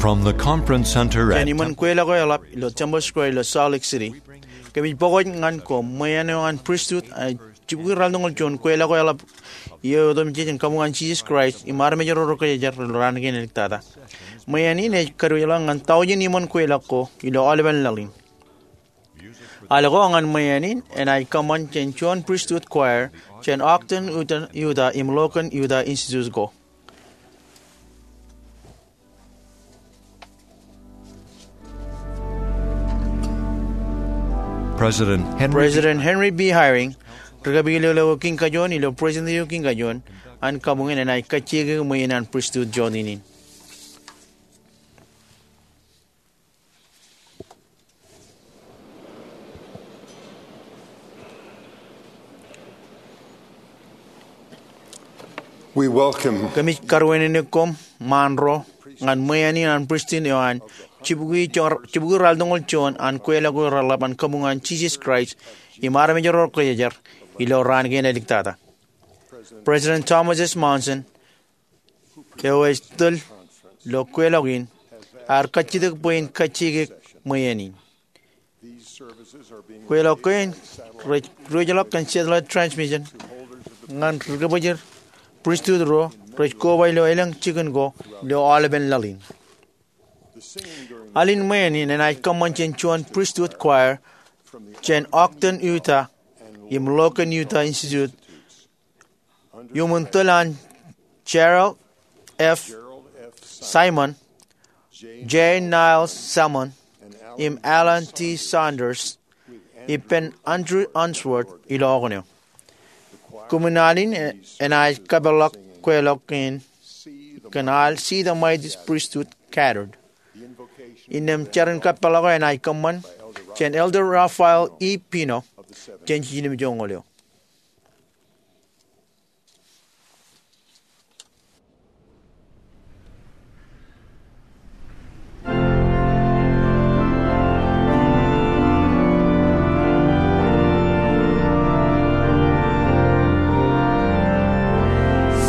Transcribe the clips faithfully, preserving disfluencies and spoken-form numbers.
From the conference center at Jān iṃōn kweilọk eo eḷap ilo Temple Square ilo Salt Lake City, kōmij pokot ñan koṃ ṃweien eo an pristut, ej jibukwi raltoñoul juon kweilọk eo eḷap eo otemjej an Kabuñ an Jisōs Kraist im armej ro rej kōjeañ ilo raan kein āliktata. Ṃweien in ej kadiwōjḷọk ñan taujin iṃōn kweilọk ko ilo aolepen laḷ in. Al ko ñan ṃweien in enaaj kōṃṃan jān juon pristut choir jān Ogden, Utah, Utah im Logan, Utah Institute ko. President Henry B. President Henry B. Eyring, ri-kōpij ḷeo eo kiin kajuon ilo Presidency eo kiin kajuon an kabuñ in, enaaj kajjioñ ṃweien an pristut jota in. We welcome Kōmij karuwainene koṃ ṃaan ro ñan ṃweien in an pristut eo an jibukwi jor-, jibukwi raltoñoul juon an kweilọk eo reḷap an Kabuñ an Jisōs Kraist im armej ro rej kōjeañ ilo raan kein āliktata. President Thomas S. Monson, eo ej tōl ilo kweilọk in, ear kajjitōk bwe in kajjioñ ṃweien in. Kweilọk kein rej diwōjḷọk kōn satellite transmission ñan ri-kōbōjin pristut ro rej koba ilo elōñ jikin ko ilo aolepen laḷ in. Al in ṃweien in enaaj kōṃṃan jān juon pristut choir jān Ogden, Utah im Logan, Utah Institute, iuṃwin tōl an Gerald F. Simon, J. Niles Salmon, im Alan T. Saunders, ippān Andrew Unsworth ilo okōn eo. Koṃwin al in enaaj kapeḷḷọk kweilọk kein kōn al See the Mighty Priesthood Gathered. Innām jarin kapeḷḷọk eo enaaj kōṃṃan jān Elder Raphael E. Pino jān jiljilimjuonñoul eo.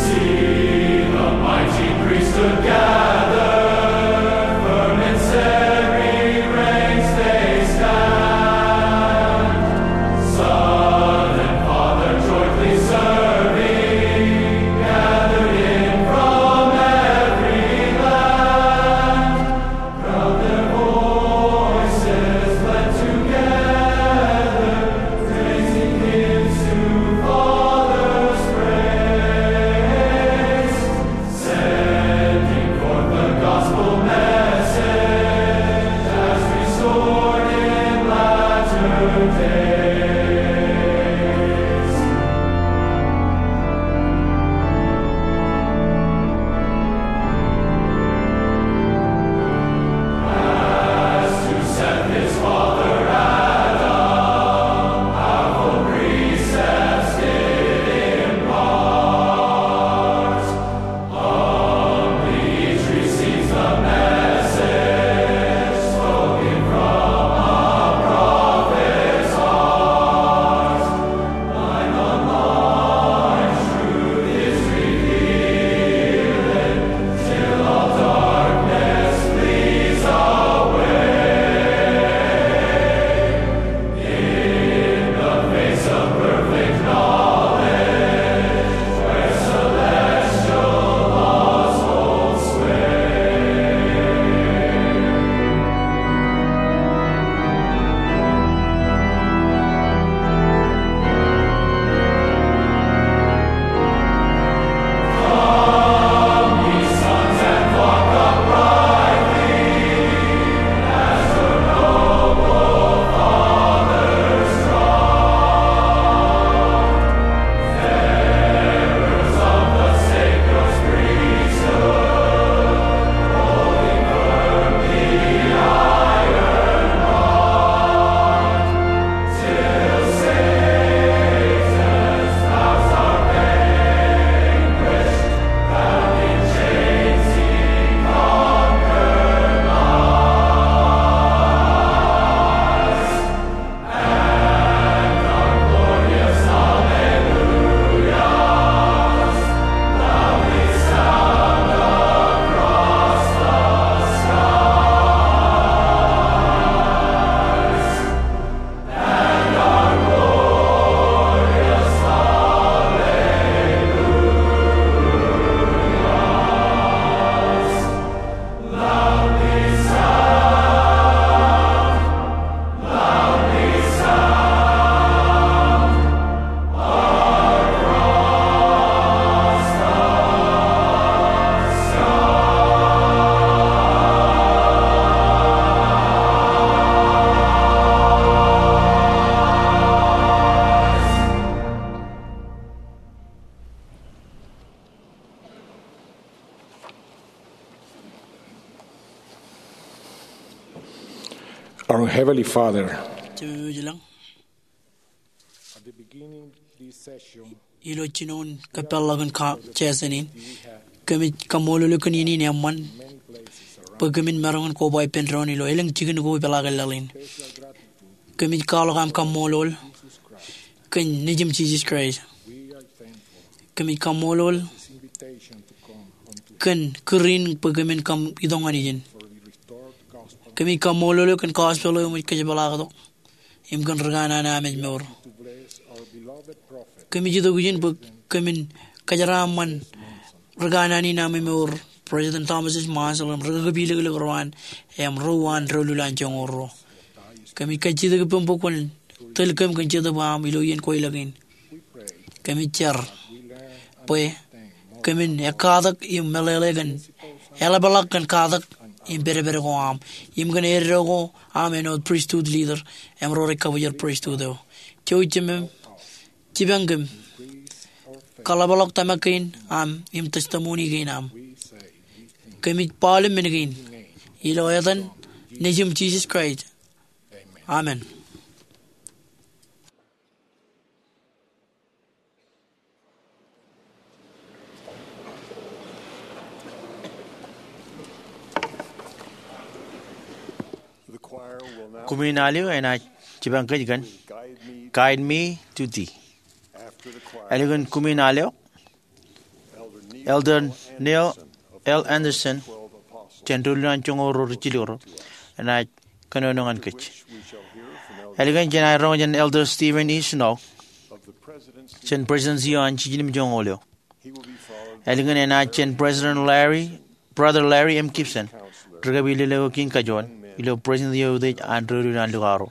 See the mighty priesthood gather, firm in serried ranks they stand. Son and Our Heavenly Father, Jemem eo ilañ, at the beginning of this session, ilo jinoin kōpeḷḷọk in ka-, session in, kōmij kaṃṃoolol eok kōn iien in eṃṃan bwe kōmin maroñ in koba ippān doon ilo elōñ jikin ko ipeḷaakin laḷ in. Kōmij kwaḷọk aṃ kaṃṃoolol kōn Nejūṃ Jisōs Kraist. Kōmij kaṃṃoolol kōn kūr in bwe kōmin kaṃ itok ñan ijin. Kōmij kaṃṃoolol eok kōn gospel eo eṃōj kōjepḷaaktok im kōn rikanaan eo aṃ emour. Kōmij itok ijin bwe kōmin kōjeraaṃṃan rikanaan in aṃ emour President Thomas S. Monson im ri-kakapiliklik ro an im ro an doulul an joñoul ruo. Kōmij kajjitōk ippaṃ bwe kwōn tōl kōm kōn Jetōb eo aṃ ilo iien kweilọk in. Kōmij jar bwe kōmin ekkatak im meḷeḷe kōn eḷapḷọk kōn katak im pedped ko aṃ im kōn eddo ko aṃ āinwōt priesthood leader im ro rej kabōjrak priesthood eo. Jouj Jemem, jipañ kōm, kaḷapḷọk tōmak kein aṃ im testimony kein aṃ. Kōmij baaḷ im men kein ilo etan Nejūṃ Jisōs Kraist. Amen. Kumin al eo enaaj jipañ kōj kōn Guide Me to Thee. Ālikin kumin al eo, Elder Neil L. Andersen, jān doulul an joñoul ruo rijjilōk ro, enaaj kōnono ñan kōj. Ālikin jenaaj roñ jān Elder Steven E. Snow, jān President eo an Jiljilimjuonñoul eo. Ālikin enaaj jān President Larry, Brother Larry M. Gibson, ri-kapilōklōk eo kein kajoor ilo President eo utiej an doulul an lukaro.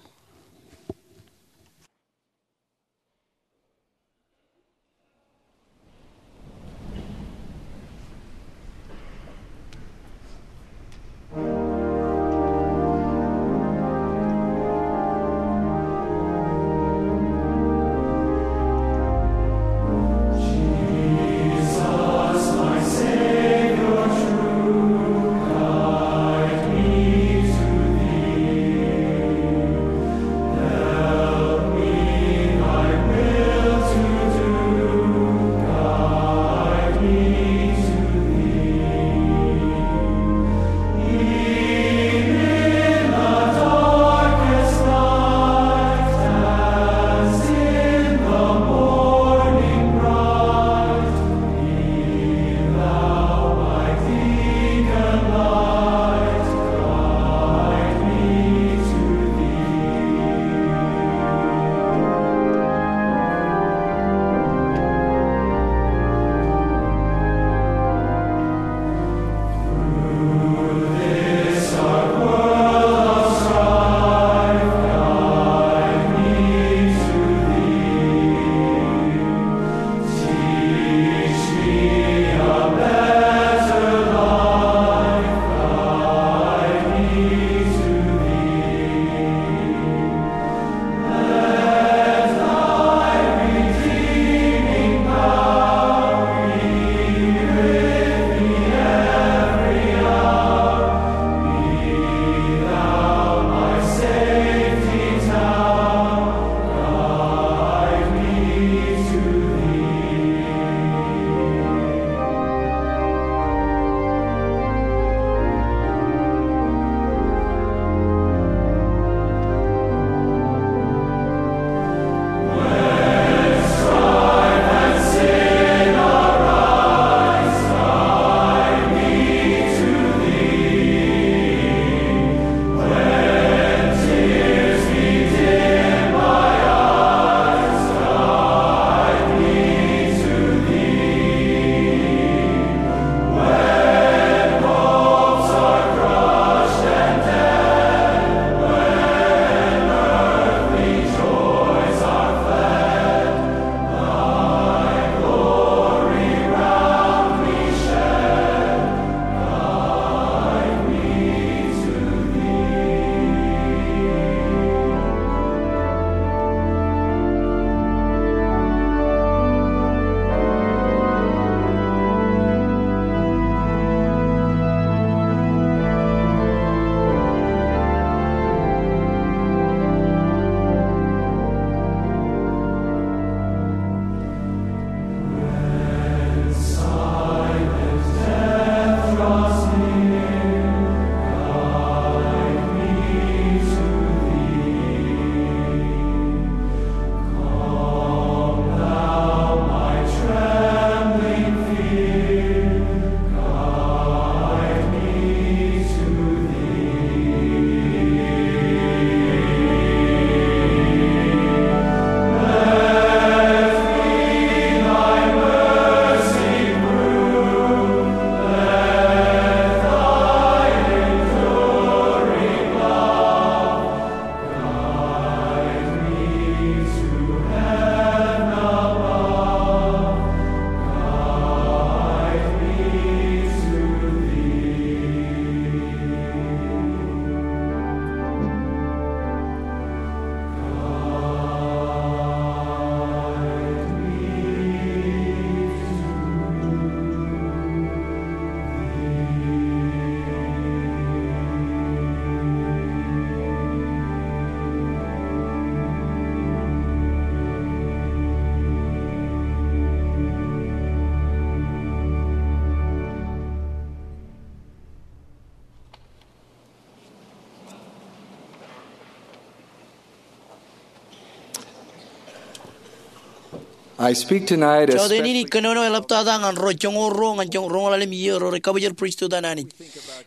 I speak tonight Jota in in ij kōnono eḷaptata ñan ro joñoul ruo ñan joñoul roñoul ḷalem iiō ro rej kabōjrak pristut an Anij.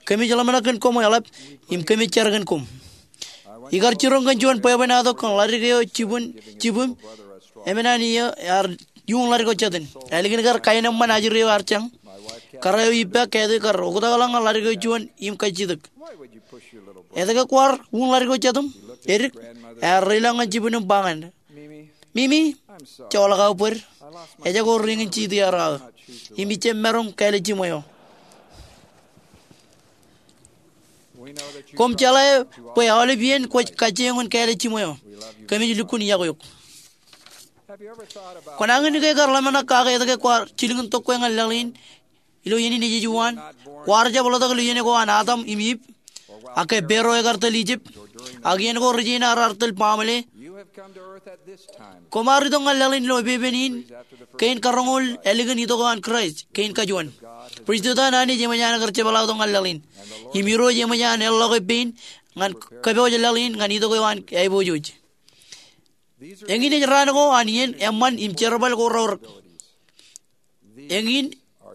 Kōmij ḷōmṇak kōn koṃ eḷap im kōmij jar kōn koṃ. Ikar jiroñ kōn juon bwebwenato kōn ḷadik eo jibwin, jibwin, emān an iiō ear iuṃ ḷadik eo jetin. Ālikin kar kaenōṃṃan ajri eo ear jañ. Kōrā eo ippa Kathy kar oktakḷọk ñan ḷadik eo juon im kajjitōk. Etke kwaar iuṃ ḷadik eo jetaṃ? Edik, ear reilañ ñan jibwin im ba ñan Mimi, joḷọk aō bōd. Ejako ring in jitō iaer aō. Im ij jab maroñ kāālōt jiṃwe eo. Koṃ jeḷā bwe aolep iien kwōj kajjioñ in kāālōt jiṃwe eo. Kōmij lukkuun iọkwe eok. Kwōnañin ke kar ḷōmṇak kake etke kwaar jilkintok kwe ñan laḷ in ilo iien in ej ejwaan? Kwaar jab ḷotak ilo iien ko an Adam im Iv, ak ke Paro ekar tōl Ijipt, ak iien ko ri-Jain raar tōl Bamle? Koṃ ar itok ñan laḷ in ilo epepen in kein karoñoul ālikin itok eo an Kraist kein kajuon. Pristut an Anij eṃōj an kar jepḷaaktok ñan laḷ in, im Irooj eṃōj an eḷḷọke pein ñan kōpooj laḷ in ñan itok eo an aiboojoj. Eñin ej raan ko an iien, eṃṃan im jerbal ko raorōk. Eñin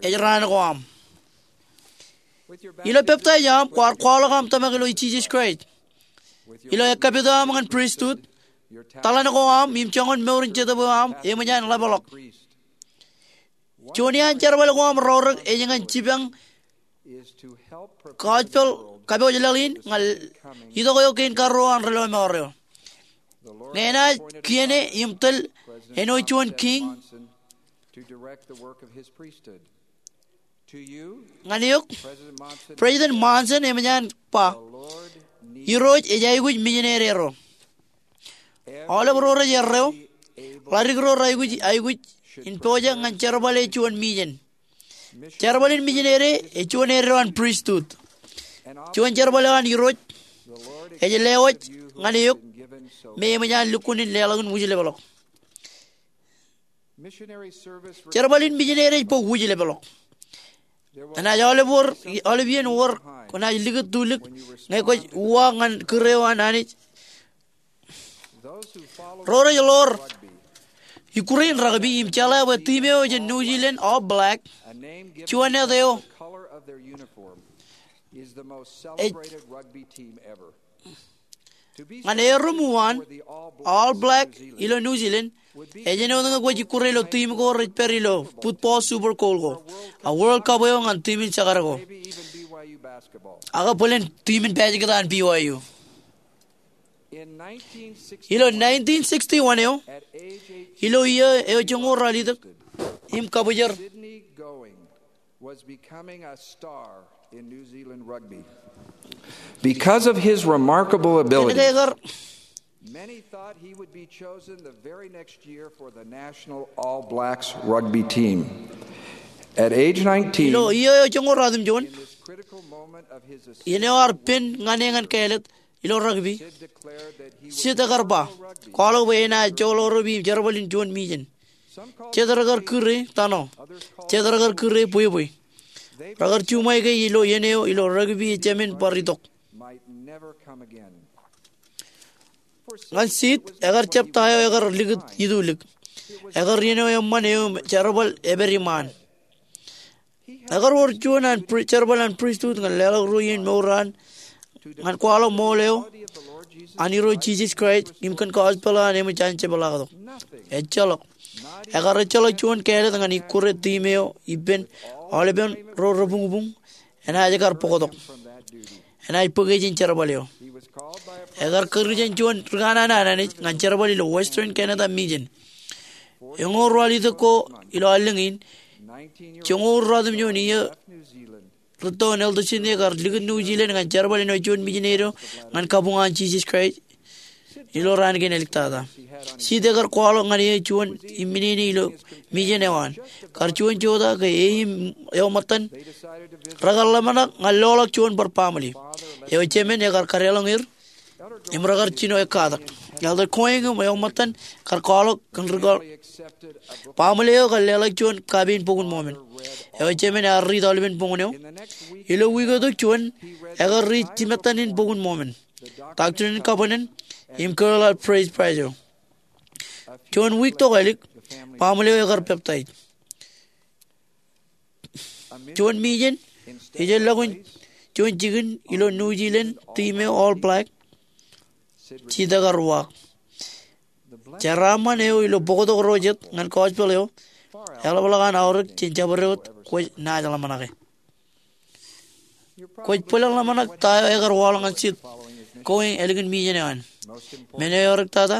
ej raan ko aṃ. Ilo peptaij eo aṃ kwaar kwaḷọk aṃ tōmak ilo Jisōs Kraist. Ilo ekkapit eo aṃ ñan pristut, taḷan ko aṃ im joñan mour in jetōb eo aṃ eṃōj an ḷapḷọk. Juon iaan jerbal ko aṃ raorōk ej ñan jipañ gospel, kapooj laḷ in ñan itok eo kein karuo an ri-lọmọọr eo. Ñe enaaj kiiō im tōl āinwōt juon kiiñ ñan eok, President Monson eṃōj an ba, Irooj ej aikuj mijinede ro. Aolep ro rej erreo, ḷadik ro reaikuj aikuj in pojak ñan jerbal eo juon mijen. Jerbal in mijinede ej juon eddo an pristut. Juon jerbal eo an Irooj ej lewōj ñan eok me eṃōj an lukkuun in leḷọk in wūjlepḷọk. Jerbal in mijinede ej bōk wūjlepḷọk. Enaaj aolep wōr, aolep iien wōr kwōnaaj likūttulik ñe kwōj uwaak ñan kūr eo an Anij. Ro rej ḷoor ikkure in rugby im jeḷā bwe tiim eo jān New Zealand All Black, juon āt eo ej ñan erom uwaan All Black ilo New Zealand, ej āinwōt ñe kwōj ikkure ilo tiim ko rej pād ilo football Super Bowl ko, a World Cup eo ñan tiim in jekdọọn ko, ak bōlen tiim in pāsiketball an B Y U. Ilo nineteen sixty-one eo, ilo iiō eo joñoul ralitōk im kabwijer, was becoming a star in New Zealand rugby. Because of his remarkable ability, many thought he would be chosen the very next year for the national All Blacks rugby team. At age nineteen, ilo iiō eo joñoul ratimjuon, in this critical moment of his ascent, iien eo ear pen ñan e ñan kāālōt ilo rugby, Sid ekar ba, kwaḷọk bwe enaaj joḷọk rugby im jerbal in juon mijen. Jet rekar kūr e tunnel, jet rekar kūr e bwebwe. Rekar juṃae ke ilo iien eo ilo rugby ej jemān bar itok. Ñan Sid, ekar jab ta eo ekar likūt itulik. Ekar iien eo eṃṃan eo im jerbal epād iṃaan. Ekar wōr juon an pri-, jerbal an pristut ñan leḷọk ruo iien mour an ñan kwaḷọk ṃool eo an Irooj Jisōs Kraist im kōn gospel eo an eṃōj an jepḷaaktok. Ejjeḷọk. Ekar ejjeḷọk juon kāālōt ñan ikkure tiim eo ippān aolepen ro rebuñbuñ enaaj kar bōktok. Enaaj bōk e jān jerbal eo. Ekar kūr jān juon ri kanaan an Anij ñan jerbal ilo Western Canada Mijen. Eñoul ruwalitōk ko ilo allōñ in, joñoul ruwatimjuon iiō rūtto in Elder Sidney ekar likūt New Zealand ñan jerbal āinwōt juon mijinede ñan kabuñ an Jisōs Kraist ilo raan kein āliktata. Sid ekar kwaḷọk ñan e juon imminene ilo mijen eo an. Kar juon jota ke e im eo ṃōttan rekar ḷōmṇak ñan loḷọk juon bar baaṃle. Eo jemān ekar kadeḷọñ er im rekar jino ekkatak. Elder Going im eo ṃōttan kar kwaḷọk kōn ri-, baaṃle eo kar leḷọk juon kapiin Bok in Mormon. Eo jemān ear riit aolepen boñōn eo. Ilo wiik eo tok juon, ekar riit jimettan in Bok in Mormon, Doctrine and Covenants, im Carol's Praise Bible. Juon wiik tokālik, baaṃle eo ekar peptaij. Juon mijen, ejjeḷọkin juon jikin ilo New Zealand, tiim eo All Black, Sid ekar uwaak. Jeraaṃṃan eo ilo bōktok ro jet ñan gospel eo eḷapḷọk an aorōk jān jabdewōt kwōj naaj ḷōmṇake. Kwōj bōlen ḷōmṇak ta eo ekar waḷọk ñan Sid Going ālikin mijen eo an. Men eo eorōk tata,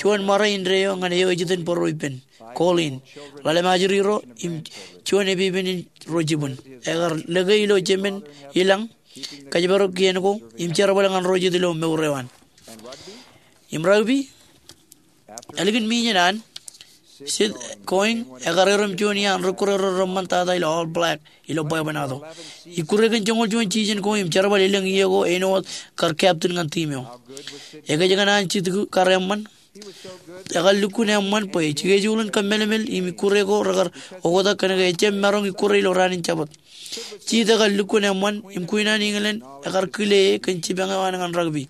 juon ṃare indeeo ñan eo ej itōn bōro ippān, Colleen, ḷalem ajri ro im juon epepen in ro jibwin. Ekar lōke ilo jemān ilañ, kōjparok kien ko im jerbal ñan ro jet ilo mour eo an. Im Rugby, ālikin mijen an, Sid Going ekar erom juon iaan ri-ikkure ro reṃṃan tata ilo All Black ilo bwebwenato. Ikkure kōn joñoul juon season ko im jerbal elōñ iiō ko āinwōt kar captain ñan tiim eo. Ekōjkan an Sid kar eṃṃan. Ekar lukkuun eṃṃan bwe schedule in kōmmeḷeḷ im ikkure ko rekar oktak kōnke ejjab maroñ ikkure ilo raan in Jabōt. Sid ekar lukkuun eṃṃan im kuinaan England ekar kile e kōn jipañ eo an ñan rugby.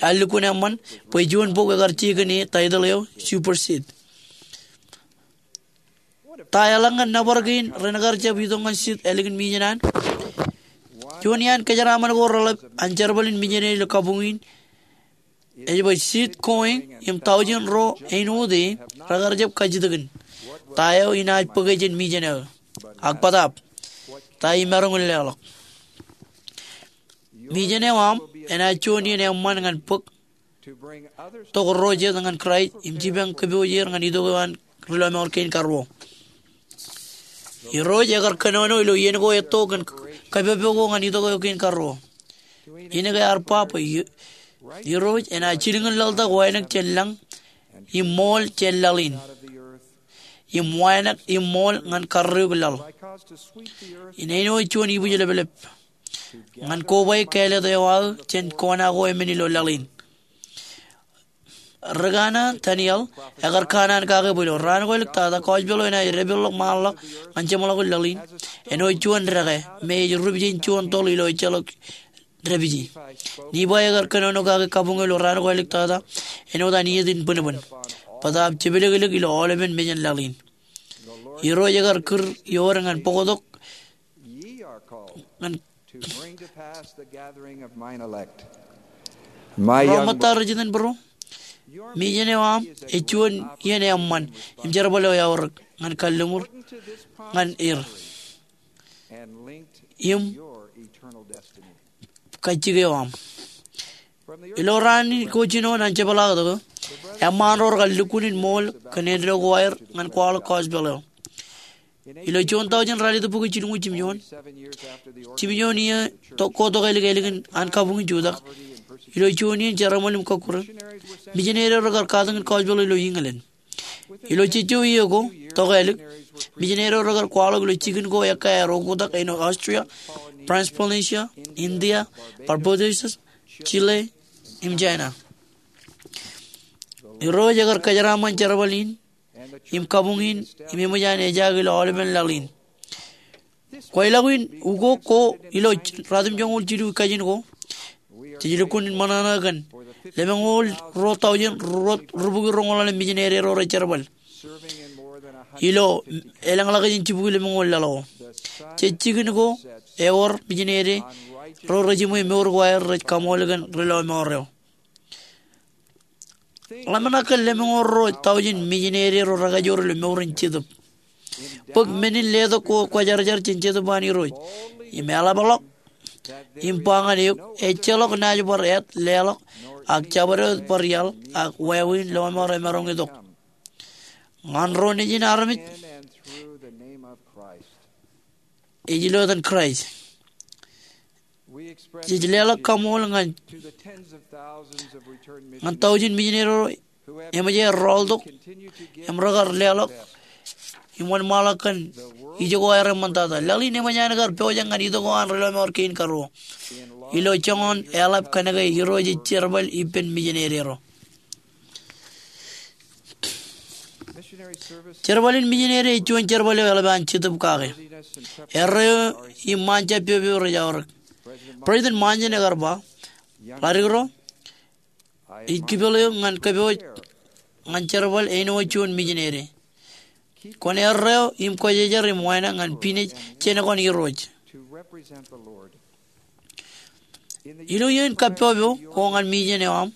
Ear lukkuun eṃṃan bwe juon bok ekar je kōn e title eo Super Sid. Ta eḷaññe nōbar kein ren kar jab itok ñan Sid ālikin mijen an? Juon iaan kōjeraaṃṃan ko reḷap an jerbal in mijeneri ilo kabuñ in ej bwe Sid Going im tọujin ro āinwōt e rekar jab kajjitōkin ta eo inaaj bōke jān mijen eo. Ak bōtaab, ta imaroñ in leḷọk? Mijen eo aṃ enaaj juon iien eṃṃan ñan bōk tok ro jet ñan Kraist im jipañ kōpooj er ñan itok eo an ri lọmọọr kein karuo. Irooj ekar kōnono ilo iien ko etto kōn kōpopo ko ñan itok eo kein karuo. Innem ear ba bwe i-, Irooj enaaj jilkinḷọk wānōk jān lañ im ṃool jān laḷ in, im wānōk im ṃool ñan karreoik laḷ, im āinwōt juon ibwijleplep, ñan kobaik kāālōt eo aō jān kona ko emān ilo laḷ in. Ri kanaan Daniel ekar kanaan kake bwe ilo raan ko āliktata, gospel eo enaaj depeḷḷọk ṃaanḷọk ñan jeṃḷọkin laḷ in āinwōt juon dekā me ej rup jān juon toḷ ilo ejjeḷọk dāpiji. Nifai ekar kōnono kake kabuñ eo ilo raan ko āliktata āinwōt an iiet in bōnbōn. Bōtaab jepelōklōk ilo aolepen mejān laḷ in. Irooj ekar kūr iood ñan bōktok ñan to bring to pass the gathering of mine elect. Ro ṃōtta rej itōn bōro, mijen eo aṃ ej juon iien eṃṃan im jerbal eo eaorōk ñan kalliṃur ñan er im kajjitōk eo aṃ. Ilo raan ko jinoin an jepḷaaktok eo, eṃṃaan ro rekar lukkuun in ṃool kōn āindein ko aer ñan kwaḷọk gospel eo. Ilo juon tọujin ralitōk bukwi jilñuul jimjuon, jimjuon iiō ko tokālik ālikin an kabuñ in jutak, ilo juon iien jeramṃan im kọkkure, mijineri eo rekar katakin gospel eo ilo England. Ilo jejjo iiō ko tokālik, mijineri eo rekar kwaḷọk ilo jikin ko ekkaer oktak āinwōt Austria, France Polynesia, India, Barbados, Chile, im China. Irooj ekar kōjeraaṃṃan jerbal in im kabuñ in im eṃōj an ejaak ilo aolepen laḷ in. Kwaḷọk in ukok ko ilo ruatimjuonñoul jilu kajin ko, jej lukkuun in ṃōṇōṇō kōn lemñoul ruo tọujin ruo rubukwi roñoul ḷalem mijineri ro rej jerbal ilo elōñḷọk jān jibukwi lemñoul laḷ ko. Jej jikin ko ewōr mijineri ro rej jiṃwe mour ko aer rej kaṃool kōn ri lọmọọr eo. Ḷōmṇak kōn lemñoul ruo tọujin mijineri ro rekajoor ilo mour in Jetōb. Bōk men in letok ko kwōjarjar jān Jetōb an Irooj im eḷapḷọk im ba ñan eok, ejjeḷọk naaj bar āt leḷọk, ak jabdewōt bar iaḷ, ak wāween lọmọọr emaroñ itok ñan ro nejin armej ej ilo etan Kraist. Jej leḷọk kaṃool ñan, ñan tọujin mijineri ro eṃōj aer rọọltok im rekar leḷọk im wōnṃaanḷọk kōn ijoko aer eṃṃantata. Laḷ in eṃōj an kar pojak ñan itok eo an ri lọmọọr kein karuo ilo joñan eḷap kōnke Irooj ej jerbal ippān mijineri ro. Jerbal in mijineri ej juon jerbal eo eḷap an Jetōb kake. Erreo im ṃaanjab pepe rej aorōk. President Monson ekar ba, ḷadik ro, ij kipel eok ñan kōpooj ñan jerbal āinwōt juon mijinede. Kwōn erreo im kwōjejer im wānōk ñan pinej jān ko an Irooj. Ilo iien kappọpọ ko ñan mijen eo aṃ,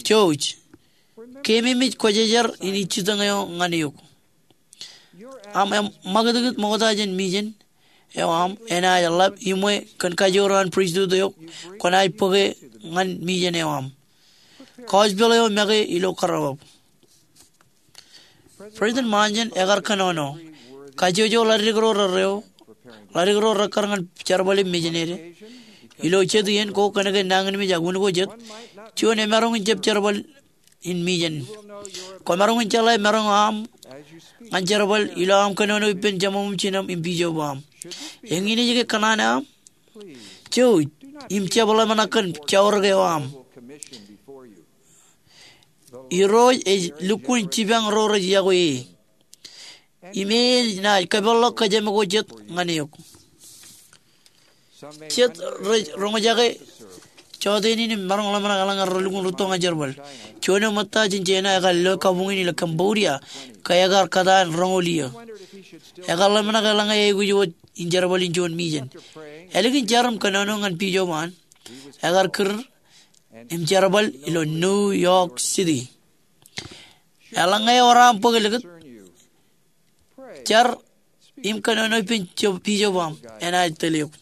jouj, keememej kwōjejer in ij jitōñ eo ñan eok. Aṃ ṃakūtkūt ṃokta jān mijen eo aṃ enaaj ḷap iṃwe kōn kajoor an pristut eo kwōnaaj bōke ñan mijen eo aṃ. Gospel eo make ilo karreoḷọk. President Monson ekar kōnono kajjojo ḷadik ro rerreo, ḷadik ro rekkar ñan jerbal im mijinede. Ilo jet iien ko kōnke nañinmej ak un ko jet, juon emaroñ in jab jerbal in mijen. Kwōmaroñ in jeḷā maroñ eo aṃ ñan jerbal ilo aṃ kōnono ippān jeṃaṃ im jinaṃ im bishop eo aṃ. Eñin ej ke kōṇaan eo aṃ? Jouj, im jab ḷōmṇak kōn jourōk eo aṃ. Irooj ej lukkuun jipañ ro rej iọkwe e. Im e enaaj kōpeḷḷọk kōjām ko jet ñan eok. Jet rej roñjake jọteen in im maroñ ḷōmṇak eḷaññe relukkuun rūtto ñan jerbal. Juon eo ṃōtta jān China ekar lo kabuñ in ilo Cambodia, ke ekar kōtaan roñoul iiō. Ekar ḷōmṇak eḷaññe eaikuj wōt in jerbal in juon mijen. Ālikin jar im kōnono ñan bishop eo an, ekar kūr im jerbal ilo New York City. Eḷaññe ewōr aṃ bōk likūt, jar im kōnono ippān bishop eo aṃ, enaaj tōl eok.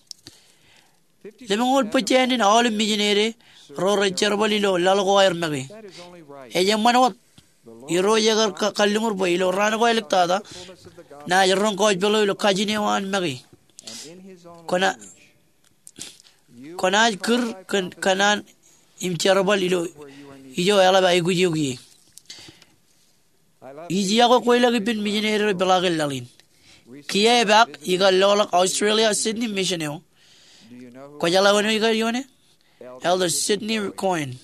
Lemñoul bōjjāān in aolep mijinede ro rej jerbal ilo laḷ ko aer make. Ej eṃṃan wōt. Irooj ekar kalliñur bwe ilo raan ko āliktata, naaj roñ gospel eo ilo kajin eo an make. Kwōnaaj kūr kōn kōṇaan im jerbal ilo ijo eḷap aikuj eok ie. Ij iọkwe kweilọk ippān mijinede ro peḷaakin laḷ in. Kiiō epaak ikar loḷọk Australia Sydney Mission eo. Kwōjeḷā wōn eo ikar ioone? Elder Sidney Coyne,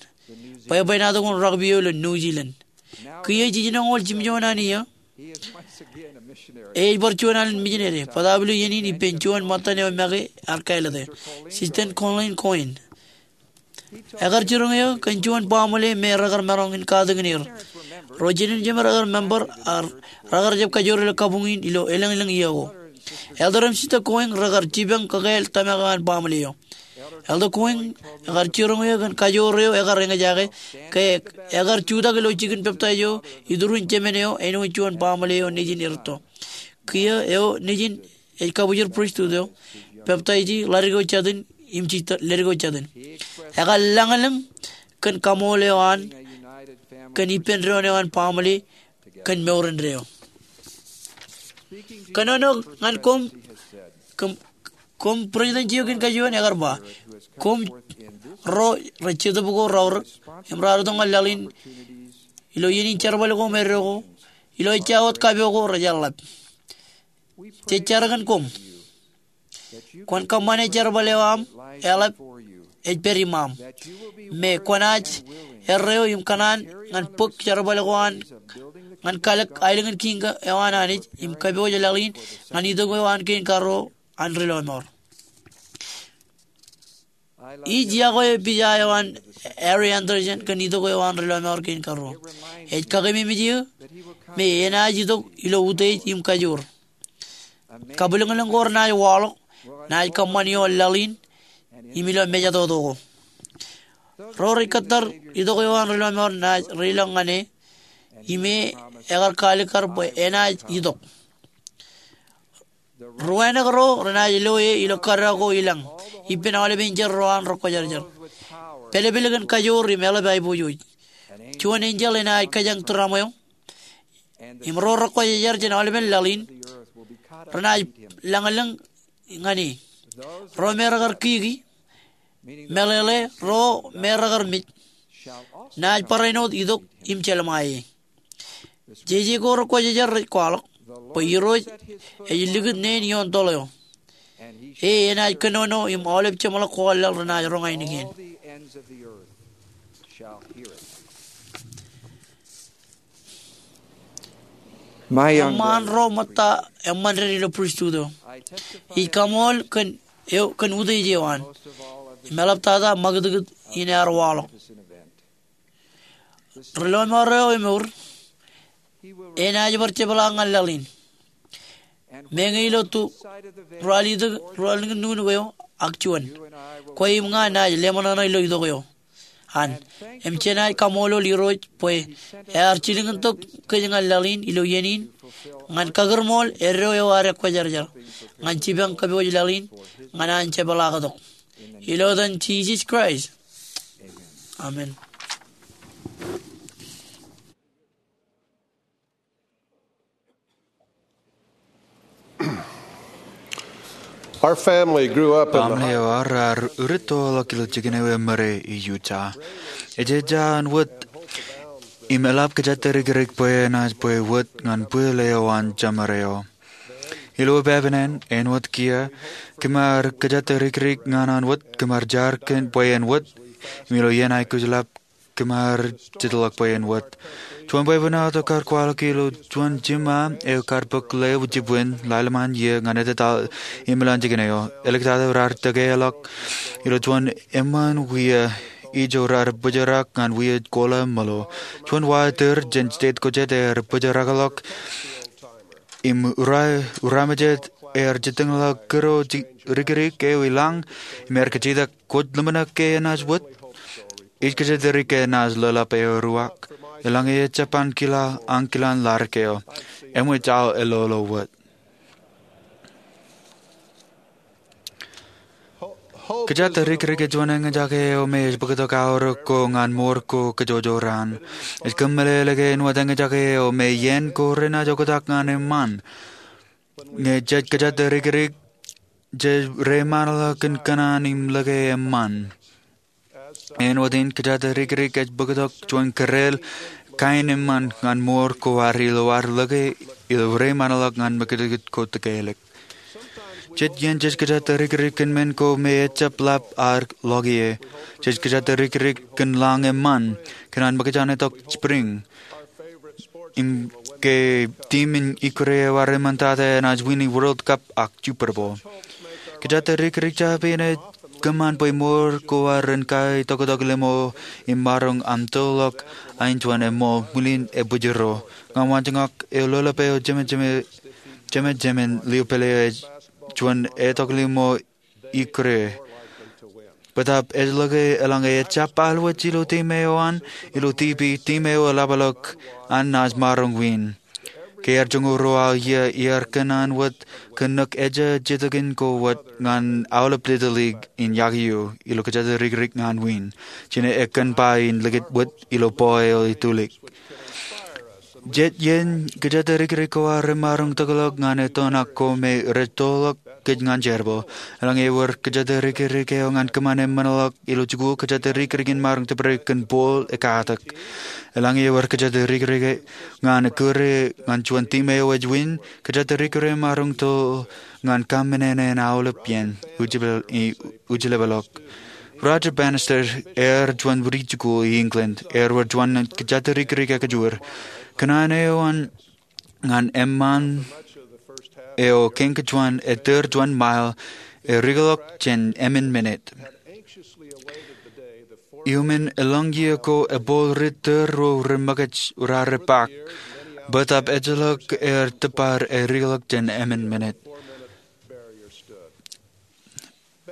bwebwenato ko an rugby eo ilo New Zealand. Kiiō jijinoñoul jimjuon an iiō, e ej bar juon alen mijinede, bōtaab ilo iien in ippān juon ṃōttan eo make ear kāālōte, Sister Colleen Coyne. Ekar jiroñ eō kōn juon baaṃle me rekar maroñ in katakin er. Ro jinen jemed rekar member, ak rekar jab kajoor ilo kabuñ in ilo elōñlōñ iiō ko. Elder im Sister Coyne rekar jipañ kakāāl tōmak eo an baaṃle eo. Elder Coyne ekar jiroñ eō kōn kajoor eo ekar eñjake, ke ekar jutak ilo jikin peptaij eo iturin jemān eo āinwōt juon baaṃle eo nejin erūtto. Kiiō eo nejin ej kabwijin pristut eo, peptaiji ḷadik eo jatūn im jitōñ ḷadik eo jatūn. Ekar lañlōñ kōn kaṃool eo an kōn ippān doon eo an baaṃle kōn mour indeeo. Kōnono ñan koṃ, koṃ, koṃ president eo kein kajuon, ekar ba, koṃ ro rej jetōb ko raorōk im raar itok ñan laḷ in ilo iien in jerbal ko me eddo ko, ilo ejja wōt kapo ko rejaḷ ḷap. Jej jar kōn koṃ. Kwōn kōṃṃane jerbal eo aṃ eḷap ej pād iṃaaṃ. Me kwōnaaj erreo im kōṇaan ñan bōk jerbal ko an ñan kalōk aelōñ in kiiñ eo an Anij im kapooje laḷ in ñan itok eo an kein karuo an ri lọmọọr. Ij iọkwe pija eo an Harry Anderson kōn itok eo an ri lọmọọr kein karuo. Ej kakememej eō me enaaj itok ilo utiej im kajoor. Kabwilōñlōñ ko renaaj waḷọk, naaj kōṃṃan ioon laḷ in im ilo mejatoto ko. Ro rej kōttar itok eo an ri lọmọọr naaj reiḷọk ñan e, im e ekar kaalikkar bwe enaaj itok. Ruwānōk ro renaaj lo e ilo kōdọ ko ilañ ippān aolepen enjeḷ ro an rekwōjarjar. Pālpel kōn kajoor im eḷap aiboojoj. Juon enjeḷ enaaj kōjañ tūramweo. Im ro rekwōjarjar jān aolepen laḷ in renaaj lañlōñ ñan e. Ro me rekar kiki, meḷeḷe ro me rekar mej, naaj barāinwōt itok im jelṃae e. Jeje ko rekwōjarjar rej kwaḷọk bwe Irooj ej likūt neen ioon toḷ eo. E enaaj kōnono im aolep jeṃḷọk kwaḷ laḷ renaaj roñ ainikien. Eṃṃaan ro ṃōtta eṃṃan ded ilo pristut eo. Ij kaṃool kōn eo, kōn utiej eo an im eḷaptata ṃakūtkūt in ear waḷọk. Ri lọmọọr eo emour enaaj bar jepḷaak ñan laḷ in. Meñe ilo tu, ruwalitōk, ruwalitōk nuknuk eo ak juon. Kwe im ña naaj leṃōṇōṇō ilo itok eo an. Im jenaaj kaṃṃoolol Irooj bwe ear jilkintok kōj ñan laḷ in ilo iien in ñan kakūrmool eddo eo ear ekwōjarjar ñan jipañ kōpooj laḷ in ñan an jepḷaaktok. Ilo etan Jisōs Kraist, amen. Our family grew up in the Baaṃle eo aō ear uritoḷọk ilo jikin eo emōde Utah. Ejja an wōt im eḷap kōjatdikdik bwe enaaj bwe wōt ñan bwil eo an jemed eo. Ilo epāpānen āinwōt kiiō, kōm ar kōjatdikdik ñan an wōt, kōm ar jar kōn bwe en wōt, im ilo iien aikuj ḷap kōm ar jitḷọk bwe en wōt. Juon bwebwenato kar kwaḷọk ilo juon jiṃa eo kar bōk ḷeo jibwin ḷalem an iiō ñan ettā im ilowaan jikin eo. Āliktata raar tōkeḷọk ilo juon eṃṃan wia ijo raar bōjrak ñan wia kola ṃōḷo. Juon wa ettōr jān state ko jet ear bōjrakḷọk im ura, ura mejet ear jitōñḷọk kūr eo dikdik eo i lañ im ear kajjitōk, "Kwōj ḷōmṇak ke enaaj wōt?" Ij kōjatdikdik ke enaaj lōḷap eo ruwak. Eḷaññe ejjab ankilaañ, ankilaañ ḷadik eo, eṃōj aō elolo wōt. Kōjatdikdik ej juon eñjake eo me ej bōktok aorōk ko ñan mour ko kōjojoraan. Ej kōmeḷeḷe ke āinwōt eñjake eo me iien ko renaaj oktak ñan eṃṃan. Ñe jej kōjatdikdik, jej reiṃaanḷọk kōn kōṇaan im lōke eṃṃan. Āinwōt in, kōjatdikdik ej bōktok juon kōreel kain eṃṃan ñan mour ko ad ilo ad lōke ilo reiṃaanḷọk ñan mejānkūt ko tōkelik. Jet iien jej kōjatdikdik kōn men ko me ejjab ḷap ad ḷọk ie. Jej kōjatdikdik kōn lañ eṃṃan, kōn an mokjān itok spring, im ke team in ikkure eo ad eṃṃantata enaaj wini World Cup ak Super Bowl. Kōjatdikdik jab in ej kōṃṃan bwe mour ko ad ren kaitoktok limo im maroñ amtoḷọk ain juon eṃṃool ṃwiin ebwijro. Ña waanjoñak eo lōḷap eo jemejeme, jemejemān liupele eo ej juon etok limo ikkure. Bōtab ej lōke eḷaññe ejjab alwōj ilo team eo an, ilo team B, team eo eḷapḷọk an naaj maroñ win. Ke ear joñoul ruo aō iiō, iar kōn an wōt kōnono ejja jetōkin ko wōt ñan aolep Little League in yokwe ilo kōjatdikdik ñan win. Jine ekkā ba in likūt wōt ilo ball eo itulik. Jet iien kōjatdikdik ko ad remaroñ tōkḷọk ñan etoṇak ko me rej toḷọk kōj ñan jerbal. Eḷaññe ewōr kōjatdikdik eo ñan kōṃṃan eṃṃanḷọk ilo jikuuḷ, kōjatdikdik in maroñ tōpare kōn ball ekatak. Eḷaññe ewōr kōjatdikdik ñan ekkure ñan juon team eo ej win, kōjatdikdik eo emaroñ toḷ ñan kaṃṃanene in aolep iien ujlepḷọk. Roger Bannister ear juon ri-jikuuḷ i England, ear wōr juon kōjatdikdik ekajoor. Kōṇaan eo an ñan eṃṃan eo kein kōn juon ettōr juon mile, erikḷọk jān emān minit. Iuṃwin eḷaññe ko ebooḷ ri-ettōr ro remokaj urare bōk, bōtab ejjeḷọk aer tōpar erikḷọk jān emān minit.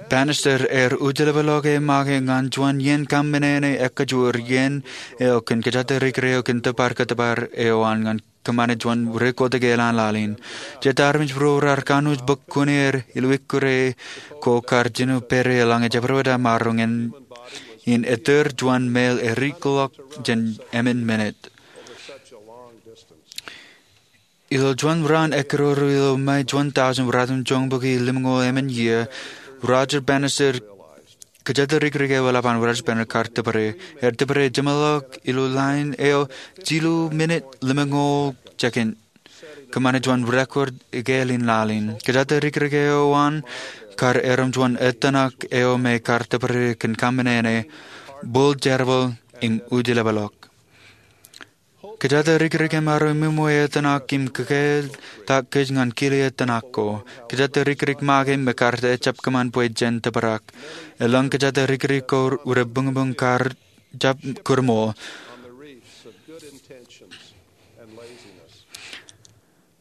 Bannister ear ujlepḷọk e make ñan juon iien kaṃṃanene ekajoor iien eo kōn kōjatdikdik eo kōn tōpar kōtōpar eo an ñan kōṃṃane juon ri-kotōk eḷaññe laḷ in. Jet armej ro raar kanooj bōk kuṇeer ilo ikkure ko kar jino pere eḷaññe jabdewōt aṃ maroñ in ettōr juon mile erikḷọk jān emān minit. Ilo juon raan ekkeroru ilo May juon thousand, ratimjuonbukwi limñoul emān iiō, Roger Bannister, kōjatdikdik eo eḷap an Roger Bannister kar tōpare. Ear tōpare jeṃḷọk ilo lain eo jilu minit limñoul jekin, kōṃṃane juon record ikāāl in laḷ in. Kōjatdikdik eo an kar erom juon etaṇak eo me kar tōpare kōn kaṃṃanene, bōl jerbal im ujlepḷọk. Kōjatdikdik emaroñ ṃwiṃwi etaṇak im kōkāāl ta kōj ñan kile etaṇak ko. Kōjatdikdik make me kar ejjab kōṃṃan bwe jen tōprak. Eḷaññe kōjatdikdik ko rebuñbuñ kar jab kūrṃool.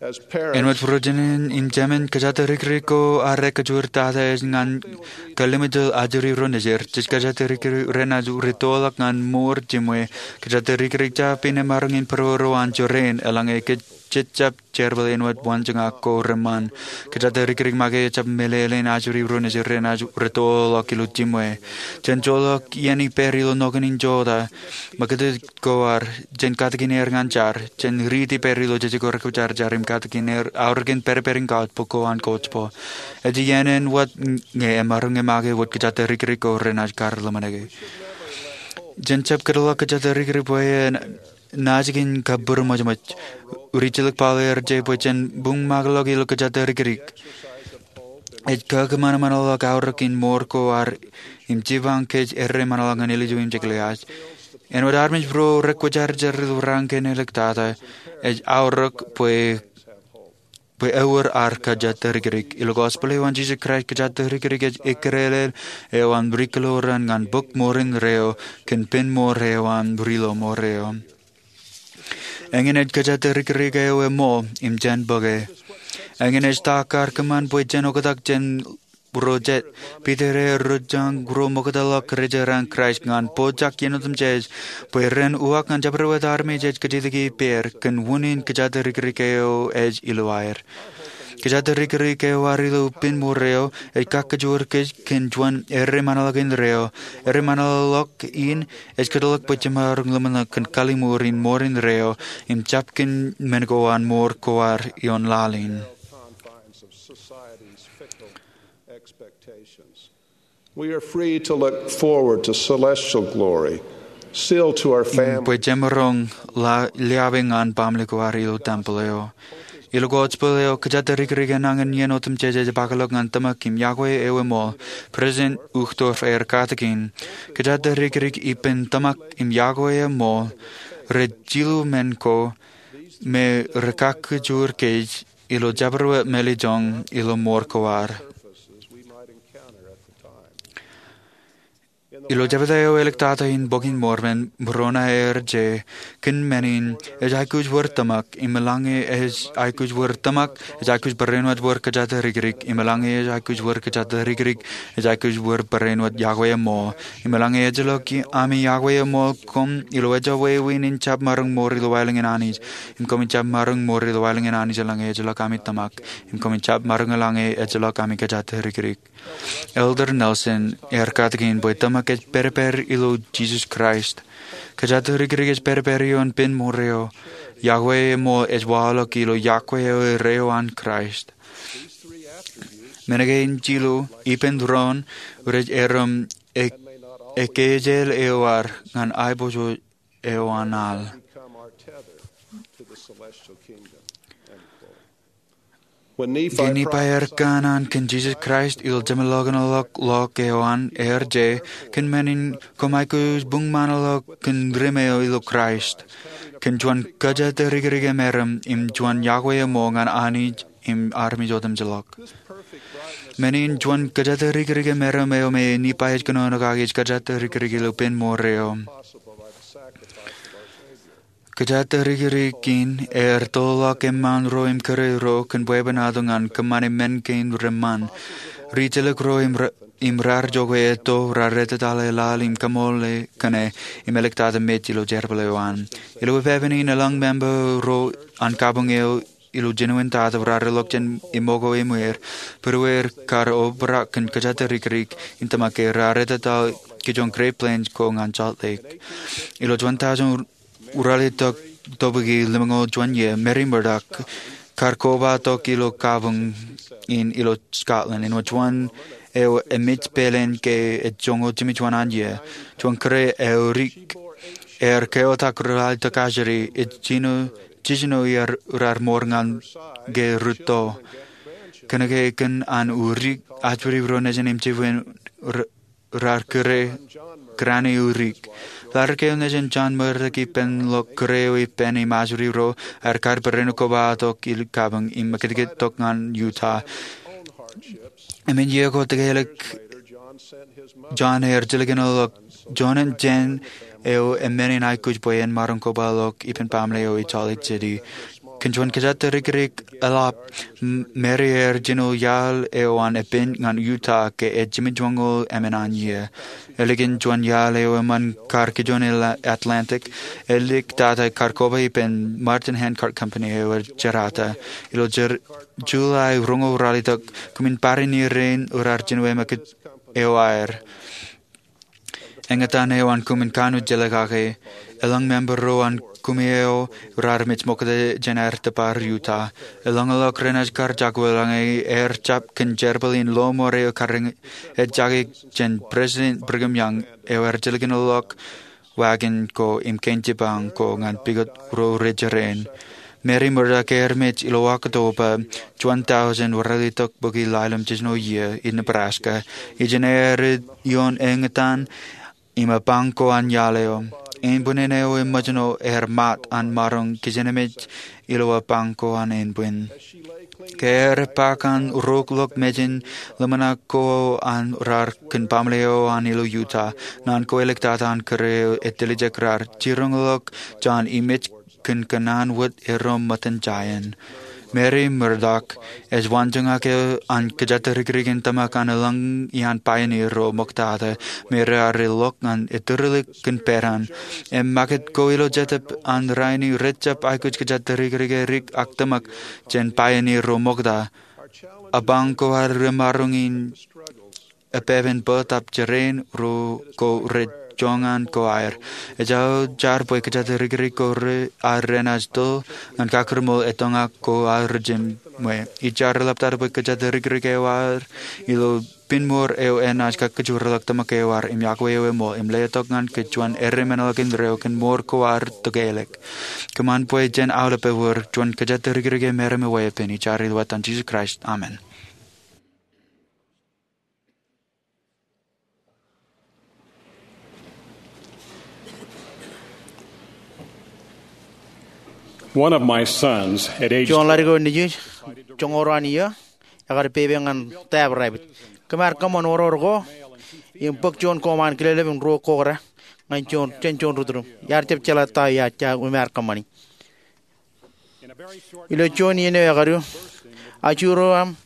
Āinwōt būrojeṇān im jemān, kōjatdikdik ko ad kōjatdikdik tata ej ñan kallimjel ajri ro nejid. Jej kōjatdikdik renaaj rūttoḷọk ñan mour jiṃwe. Kōjatdikdik jab in emaroñ in būruo ro an jorrāān, eḷaññe jej jab jerbal āinwōt waanjoñak ko reṃṃan. Kōjatdikdik make ejjab meḷeḷein ajri ro nejid renaaj rūttoḷọk ilo jiṃwe. Jen joḷọk iien ippāer ilo ṇokin in jota. Ṃakūtkūt ko ad, jen katakin er ñan jar. Jen riiti ippāer ilo jejek ko rekwōjarjar im katakin er aorōkin pedped in kautiej bok ko an gospel. Ej iien āinwōt ñe emaroñ make wōt kōjatdikdik ko renaaj kar ḷōmṇak. Jen jab kōtḷọk kōjatdikdik bwe en naajdik in kabbūroṃōjṃōj. Rijilōk Paul ear je bwe jen buñmakeḷọk ilo kōjatdikdik. Ej kakōṃanṃanḷọk aorōk in mour ko ad im jipañ kōj erremanḷọk ñan āliju im jekḷaj. Āinwōt armej ro rekwōjarjar ilo raan kein āliktata, ej aorōk bwe bwe ewōr ad kōjatdikdik. Ilo gospel eo an Jisōs Kraist, kōjatdikdik ej ikkilel eo an ri-kōḷaran ñan bōk mour indeeo kōn pen mour eo an ri-loṃour eo. Eñin ej kōjatdikdik eo eṃool im jān bōke. Eñin ej ta kar kōṃṃan bwe jen oktak jān ro jet. Piter ear rūttoḷọk ro ṃoktaḷọk ri-jeran Kraist ñan pojak iien otemjej bwe ren uwaak ñan jabdewōt armej ej kajjitōk ippāer kōn unin kōjatdikdik eo ej ilo aer. Kōjatdikdik eo ad ilo pen mour eo ej kakajoor kōj kōn juon erremanḷọk indeeo, erremanḷọk in ej kōtḷọk bwe jemaroñ ḷōmṇak kōn kalliṃur in mour indeeo im jab kōn men ko an mour ko ad ioon laḷ in. We are free to look forward to celestial glory, sealed to our families. Im bwe jemaroñ lōḷḷap ñan baaṃle ko ad ilo tempel eo. Ilo gospel eo, kōjatdikdik enañin iien otemjej ej pakḷọk ñan tōmak im yokwe eo eṃool. President Uchtdorf ear katakin, kōjatdikdik ippān tōmak im yokwe eṃool, rej jilu men ko me rekakajoor kōj ilo jabdewōt mālejjoñ ilo mour ko ad. Ilo jebta eo āliktata in Bok in Mormon, Moroni ear je, kōn men in, ej aikuj wōr tōmak, im eḷaññe ej aikuj wōr tōmak, ej aikuj barāinwōt wōr kōjatdikdik, im eḷaññe ej aikuj wōr kōjatdikdik, ej aikuj wōr barāinwōt yokwe eṃool, im eḷaññe ejjeḷọk ami yokwe eṃool koṃ ilo ejjeḷọk wāween in jab maroñ mour ilo waelōñ in Anij, im koṃij jab maroñ mour ilo waelōñ in Anij eḷaññe ejjeḷọk ami tōmak, im koṃij jab maroñ eḷaññe ejjeḷọk ami kōjatdikdik. Elder Nelson ear katakin bwe tōmak ej pedped ilo Jisōs Kraist. Kōjatdikdik ej pedped ioon pen mour eo. Yokwe eṃool ej waḷọk ilo yokwe eo erreo an Kraist. Men kein jilu, ippān doon, rej erom ek-, ekkejel eo ad ñan aiboojoj eo an al. Ke Nipai ear kōṇaan kōn Jisōs Kraist ilo jeṃḷọkinḷọk ḷọk eo an, ear je, kōn men in koṃ aikuj buñmaanḷọk kōn ri-meḷeḷe ilo Kraist, kōn juon kōjatdikdik emeram im juon yokwe eṃool ñan Anij im armej otemjeḷọk. Men in juon kōjatdikdik emeram eo me Nipai ej kōnono kaki ej kōjatdikdik ilo pen mour eo. Kōjatdikdik in ear toḷọk eṃṃaan ro im kūr ro kōn bwebwenato ñan kōṃṃane men kein reṃṃan. Rijjelōk ro im ra-, im raar jokwe etto, raar ettetaḷe laḷ im kaṃoole kōṇe, im āliktata mej ilo jerbal eo an. Ilo epepen in eḷaññe member ro an kabuñ eo ilo jinoin tata raar ilọk jān iṃōk eo eṃweer, būrueir kar obrak kōn kōjatdikdik in tōmak ke raar ettetaḷe kōj ioon Great Plains ko ñan Salt Lake. Ilo juon taujin ralitōk topiki limñoul juon iiō, Mary Murdoch kar kobatok ilo kabuñ in ilo Scotland, āinwōt juon eo emej peleen ke ej joñoul jimjuon an iiō. Juon kūr eo edik ear keotak ralitōk ajri, ej jino jijino iar raar mour ñan ke rūtto. Kōnke kōn an udik, ajri ro nejin im jibwin r-, raar kūr, kūrani udik. Ḷaddik eo nejin John Murdoch ippān ḷọk kūr eo ippān im ajri ro, ear kar barāinwōt kobatok ilo kabuñ im ṃakūtkūt tok ñan Utah. Emān iiō ko tōkelik John ear jilkinḷọk John im Jane eo eṃṃan in aikuj bwe en maroñ kobaḷọk ippān baaṃle eo ej Salt Lake City. Kōn juon kōjatdikdik eḷap, Mary ear jino iaḷ eo an epen ñan Utah ke ej jimjuonñoul emān an iiō. Ālikin juon iaḷ eo eṃṃan kar kijoon Atlantic, eliktata kar koba ippān Martin Handcart Company eo ear jerata. Ilo July roñoul ralitōk, koṃwin bar in irein raar jino emākūt eo aer. Eñtaan eo an koṃwin kanooj jelōt kake. Elōñ member ro an koṃi eo raar mej ṃokta jān aer tōpar Utah. Elōñḷọk renaaj kar jab wōt ñe aer jab kōn jerbal in lọmọọr eo kar ejjake jān President Brigham Young eo ear jilkinḷọk wagon ko im kein jipañ ko ñan pukot ro rej rein. Mary Murdock ear mej ilo Oktoba juon tọujin ralitōk bōki ḷalem jiljino iiō ilo Nebraska. Ijin ear ioon eñtaan im epañ ko an iaḷ eo. Ānbwinnin eo eṃōjṇo ear mat an maroñ kijenmej ilo epañ ko an ānbwin. Ke ear epaak an rookḷọk mejān ḷōmṇak ko an raar kōn baaṃle eo an ilo Utah, naan ko eliktata an kōrā eo etiljek raar jiroñḷọk jān im ej kōn kōṇaan wōt erom ṃōttan jāān. Mary Murdock ej waanjoñak eo an kōjatdikdik in tōmak an elōñ iaan pioneer ro ṃoktata me raar ḷọk ñan ettōrilik kōn peran. Im ṃakūt ko ilo jetōb an rainin rejjab aikuj kōjatdikdik edik ak tōmak jān pioneer ro ṃokta. Epañ ko ad remaroñ in epepen bōtab jerāān ro ko rej joñan ko aer. Ejako jar bwe kōjatdikdik ko ad renaaj to ñan kakūrmool etoñak ko ad rej jiṃwe. Ij jar eḷaptata bwe kōjatdikdik eo ad ilo pinmour eo enaaj kakkōjparok tōmak eo ad im yokwe eo eṃool im letok ñan kōj juon erreo men ḷọk indeeo kōn mour ko ad tokālik. Kōṃṃan bwe jen aolep ewōr juon kōjatdikdik eo meram weeppān. Ij jar ilo etan Jisōs Kraist, amen. One of my sons, at age Juon ḷaddik eo nejū, joñoul ruo an iiō, ekar pepe ñan taab rabbit. Kōm ar kōṃṃan oror ko im bōk juon koṃ an kileplep im ruo kōkda ñan juon, jān juon rūtdūm. Iar jab jeḷā ta eo iar, iar, im ar kōṃṃani. Ilo juon iien eo ekadu, ajuro eo aṃ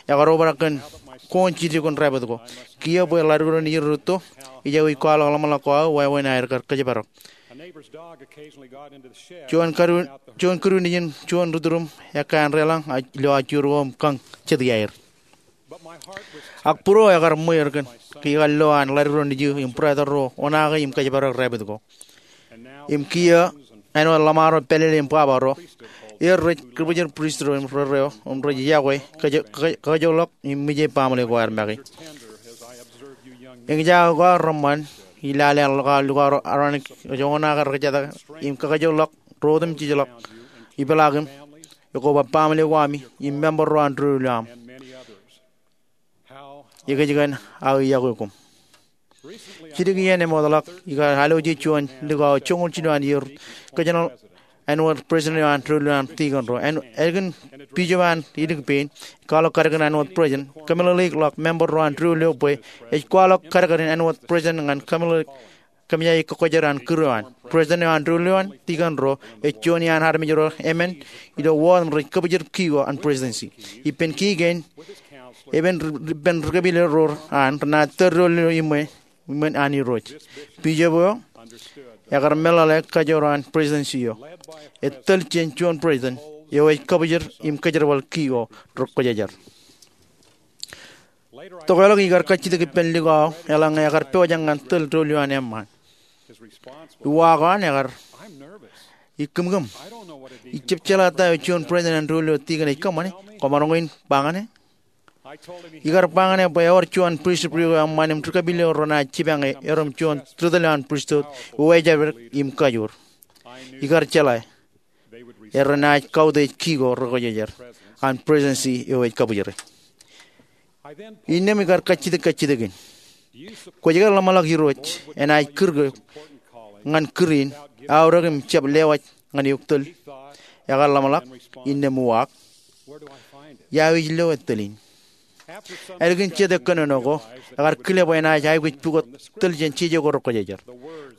ekar obrak kōn koon jidik in rabbit ko. Kiiō bwe ḷaddik ro nejin rūtto, ijawe ij kwaḷọk ḷōmṇak ko aō wāween aer kar kōjparok. Juon kōdu, juon kōdu nejin juon rūtdūm ekkā an deḷọñ ilo ajuro eo im kañ jeti aer. Ak būruō ekar ṃweer kōn ke ikar lo an ḷaddik ro nejū im būrata ro oṇaake im kōjparok rabbit ko. Im kiiō āinwōt ḷōṃaro pālele im bwabwa ro, er rej kōbōjrak pristut ro im rerreo im rej yokwe, kōj, kōj, kōjolọk im mije baaṃle ko aer make. Eñjake ko aō reṃṃan, ij lale an lukkuun, lukkuun aronik ej oṇaake rekjataka im kōjolọk ro otemjejḷọk, ipeḷaakim, ekoba baaṃle ko ami im member ro an doulul eo aṃ. Ekōjkan aō yokwe koṃ. Jidik iien eṃootḷọk ikar aloje juon likao joñoul jilu an iiō, kōjenolọk āinwōt president eo an doulul eo an tikōn ro. Ālikin bishop an ilik pein ej kwaḷọk kadkadin āinwōt president, kōmeḷeḷeikḷọk member ro an doulul eo bwe ej kwaḷọk kadkadin āinwōt president ñan kōmeḷeḷeik kōmejaje kōkkojer an kūr eo an. President eo an doulul eo an tikōn ro ej juon iaan armej ro emān ilo wōt im rej kōbōjrak ki ko an presidency. Ippān ki kein, epen, ippān ri kōpile ro an renaaj tōl doulul eo iṃwe, iṃwe an Irooj. Bishop eo ekar meḷeḷe kajoor an presidency eo. Etōl jān juon president eo ej kōbōjrak im kōjerbal ki ko rekwōjarjar. Tokālik ikar kajjitōk ippān likao eḷaññe ekar pojak ñan tōl doulul eo an eṃṃaan. Uwaak eo an ekar, ij kūmkūm. Ij jab jeḷā ta eo juon president an doulul eo tikōn ej kōṃṃane. Koṃaroñ in ba ñan e. Ikar ba ñan e bwe ewōr juon pristut eo eṃṃan im ri kōpile ro renaaj jipañ erom juon ri tōl eo an pristut eo ej ejjeḷọk im kajoor. Ikar jeḷā renaaj kautiej ki ko rekwōjarjar an presidency eo ej kōbōjrak. Innām ikar kajjitōk kajjitōk in. Kwōj ke ḷōmṇak Irooj enaaj kūr ke ñan kūr in aorōk im jab lewōj ñan eok tōl? Ekar ḷōmṇak, innām uwaak, ia ij lo ettōl in? Ālikin jete kōnono ko, ekar kile bwe enaaj aikuj pukot tōl jān jeje ko rekwōjarjar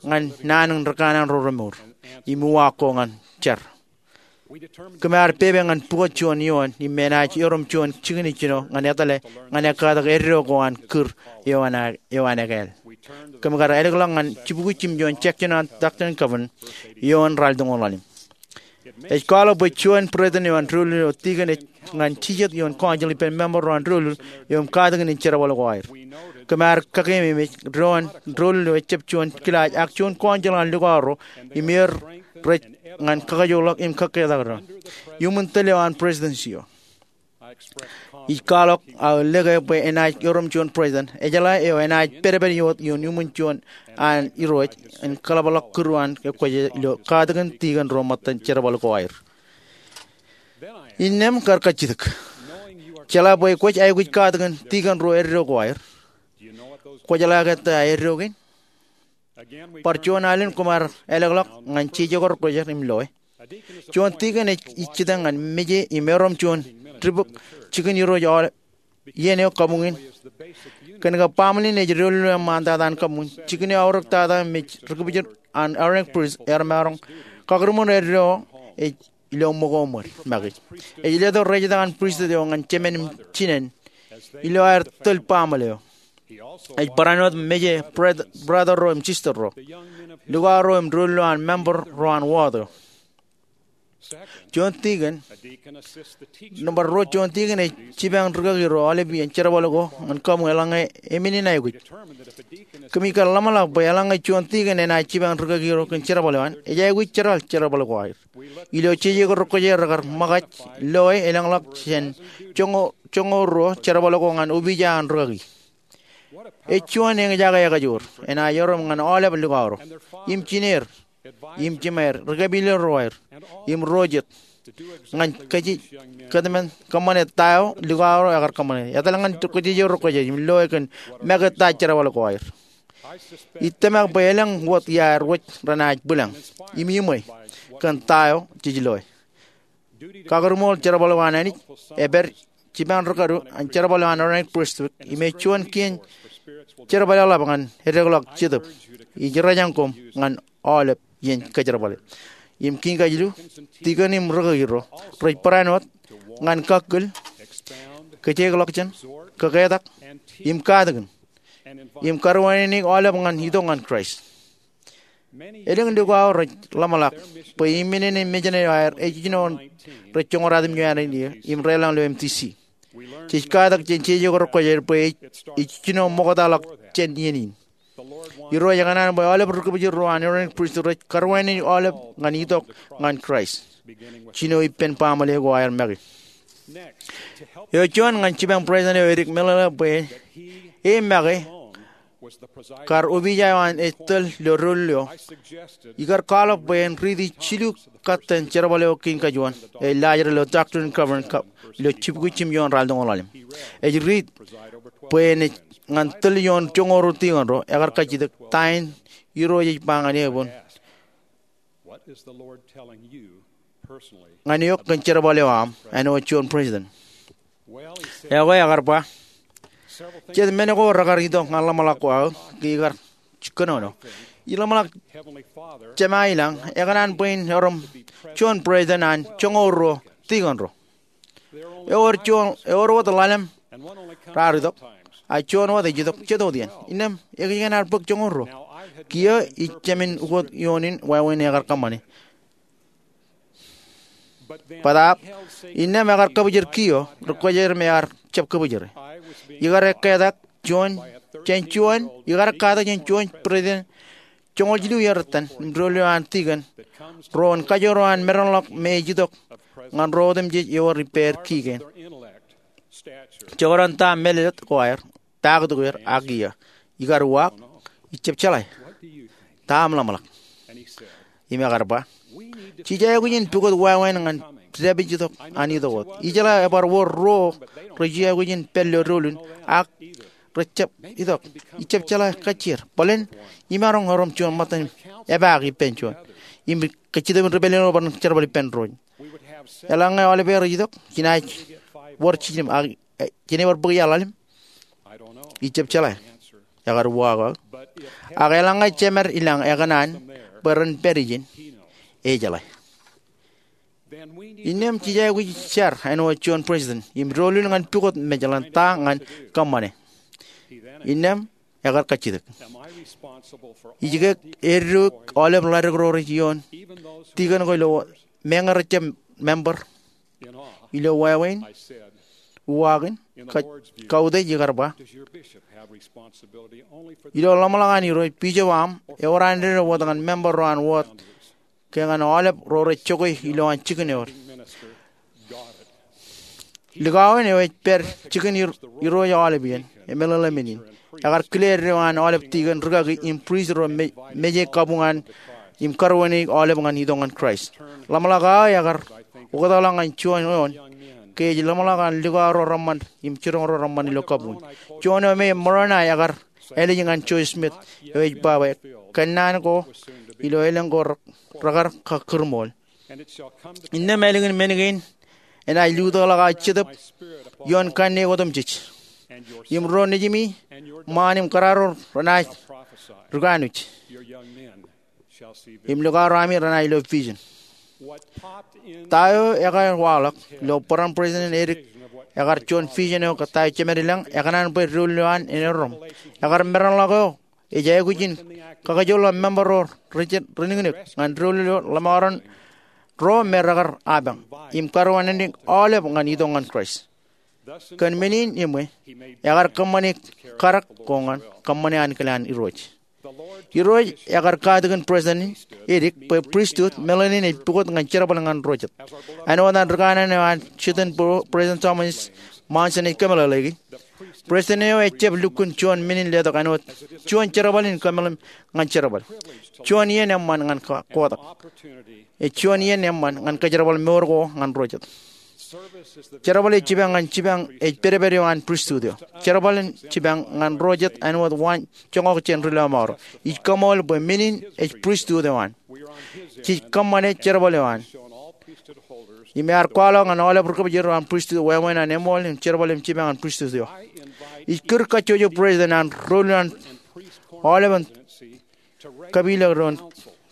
ñan naan in rikanaan ro remour im uwaak ko ñan jar. Kōm ar pepe ñan pukot juon eoon im enaaj erom juon jikin ijjino ñan etale ñan ekkatak eddo ko an kūr eo an ekāāl. Kōm kar ālōkḷọk ñan jibukwi jimjuon section an Doctrine and Covenants eo an ralitōñoul ḷalem. Ej kwaḷọk bwe juon president eo an doulul eo, tikōn ej ñan jijet ioon council ippān member ro an doulul eo im katakin in jerbal ko aer. Kōm ar kakeememej doon doulul eo ejjab juon kilaaj ak juon council an likao ro im er rej ñan kakijukḷọk im kakketak doon iuṃwin tōl eo an presidency eo. Ij kwaḷọk aō lōke bwe enaaj erom juon president ejeḷā eo enaaj pedped wōt ioon iuṃwin juon an Irooj en kōḷapḷọk kūr eo an ekwōj ilo katakin tikōn ro ṃōttan jerbal ko aer. Innām kar kajjitōk, jeḷā bwe kwōj aikuj katakin tikōn ro eddo ko aer, kwō jeḷā ke ta eddo kein? Bar juon alen koṃ ar ālōkḷọk ñan jeje ko rekwōjarjar im loe. Juon tikōn ej jitōñ ñan meje im erom juon dibōk jikin Irooj aolep iien eo kabuñ in. Kōn ke baaṃle in ej doulul eo eṃṃantata an kabuñ, jikin eo aorōktata im ej ri-kipijin an ordained priest ear maroñ kakūrṃour eddo eo ej ilo ṃōko ṃōd make. Ej letok rejetak an pristut eo ñan jemān im jinān ilo aer tōl baaṃle eo. Ej barāinwōt meje brother ro im sister ro, likao ro im doulul eo an member ro an ward eo. Juon tikōn, nōṃba ruo, juon tikōn ej jipañ rikaki ro aolep iien jerbal ko ñan kabuñ eḷaññe emenin aikuj. Kōmij kar ḷōmṇak bwe eḷaññe juon tikōn enaaj jipañ rikaki ro kōn jerbal eo an, ej aikuj jeral jerbal ko aer. Ilo jeje ko rekwōjarjar rekar ṃōkaj loe elōñḷọk jān joñoul ruo jerbal ko ñan opiij eo an rikaki. Ej juon eñjake ekajoor enaaj erom ñan aolep likao ro im jineer im jimeer, ri-kapilōk ro aer im ro jet, ñan kōjatdikdik kōṃṃane ta eo likao ro ekar kōṃṃane etal ñan jeje ko rekwōjarjar im loe kōn make ta jerbal ko aer. Ij tōmak bwe elōñ wōt iaer wōj renaaj bwilōñ im iṃwe kōn ta eo jej loe. Kakūrṃool jerbal eo an Anij ej pād jipañ rikaki ro an jerbal eo an ordained priesthood im ej juon kien jerbal eḷap ñan edekḷọk Jetōb. Ij rōjañ koṃ ñan aolep iien kōjerbale. Im kein kajilu, tikōn im rikaki ro rej barāinwōt ñan kakkōl, kōjekḷọk jān, kōketak, im katakin, im karuwaineneik aolep ñan itok ñan Kraist. Elōñ likao rej ḷōmṇak bwe iminene mejān eo aer ej jino rej joñoul ratimjuon iiō im deḷọñ ilo M T C. Jej katak jān jeje ko rekwōjarjar bwe ej jino ṃoktaḷọk jān iien in. Irooj ekōṇaan bwe aolep ri-kipijin ro an ordained priesthood rej karuwaineneik aolep ñan itok ñan Kraist, jino ippān baaṃle ko aer make. Eo juon, ñan jipañ president eo edik meḷeḷe bwe e make kar opiij eo an ej tōl ilo doulul eo, ikar kwaḷọk bwe en riiti jilu katten jerbal eo kein kajuon ej laajrak ilo Doctrine and Covenants ilo jibukwi jimjuon ralitōñoul ḷalem. Ej riit bwe enaaj ñan tōl ioon joñoul ruo tikōn ro ekar kajjitōk ta in Irooj ej ba ñan eok, ñan eok kōn jerbal eo aṃ āinwōt juon president. Ekwe, ekar ba, jet men ko rekar itok ñan ḷōmṇak ko aō ke ikar kōnono. Ij ḷōmṇak Jema ilañ ekōṇaan bwe en erom juon president an joñoul ruo tikōn ro. Ewōr juon, ewōr wōt ḷalem raar itok, ak juon wōt ej itok jet wōt iien. Innām ekōjkan ear bōk joñoul ruo. Kiiō ij jāmin ukot ioon in wāween ekar kōṃṃane. Bōtaab, innām ekar kōbōjrak kiiō, rekwōjarjar im ear jab kōbōjrak. Ikar ekketak juon jān juon, ikar ekketak jān juon president joñoul jilu iiō rot itōn im doulul eo an tikōn ro en kajoor eo an medenḷọk me ej itok ñan ro otemjej ewōr ippāer kii kein. Jekdọọn ta meḷeḷe ko aer, ta kōtōk er, ak iiō. Ikar uwaak, ij jab jeḷā. Ta aṃ ḷōmṇak? Im ekar ba, jej aikuj in pukot wāween ñan dāpij itok an itok wōt. Ijeḷā ebar wōr ruo rej aikuj in pād ilo doulul in ak rej jab itok. Ij jab jeḷā kajjier. Bōlen, imaroñ erom juon ṃōttan epaak ippān juon im kajjitōbin ri-pālle eo bar jerbal ippān doon. Eḷaññe aolepen rej itok, jenaaj wōr jiljilimjuon ak jen bar bōk iaḷ ḷalem? Ij jab jeḷā, ekar uwaak aō. Ak eḷaññe jemed ilañ ekōṇaan bwe ren pād ijin, ejeḷā. Innām jej aikuj jar āinwōt juon president im doulul ñan pukot mej ḷọk ta ñan kōṃṃane. Innām ekar kajjitōk. Ij ke eddo aolep ḷaddik ro rej ioon tikōn ko ilo meñe rejjab member? Ilo wāween, uwaakin, kautiej ikar ba, ilo ḷōmṇak an Irooj, bishop eo aṃ ewōr an dede wōt ñan member ro an wōt ke ñan aolep ro rej jokwe ilowaan jikin ewōr. Likao in eo ej pād jikin Irooj aolep iien, emeḷeḷe men in. Ekar kile eddo an aolep tikōn rikaki im prist ro meje kabuñ an im karuwaineik aolep ñan itok ñan Kraist. Ḷōmṇak aō ekar oktakḷọk ñan juon eoon ke ej ḷōmṇak an likao ro reṃṃan im jiroñ ro reṃṃan ilo kabuñ. Juon eo me Moroni ekar ālij ñan Joseph Smith eo ej ba bwe kōnnaan ko ilo elōñ ko rekar kakūrmool. Innām ālikin men kein enaaj lutōkḷọk aō Jetōb ioon kanniōk otemjej, im ro nejimi, ṃaan im kōrā ro renaaj rūkanwōj, im likao ro ami renaaj lo vision. Ta eo ekar waḷọk ilo bōran president edik ekar juon vision eo kōttāik jemed ilañ ekōṇaan bwe doulul eo an en erom. Ekar meranḷọk eo ej aikuj in kakijolọk member ro rejjab rinikinōk ñan doulul eo ḷōṃaroñ ro me rekar apañ im karuwaineik aolep ñan itok ñan Kraist. Kōn men in eṃṃan, ekar kōṃṃane karak ko ñan kōṃṃane ankilaan Irooj. Irooj ekar katakin president edik bwe pristut meḷeḷein ej pukot ñan jerbal ñan ro jet. Āinwōt an ri kanaan eo an Jitōnboro, President Thomas Monson ej kōmeḷeḷeiki, president eo ejjab lukkuun juon men in letok āinwōt juon jerbal in kōmeḷeḷe ñan jerbal. Juon iien eṃṃan ñan kotak. Ej juon iien eṃṃan ñan kōjerbal mour ko ñan ro jet. Jerbal ej jipañ ñan jipañ ej pedped eo an pristut eo. Jerbal in jipañ ñan ro jet āinwōt waan joñak jān ri lọmọọr ro. Ij kaṃool bwe men in ej pristut eo an. Jej kōṃṃane jerbal eo an. Im ear kwaḷọk ñan aolep ri kōpojor ro an pristut wāween an eṃool im jerbal im jipañ an pristut eo. Ij kūr kajjojo president an doulul an aolepen kapilōk ro in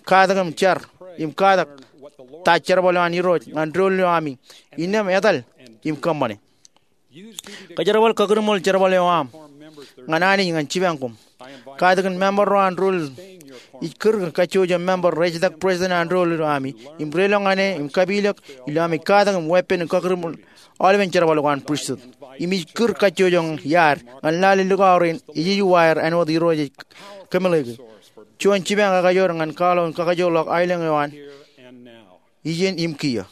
katak im jar im katak ta jerbal eo an Irooj ñan doulul eo ami, innām etal im kōṃṃane. Kōjerbal kakūrmool jerbal eo aṃ ñan Anij ñan jipañ koṃ. Katakin member ro an doulul. Ij kūr kajjojo member rej ejtak president an doulul eo ami im reiloñ ñan e im kapilōk ilo ami katak im weeppān im kakūrmool aolepen jerbal ko an pristut. Im ij kūr kajjojo iaad ñan lale likao rein ej ejuwaer āinwōt Irooj ej kōmeḷeḷeiki. Juon jipañ ekajoor ñan kwaḷọk in kakajoorḷọk aelōñ eo an iien im kiiō.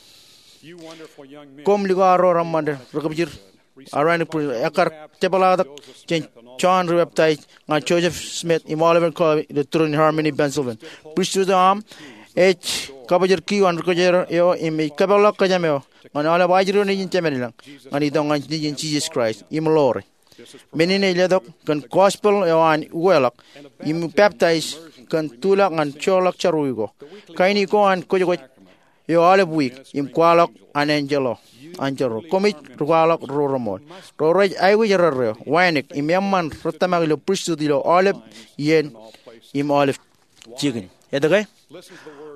Koṃ likao ro reṃṃan ri kōpojor, Aaronic priesthood, ekar jepḷaaktok jān John ri baptized ñan Joseph Smith im aolepen kōpojor ilo Trinity Harmony, Pennsylvania. Pristut eo aṃ ej kabōjrak kiiō an ri kōjro eo im ej kōpeḷḷọk kōjām eo ñan aolep ajri ro nejin jemed ilañ ñan itok ñan nejin Jisōs Kraist im ḷoore. Men in ej letok kōn gospel eo an ukeḷọk im baptize kōn tulọk ñan joorḷọk jerọwiwi ko. Kain ko an kwōjkwōj eo aolep wiik im kwaḷọk an enjeḷ ro. Koṃij ri kwaḷọk ro reṃool ro rej aikuj erreo, wānōk im eṃṃan ri tōmak ilo pristut ilo aolep iien im aolep jikin. Etke?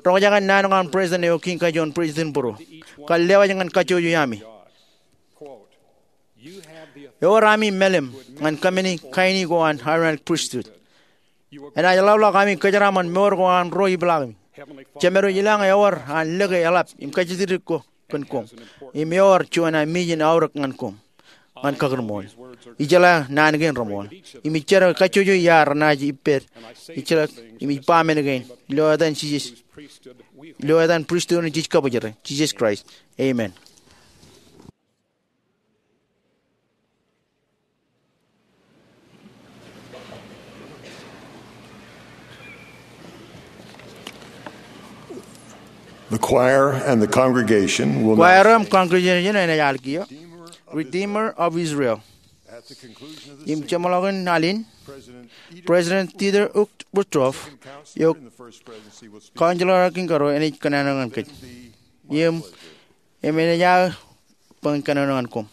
Roñjake naan ko an president eo kiiñ kajuon president būruō kar lewōj ñan kajjojo ami. Ewōr ami mālim ñan kōmāne kain ko an Aaronic priesthood. Enaaj ḷapḷọk ami kōjeraaṃṃan mour ko an ro ipḷaakimi. Jemed eo ilañ ewōr an lōke eḷap im kajjitōk ko kōn koṃ. Im ewōr juon amijin aorōk ñan koṃ ñan kakūrmool. Ijeḷā naan kein reṃool. Im ij jar kajjojo iaad renaaj ippād. Ij jar im ij ba men kein ilo etan Jisōs, ilo etan pristut in jej kabōjrak, Jisōs Kraist. Amen. The choir and the congregation will now Kwaer im congregation enaaj al kiiō Redeemer of Israel. Im jeṃḷọkin al in, President Dieter Uchtdorf, eo Counselor eo Kiiñ Karo, enaaj kōnono ñan kōj. Im, im enaaj aō bōk kōnono ñan koṃ.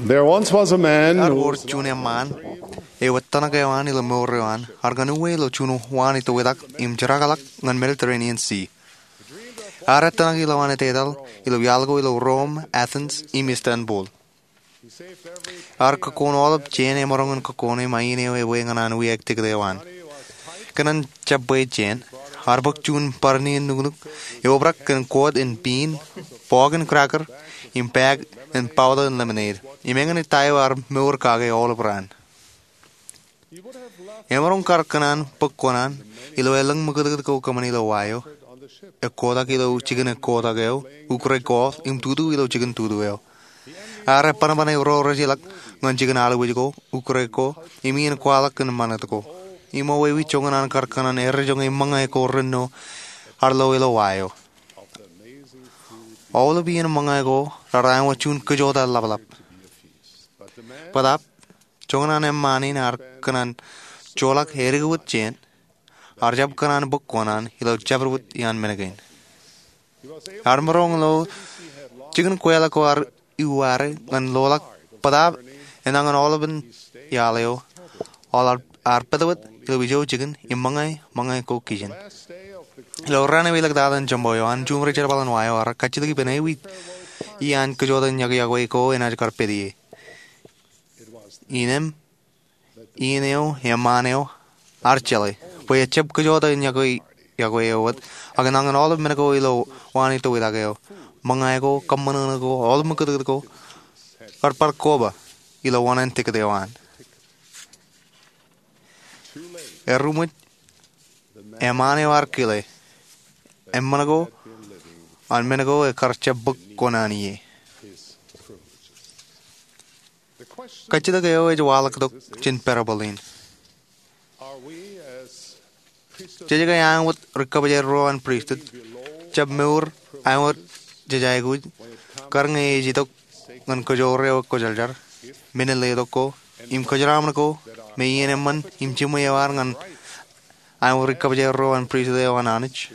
There once was a man Ear who wōr juon eṃṃaan eo etōṇak eo an ilo mour eo an, ear kōn uwe ilo juon waan itoitak im jeraḷọk ñan Mediterranean Sea. Ear etōṇak ilowaan etetal ilo iaḷ ko ilo Rome, Athens, im Istanbul. Ear kōkkoon aolep jān emaroñ in kōkkoon im ain eo ebwe ñan an wiaik tiket eo an. Kōn an jab bwe jān, ear bōk juon bar nien nuknuk eo obrak kōn koot in piin, bọọk in cracker, im bag in bowel in lemonade. Im eñin ta eo ear mour kake aolep raan. Emaroñ kar kōn an bōk kuṇaan ilo elōñ ṃakūtkūt ko kōṃṃan ilo wa eo, ekkotak ilo jikin ekkotak eo, ukōre golf, im tutu ilo jikin tutu eo. Ear ebanban ro rejeḷọk ñan jikin aḷuwij ko, ukōre ko, im iien kwaḷọk kōn ṃanit ko. Im ewōr joñan an kar kōn an errejoñe ṃōñā ko renno ear lo ilo wa eo. Aolep iien ṃōñā ko raar āinwōt juon kōjota laplap. Bōtaab, joñan an eṃṃaan in ear kōn an joḷọk edik wōt jān, ear jab kōn an bōk kuṇaan ilo jabdewōt iaan men kein. Ear maroñ lo jikin kweeḷọk ko ear iwōj ñan loḷọk bōtaab enañin aolepen iaḷ eo, aolep ear pād wōt ilo ijo jikin im ṃōñā, ṃōñā ko kijen. Ilo raan eo elōñ tata in jemba eo an, juon ri jerbal in wa eo ear kajjitōk ippān ewi iaan kōjota in yokwe-yokwe ko enaaj kar pād ie. Innām, iien eo eṃṃaan eo ear jeḷā bwe ejab kōjota in yokwe-yokwe eo wōt, ak enañin aolep men ko ilo waan itoitak eo, ṃōñā ko, kōṃṃan ko, aolep ṃakūtkūt ko, kar bar koba ilo waan in tiket eo an. Eruṃwij, eṃṃaan eo ear kile, eṃṃan ko an men ko ekar jab bōk kuṇaan ie. Kajjitōk eo ej waḷọktok jān parable in. Jej ke āinwōt ri kabōjrak ro an pristut, jab mour āinwōt jej aikuj, kar ñe ej itok ñan kōjoor eo ekwōjarjar, men in letok ko, im kōjeraaṃṃan ko, me iien eṃṃan im jiṃwe eo ear ñan āinwōt ri kabōjrak ro an pristut eo an Anij?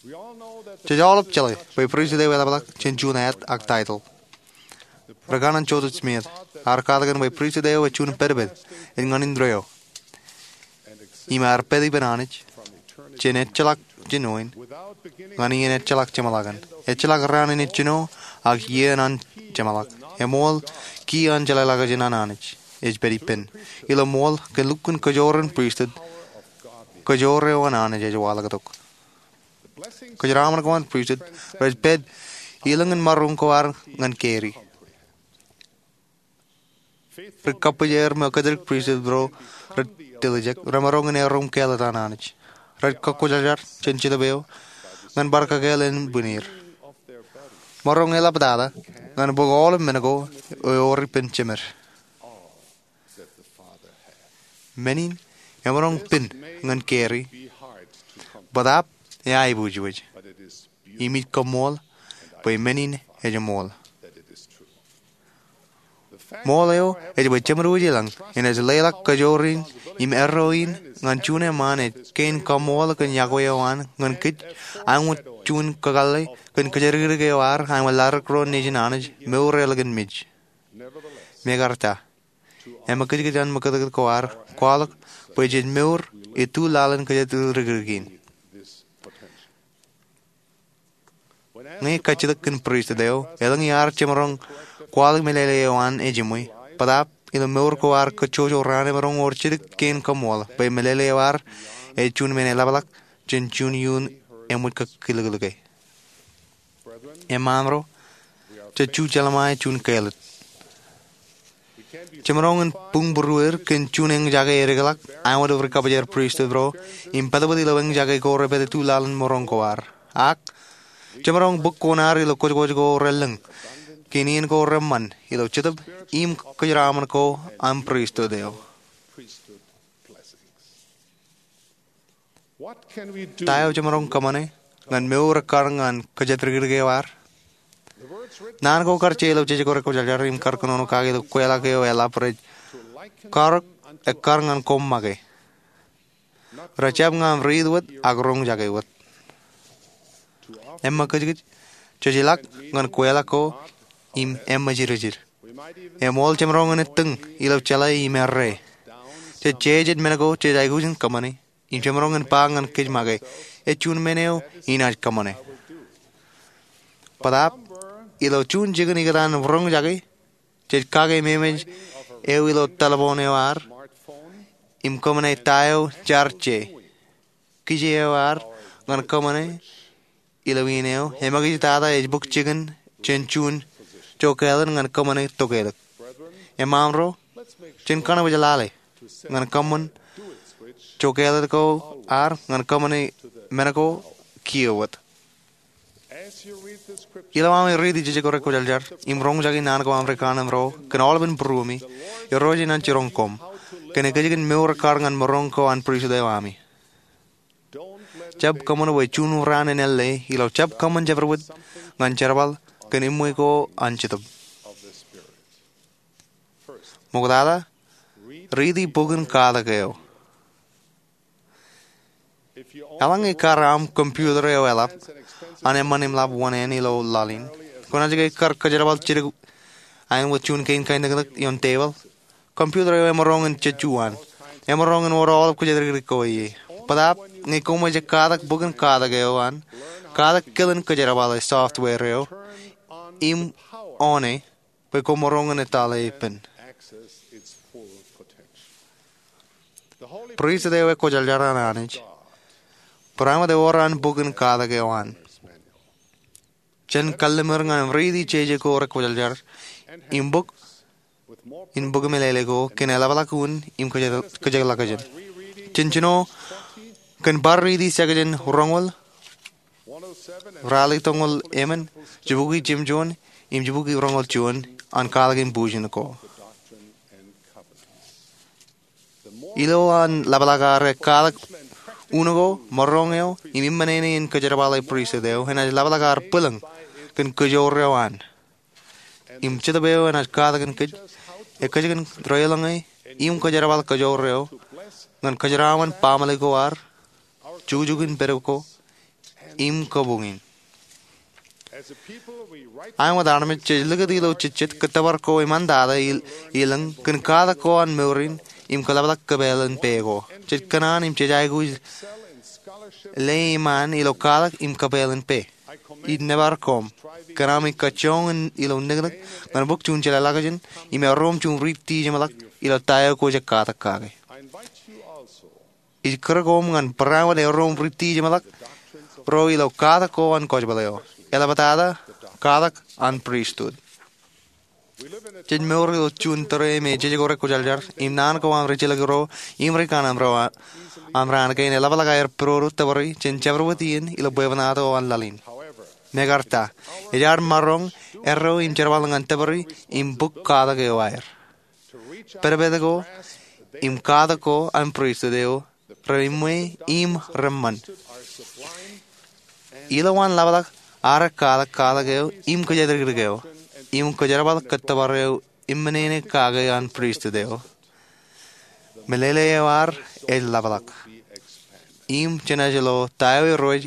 Jej aolep jeḷā bwe pristut eo eḷapḷọk jān juon ad ak taitōḷ. Ri kanaan Joseph Smith ear katakin bwe pristut eo ej juon pedped ej ñan indeeo, im ear pād ippān Anij jān ejjeḷọk jān oin ñan iien ejjeḷọk jeṃḷọkin, ejjeḷọk raan in ejjino, ak iien an jeṃḷọk. Eṃool, ki an jeḷāḷọkjeṇ an Anij ej pād ippān. Ilo ṃool, kōn lukkuun kōjoor in pristut, kōjoor eo an Anij ej waḷọktok. Kōjeraaṃṃan ko an pristut rej pād ilōñ in maroñ ko ad ñan carry. Ri kabōjrak im kōjatdikdik pristut ro rej diljek, remaroñ in erom kāālōt an Anij. Rej kakwōjarjar jān Jetōb eo ñan bar kakāāl ānbwinnūṃ. Maroñ eḷaptata ñan bōk aolep men ko ewōr ippān Jemed. Men in emaroñ pen ñan carry, bōtaab eaibwijwij. Im ij kaṃṃool bwe men in ej ṃool. Ṃool eo ej bwe Jemed Wōj ilañ enaaj leḷọk kōjoor in im erro in ñan juon eṃṃaan ej kein kaṃṃool kōn yokwe eo an ñan kōj, āinwōt juon kakōḷḷe kōn kōjatdikdik eo ear āinwōt ladik ro nejin Anij mour eo ḷọk in mej. Mekarta, eṃōkajkōj an ṃakūtkūt ko ear kwaḷọk bwe jej mour ituḷ laḷ in kōjatdikdik in. Ñe kajjitōk kōn pristut eo elōñ iaar jemaroñ kwaḷọk meḷeḷe eo an ejiṃwe, bōtaab ilo mour ko ear kōjjojo raan emaroñ wōr jidik kein kaṃṃool bwe meḷeḷe eo ear ej juon men eḷapḷọk jān juon iuun eṃōj kōkiliklike. Eṃṃaan ro, jej ju jeḷā ṃae juon kāālōt. Jemaroñ in buñbūrueir kōn juon eñjake edikḷọk āinwōt ri kabōjrak pristut ro im pād wōt ilo eñjake ko repād ituḷ laḷ in maroñ ko ad. Ak jemaroñ bōk kuṇaad ilo kwōjkwōj ko relōñ kōn iien ko reṃṃan ilo Jetōb im kōjeraaṃṃan ko an pristut eo. Ta eo jemaroñ kōṃṃane ñan mour ekkar ñan kōjatdikdik eo ad? Naan ko kar je ilo Jejko Rekwōjarjar im kar kōnono kake ilo kweilọk eo eḷap rej karōk ekkar ñan koṃ make. Rejjab ñan riit wōt ak roñjake wōt. Eṃōkajkōj, jej ilọk ñan kweilọk ko im eṃōjidjid. Eṃool jemaroñ in ettōñ ilo jeḷā im errā. Jej jeje men ko jej aikuj in kōṃṃane im jemaroñ in ba ñan kōj make, ej juon men eo inaaj kōṃṃane. Bōtaab ilo juon jikin ikōtaan roñjake, jej kake memej eo ilo telephone eo ad im kōṃṃane ta eo jaar je. Kije eo ad ñan kōṃṃane ilo iien eo, eṃōkajtata ej bōk jikin jān juon jokālōt ñan kōṃṃane tokālik. Emaroñ, jen kōṇaan wōj lale ñan kōṃṃan jokālōt ko ad ñan kōṃṃane men ko kiiō wōt. Ilo ami riiti jejako rekwōjarjar im roñjake naan ko ami ri kanaan ro kōn aolepān būruemi, Irooj enaaj jiroñ koṃ kōn ekōjkan mour ekkar ñan maroñ ko an pristut eo ami. Jab kōṃṃan bwe juon raan en ālle ilo jab kōṃṃan jabdewōt ñan jerbal kōn eṃṃan ko an Jetōb. Ṃoktata, riiti bok in katak eo. Eḷaññe kar aṃ computer eo eḷap an eṃṃan im lab wōṇāān ilo laḷ in, kwōnaaj ke kar kōjerbal jidik aer wōt juon kein kainōknōk ioon tebōḷ? Computer eo emaroñ in jejju an. Emaroñ in wōr aolep kōjatdikdik ko ie. Bōtaab ñe koṃ ej katak bok in katak eo an, katak kilen kōjerbale software eo im oṇe bwe koṃ maroñ in etale ippān. Pristut eo ekwōjarjar an Anij, barāinwōt ewōr an bok in katak eo an. Jen kallim̧ur ñan riiti jejako rekwōjarjar im bok in bok meḷeḷe ko kōn eḷapḷọk unin im kōjatḷọkjeṇ. Jen jino kōn bar riiti section roñoul, ralitōñoul emān, jibukwi jimjuon im jibukwi roñoul juon an katak in bujen ko. Ilo an ḷapḷọk ad katak un ko, maroñ eo im eṃṃan eo in kōjerbale pristut eo enaaj ḷapḷọk ad bwilōñ kōn kōjoor eo an. Im Jetōb eo enaaj katakin kōj, ekōjkan deḷọñe im kōjerbal kōjoor eo ñan kōjeraaṃṃan baaṃle ko ad, jukjuk in pād ko, im kabuñ in. Āinwōt armej jej likūt ilo jejjet kōttōpar ko eṃṃantata ilōñ kōn katak ko an mour in im kōḷapḷọk kōpeḷ in pā ko. Jej kōṇaan im jej aikuj leḷọk ilo katak im kōpeḷ in pā. Ij nōbar koṃ kōn ami kajjoñ in ilo niknik ñan bōk juon jeḷāḷọkjeṇ im erom juon riiti jeṃḷọk ilo ta eo kwōj katak kake. Ij kūr koṃ ñan barāinwōt erom riiti jeṃḷọk ro ilo katak ko an kōjpaḷ eo, eḷaptata katak an pristut. Jej mour ilo juon tōre me jejako rekwōjarjar im naan ko an rijjilōk ro im ri kanaan ro aṃ raan kein eḷapḷọk aer pidodo tōpari jān jabdewōt iien ilo bwebwenato an laḷ in. Mekarta, ej ad maroñ erreo im jerbal ñan tōpari im bōk katak eo aer. Pedped ko im katak ko an pristut eo reṃṃan im reṃṃan. Ilo an ḷapḷọk ad katak katak eo im kōjatdikdik eo im kōjerbal kōttōpar eo eṃṃan eo kake an pristut eo, meḷeḷe eo ad ej ḷapḷọk im jenaaj lo ta eo Irooj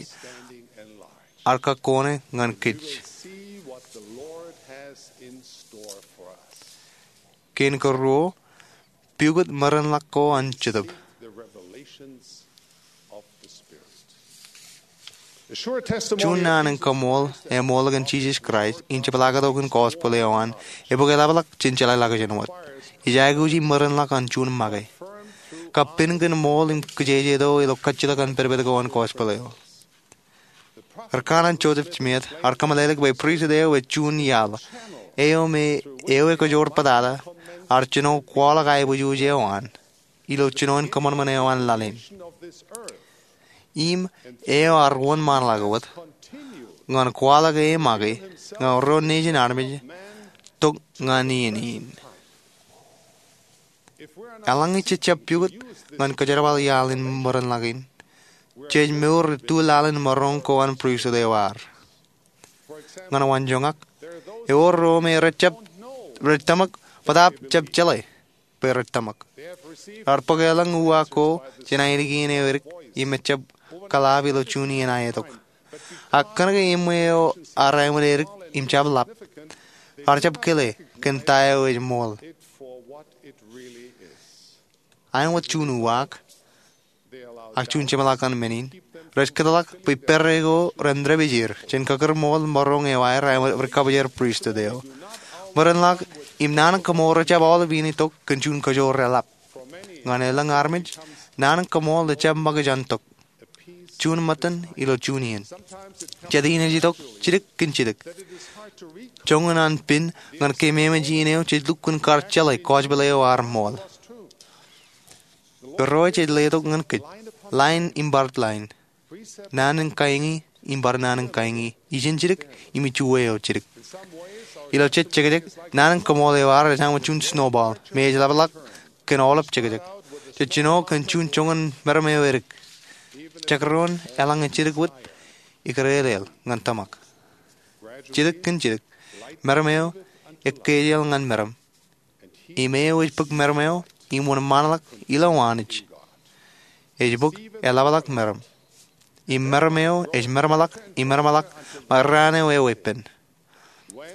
ear kakkone ñan kōj. Kein karuo, pukot merenḷọk ko an Jetōb. Juon naan in kaṃool eṃool kōn Jisōs Kraist im jepḷaaktok in gospel eo an, ebōk eḷapḷọk jān jeḷāḷọkjeṇ wōt. Ej aikuji merenḷọk an juon make. Kab pen kōn ṃool im kijejeto ilo kajjitōk an pedped ko an gospel eo. Ri kanaan Joseph Smith ear kōmeḷeḷeik bwe pristut eo ej juon iaḷ eo me ewi kajoor bōtata ear jino kwaḷọk aebwijwij eo an ilo jinoin kōṃanṃan eo an laḷ in. Im eo ear wōnṃaanḷọk wōt ñan kwaḷọk e make ñan ro nejin armej tok ñan iien in. Eḷaññe jej jab pukot ñan kōjerbal iaḷ in merenḷọk in, jej mour ilo laḷ in maroñ ko an pristut eo ad. Ñan wanjoñak, ewōr ro me rej tōmak bōtaab jab jeḷā bwe rej tōmak. Ear bōk elōñ uwaak ko jān ainikien eo edik im ejjab kōḷaab ilo juon iien aetok. Ak kōnke eṃṃan eo ear āinwōt edik im jab ḷap, Raar jab kile kōn ta eo ej ṃool. Aenōt juon uwaak ak juon jeṃḷọk ñan men in rej kōtḷọk bwe pere ko ren dāpij er jān kakūrṃool maroñ eo aer aenōt ri kabōjor pristut eo. Bwe ren ḷak im naan in kaṃool rej jab aolep iien itok kōn juon kajoor eḷap. Ñan elōñ armej, naan in kaṃool ej jab ṃōkaj an tok juon ṃōttan ilo juon iien. Jet iien ej itok jidik kōn jidik. Joñan an pin ñan keememej iien eo jej lukkuun kar jeḷā kōjepel eo ear ṃool. Irooj ej letok ñan kōj, lain im bar lain, naan in kaiñi im bar naan in kaiñi, ijin jidik im ijuwe eo jidik. Ilo jet jekjek, naan in kaṃool eo aer ej aenōt juon snowball me ej ḷapḷọk kōn aolep jekjek. Jej jino kōn juon joñan meram eo edik. Jekdọọn eḷaññe jidik wōt, ikōrālel ñan tōmak. Jidik kōn jidik, meram eo ekkejel ñan meram. Im eo ej bōk meram eo im wōnṃaanḷọk ilo Anij ej bōk eḷapḷọk meram. Im meram eo ej meramḷọk im meramḷọk ṃae raan eo eweeppān.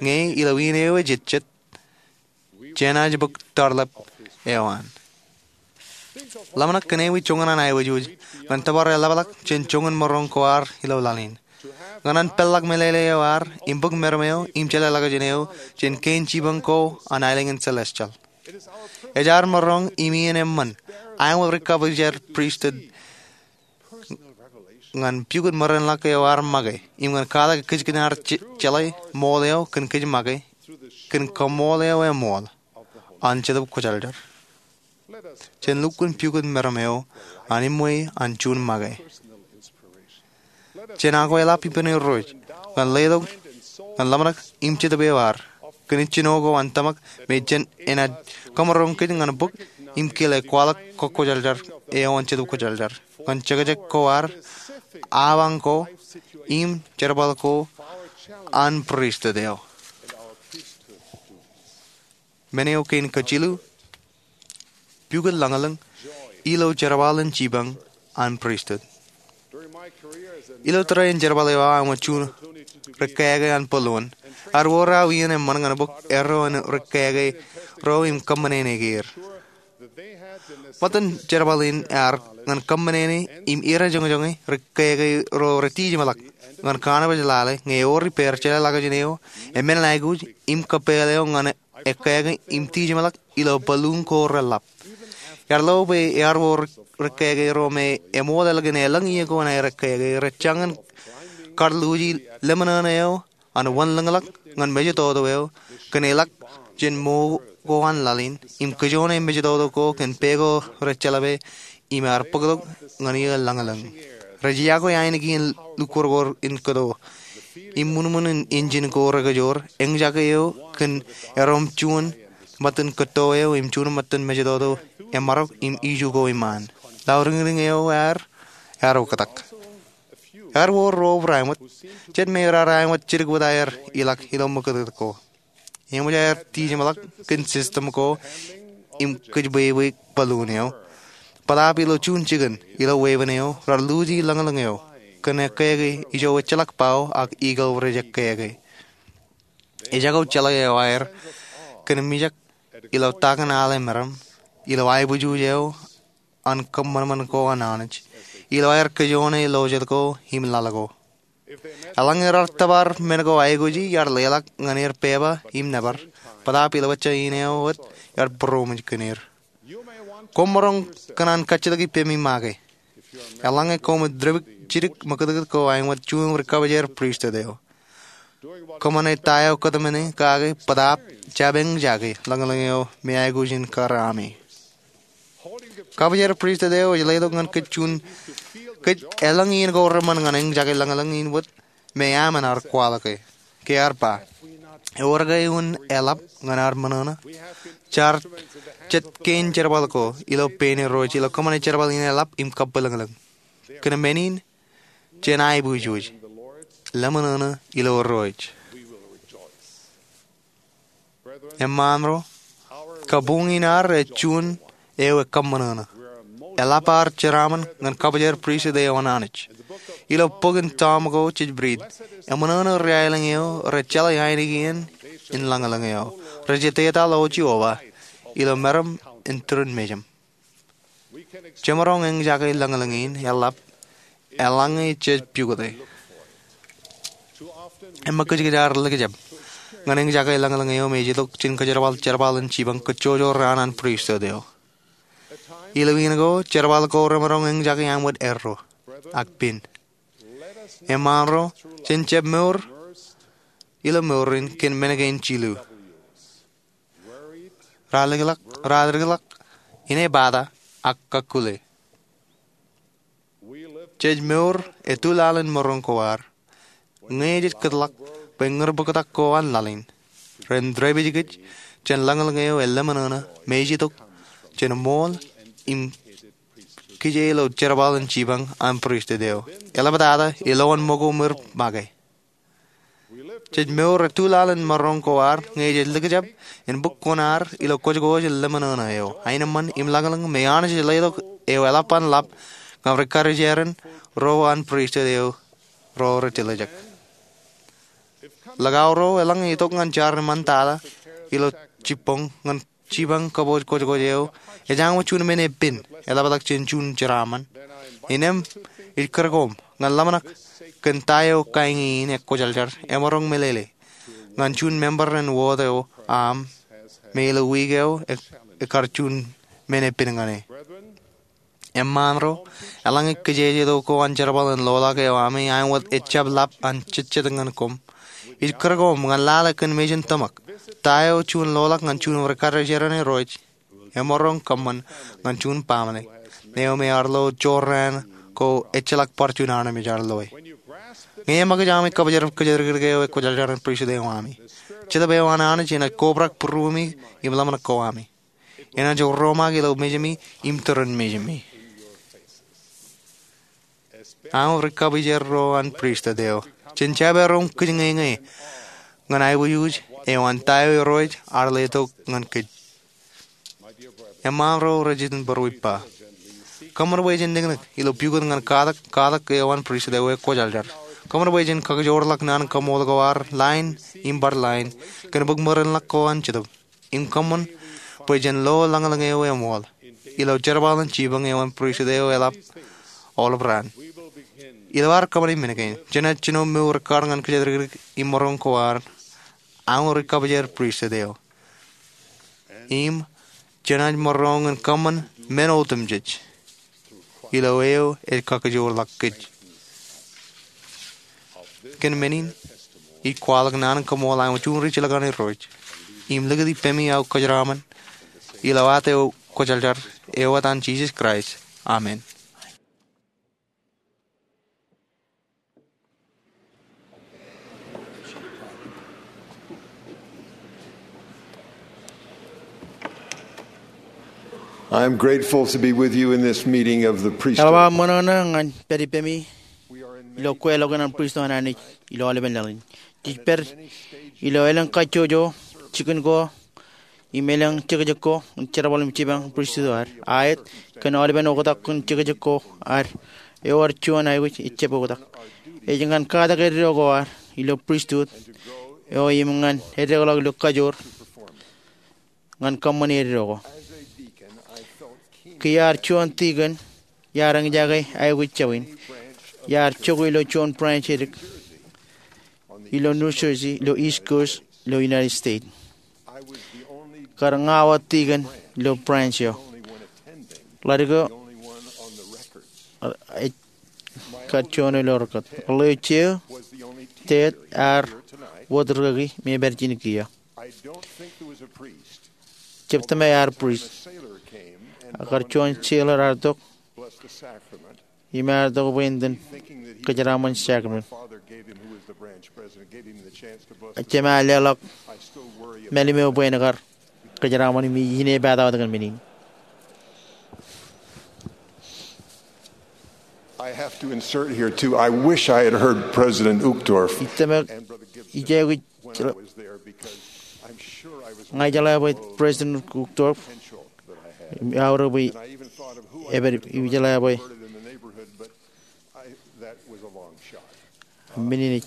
Ñe ilo iien eo ejejjet, jenaaj bōk tarlep eo an. Ḷōmṇak kōn ewi joñan an aikuj ñan tōpar eḷapḷọk jān joñan maroñ ko ad ilo laḷ in. Ñan an peḷḷọk meḷeḷe eo ad im bōk meram eo im jeḷā ḷọkjeṇ eo jān kein jipañ ko an aelōñ in celestial. Ej ad maroñ im iien eṃṃan aenōt ri kabōjor pristut ñan pukot ṃarenḷọk eo ad make im ñan kwaḷọk kōjkan ad jeḷā ṃool eo kōn kōj make kōn kaṃool eo eṃool an Jetōb Kwōjarjar. Jen lukkuun pukot meram eo an eṃṃan an juon make. Jen akweḷap ippān Irooj ñan letok ñan ḷōmṇak im jetōb eo ad kōn ijjino ko an tōmak me jen enaaj kōmaroñ kōj ñan bōk im kile kwaḷọk kōkkwōjarjar eo an Jetōb Kwōjarjar ñan jekjek ko ad, awañ ko, im jerbal ko an pristut eo. Men eo kein kajilu, pukot lañlōñ ilo jerbal in jipañ an pristut. Ilo tōre in jerbal eo aō aenōt juon rikkāāke an balloon, ear wōr aō iien eṃṃan ñan bōk erro in rikkāāke ro im kōṃṃane er. Ṃōttan jerbal in ear ñan kōṃṃane im irejoñjoñe rikkāāke ro retijeṃḷọk ñan kanbōj lale ñe eor ippāer jeḷā ḷọkjeṇ eo, emān aikuj im kōppāāl eo ñan ekkāāke im tijeṃḷọk ilo balloon ko reḷap. Ear lo bwe ear wōr rikkāāke ro me eṃool ālikin elōñ iiō ko an aer ekkāāke rej jañin kar luuji lemñoṇoṇo eo an wanlōñḷọk ñan mejatoto eo kōn eḷak jān mo ko an laḷ in im kōjone mejatoto ko kōn pā ko rej jeḷā bwe im ear bōktok ñan iiō lañlōñ. Rej iakwe ainikien in lukkuun ko in kōto im ṃuñmuñ in injin ko rekajoor, eñjake eo kōn erom juon ṃōttan kōtto eo im juon ṃōttan mejatoto emarok im iju ko iṃaan. Lauriñriñ eo aer ear oktak. Ear wōr ro aenōt, jet me raar aenōt jidik wōt aer ilọk ilo ṃōkūtkūt ko. Eṃōj aer tijeṃḷọk kōn system ko im kōjbwebwe balloon eo. Bōtaab ilo juon jikin ilo weeppān eo raar luuji lañlōñ eo kōn ekkāāke ijo ejjeḷọk bao ak eagle rej ekkāāke. Ejako jeḷā eo aer kōn mijak ilo takin ale meram ilo aiboojoj eo an kōṃanṃan ko an Anij ilo aer kōjone lo jet ko im laḷ ko. Eḷaññe raar tōpar men ko aikuji, iar leḷọk ñan er pepa im nōbar, bōtaab ilo ejja in eo wōt iar būroṃōj kōn er. Koṃ maroñ kōṇaan kajjitōk ippemi make eḷaññe koṃij dāpij jidik ṃōkūtkūt ko aenōt juon ri kabōjor pristut eo. Kōṃṃane ta eo kōtmāne kake bōtaab jab eñjake lañlōñ eo me aikuj in kar ami. Kabōjor pristut eo ej letok ñan kōj juon, kōj elōñ iien ko reṃṃan ñan eñjake lañlōñ in wōt me aṃ en ar kwaḷọke. Ke ear ba, ewōr ke un eḷap ñan ad ṃōṇōṇō? Jaar jet kein jerbal ko ilo pein Irooj ilo kōṃṃane jerbal in eḷap im kabwilōñlōñ. Kōn men in, jen aiboojoj, leṃōṇōṇō ilo Irooj. Eṃṃaan ro, kabuñ in ad ej juon eo ekōṃṃanono. Eḷap ad jeraaṃṃan ñan kabōjor pristut eo an Anij. Ilo bok in Tom ko jej riit, eṃōṇōṇō ri aelōñ eo rej jeḷā ainikien in lañlōñ eo. Rej ettā ḷọk Jeova ilo meram in turin mejaṃ. Jemaroñ eñjake lañlōñ in eḷap eḷaññe jej pukot e. Eṃṃan kōj kōj ar likjab ñan eñjake lañlōñ eo me ej itok jān kōjerbal jerbal in jipañ kajjojo raan an pristut eo. Ilo iien ko jerbal ko remaroñ eñjake aṃ wōt erro ak pen. Eṃṃaan ro, jen jab mour ilo mour in kōn men kein jilu. Ralikḷọk, ralikḷọk, inepata, ak kakkule. Jej mour etulaḷ in maroñ ko ad ñe jej kōtḷọk bwe ñūr bōktak ko an laḷ in ren dāpij kōj jān lañlōñ eo eḷōmṇōṇō me ej itok jān ṃool im kije ilo jerbal in jipañ an pristut eo. Eḷaptata ilowaan ṃōko ṃwir make. Jej mour etulaḷ in maroñ ko ad ñe jej likjab in bōk kuṇaad ilo kōjkōj in ḷōmṇōṇō eo, aenōṃṃan im lañlōñ me Anij ej letok eo eḷap an ḷap ñan ri-karijeran ro an pristut eo ro rej tiljek. Likao ro eḷaññe itok ñan jar iṃaan tata ilo jibboñ ñan jipañ kōpooj kōjkōj eo, ej aṃ wōt juon men epen eḷapḷọk jān juon jeraaṃṃan. Innām ij kūr koṃ ñan ḷōmṇak kōn ta eo kaeñe in ekwōjarjar emaroñ meḷeḷe ñan juon member in wōt eo aṃ me ilo wiik eo e, ekar juon men epen ñan e. Eṃṃaan ro, eḷaññe kijejeto ko an jerbal in loḷọk eo ami aṃ wōt ejjab ḷap an jejjet ñan koṃ, ij kūr koṃ ñan lale kōn mejān tōmak ta eo juon loḷọk ñan juon ri-karijeran Irooj emaroñ kōṃṃan ñan juon baaṃle eo me ear lo jorrāān ko ejjeḷọk bar juon armej ear loe. Ñe eṃōkaj ami kabjar kōjatdikdik eo ekwōjarjar an pristut eo ami, Jetōb eo an Anij enaaj kobrak būruemi im ḷōmṇak ko ami. Enaaj romaak ilo mejemi im turin mejemi. Aṃ ri kapijer ro an pristut eo, jen jab erom kōj ñeñe ñan aikuj eo an ta eo Irooj ear letok ñan kōj. Eṃṃaan ro rej iten bōro ippa, kōṃṃan bwe jen niknik ilo pukot ñan katak, katak eo an pristut eo ekwōjarjar. Kōṃṃan bwe jen kakijoorḷọk naan in kaṃṃool ko ad line im bar line kōn bōk merenḷọk ko an Jetōb. Im kōṃṃan bwe jen lo lañlōñ eo eṃool ilo jerbal in jipañ eo an pristut eo eḷap aolep raan. Ilo ad kōṃṃane men kein, jenaaj jino mour ekkar ñan kōjatdikdik im maroñ ko ad aṃ ri kapijer pristut eo. Im jenaaj maroñ in kōṃṃan men otemjej ilo eo ej kakijoorḷọk kōj. Kōn men in, ij kwaḷọk naan in kaṃṃool aṃ juon ri jilkinḷọk an Irooj im likūt ippemi aō kōjeraṃṃan ilo ad eo kwōjarjar, ewōt an Jisōs Kraist, amen. I am grateful to be with you in this meeting of the priesthood. Eḷap aō ṃōṇōṇō ñan pād ippemi ilo kweilọk in an pristut an Anij ilo aolepen laḷ in. Jej pād ilo elōñ kajjojo, jikin ko, im elōñ jekjek ko in jerbal im jipañ pristut eo ad. Aet, kōn aolepen oktak in jekjek ko ad, ewōr juon aikuj ejjab oktak. Ej ñan katak eddo ko ad ilo pristut eo im ñan edekḷọk ilo kajoor ñan kōṃṃane eddo ko. Kiiō iar juon tikōn, iar eñjake aikuj jabwe in. Iar jokwe ilo juon branch edik ilo New Jersey, ilo East Coast, ilo United States. Kar ña wōt tikōn ilo branch eo. Ḷadik eo, ej kar juon ilo rekōt. Eḷḷā eo jeiū, tet ear wōt rikaki me ej pād ijin kiiō. Jab tōmak ear priest. Ak kar juon sailor ear tok im ear tok bwe en itōn kōjeraṃṃan sacrament. Jema leḷọk mālim eo bwe en kar kōjeraṃṃan im ij inepata wōt kōn men in. I have to insert here too. I wish I had heard President Uchtdorf. Ij tōmak, ij aikuj, ña ijeḷā bwe President Uchtdorf, im aorōk bwe epād, im ijeḷā bwe men in ej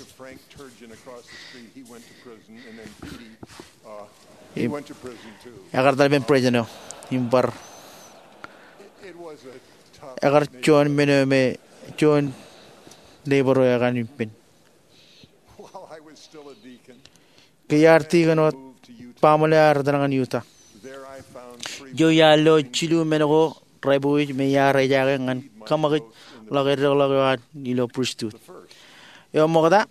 Frank Turgeon across the street, he went to prison, and then Petey, uh, he went to prison too. Ekar etal ippān president eo im bar ekar juon men eo me juon neighbor eo ekanooj ippān. Ke iar deacon wōt, baaṃle ear etal ñan Utah. Ijo iar lo jilu men ko rej pojak me iar ejaake ñan kōṃakūt ḷọk eddekḷọk eo an ilo pristut. Eo ṃokta,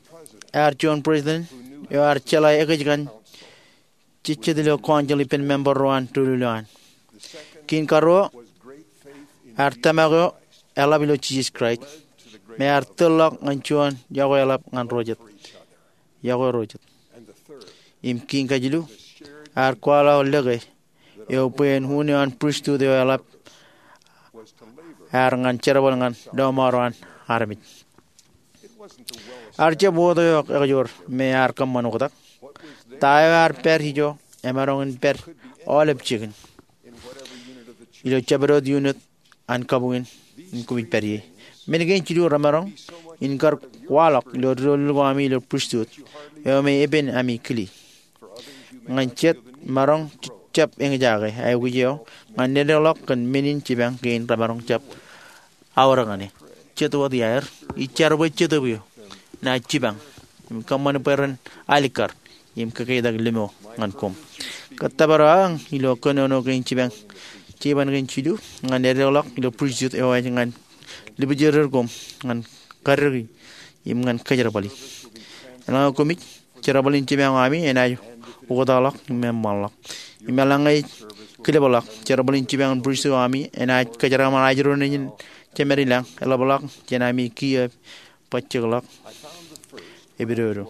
ear juon president eo ear jeḷā ekōjkan jejjet ilo council ippān member ro an doulul eo an. Kein karuo, ear tōmak eo eḷap ilo Jisōs Kraist, me ear tōl ḷọk ñan juon yokwe eḷap ñan ro jet. Yokwe ro jet. Im kein kajilu, ear kwaḷọk lōke eo bwe en unin pristut eo eḷap ear ñan jerbal ñan lọmọọr eo an armej. Ear jab wōt eo ekjoor me ear kōṃṃan oktak. Ta eo ear pād ijo emaroñ in pād aolep jikin ilo jabdewōt unit an kabuñ in koṃij pād ie. Men kein jilu remaroñ in kar kwaḷọk ilo doulul ko ami ilo pristut eo me epen ami kile. Ñan jet, maroñ jab eñjake aikuj eo ñan eddekḷọk kōn men in jipañ kein remaroñ jab aorōk ñan e. Jet wōt iaer, ij jar bwe Jetōb eo enaaj jipañ im kōṃṃan bwe ren alikkar im kōkeitak limo ñan koṃ. Kōttōpar aō ilo kōnono kein jipañ, jipañ kein jilu ñan eddekḷọk ilo pristut eo ej ñan lipjirjer koṃ ñan kaddiki im ñan kōjerbali. Eḷaññe koṃij, jerbal in jipañ eo ami enaaj oktakḷọk im eṃṃanḷọk. Im eḷaññe ej kilipḷọk, jerbal in jipañ pristut eo ami enaaj kōjeraaṃṃan ajri ro nejin jemed ilañ, eḷapḷọk jān ami kiiō bajjekḷọk epidodo.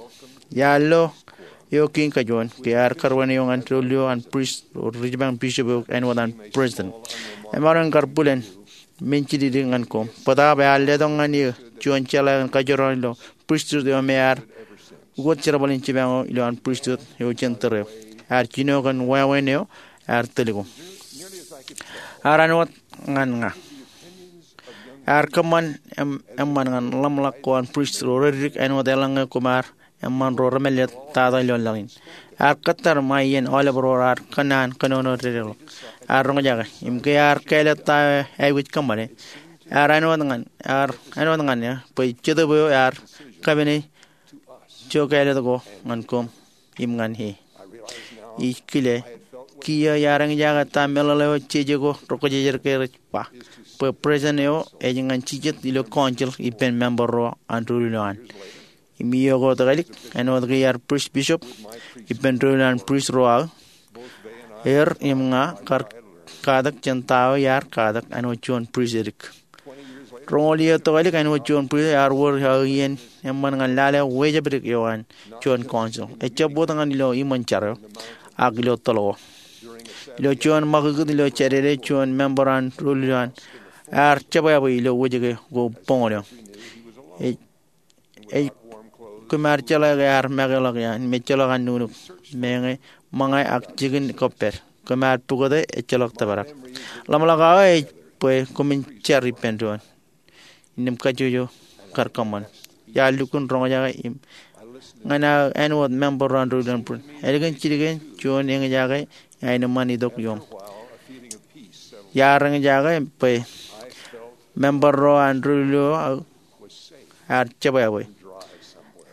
Iar lo eo kein kajuon, ke ear kar wānōk eo ñan doulul eo an prist ro ri jipañ bishop eok āinwōt an president. Emaroñ in kar bwilōñ men jidikdik ñan koṃ. Bōtaab ear letok ñan eō juon jeḷā kōn kajorrāān ilo pristut eo me ear ukōt jerbal in jipañ eo ilo an pristut eo jān tōre eo. Ear jino kōn wāween eo ear tōl koṃ. Ear āinwōt ñan ña. Ear kōṃṃan eṃ-, eṃṃan ñan ḷōmṇak ko an prist ro reddik āinwōt eḷaññe koṃ ar eṃṃan ro remālōtlōt tata ilo laḷ in. Ear kōttar ṃae iien aolep ro raar kōnnaan kōnono dedeḷọk. Ear roñjake, im ke ear kāālōt ta eo aikuj kōṃṃane, ear āinwōt ñan, ear āinwōt ñan eō bwe Jetōb eo ear kapene ijo kāālōt ko ñan koṃ im ñan e. Ij kile, kiiō iar eñjake ta meḷeḷe eo jeje ko rokjejed ke rej ba, bwe president eo ej ñan jijet ilo council ippān member ro an doulul eo an. Im iiō ko tōkālik, āinwōt ke iar prist bishop ippān doulul an prist ro aō, er im ña kar katak jān ta eo iar katak āinwōt juon prist edik. Roñoul iiō tōkālik āinwōt juon prist ear wōr aō iien eṃṃan ñan lale wejāpdik eo an juon council. Ejjab wōt ñan ilo iṃōn jar eo, ak ilo toḷ ko. Ilo juon ṃakūtkūt ilo Jādede, juon member an doulul eo an ear jebwābwe ilo wōjke ko boñōn eo. Ej ej koṃ ar jeḷā ke ear make ḷọk iaan im ejjeḷọk an nuknuk, meñe, ṃōñā ak jikin kōppād. Koṃ ar pukot e, ejjeḷọk tōprak. Ḷōmṇak aō ej bwe koṃwin jar ippān doon. Innām kajjojo kar kōṃṃan. Iar lukkuun roñjake im ñan aō āinwōt member ro an doulul an prist. Ālikin jidik in juon eñjake eain eṃṃan itok ioṃ. Iar eñjake bwe member ro an doulul eo aō ear jebwābwe,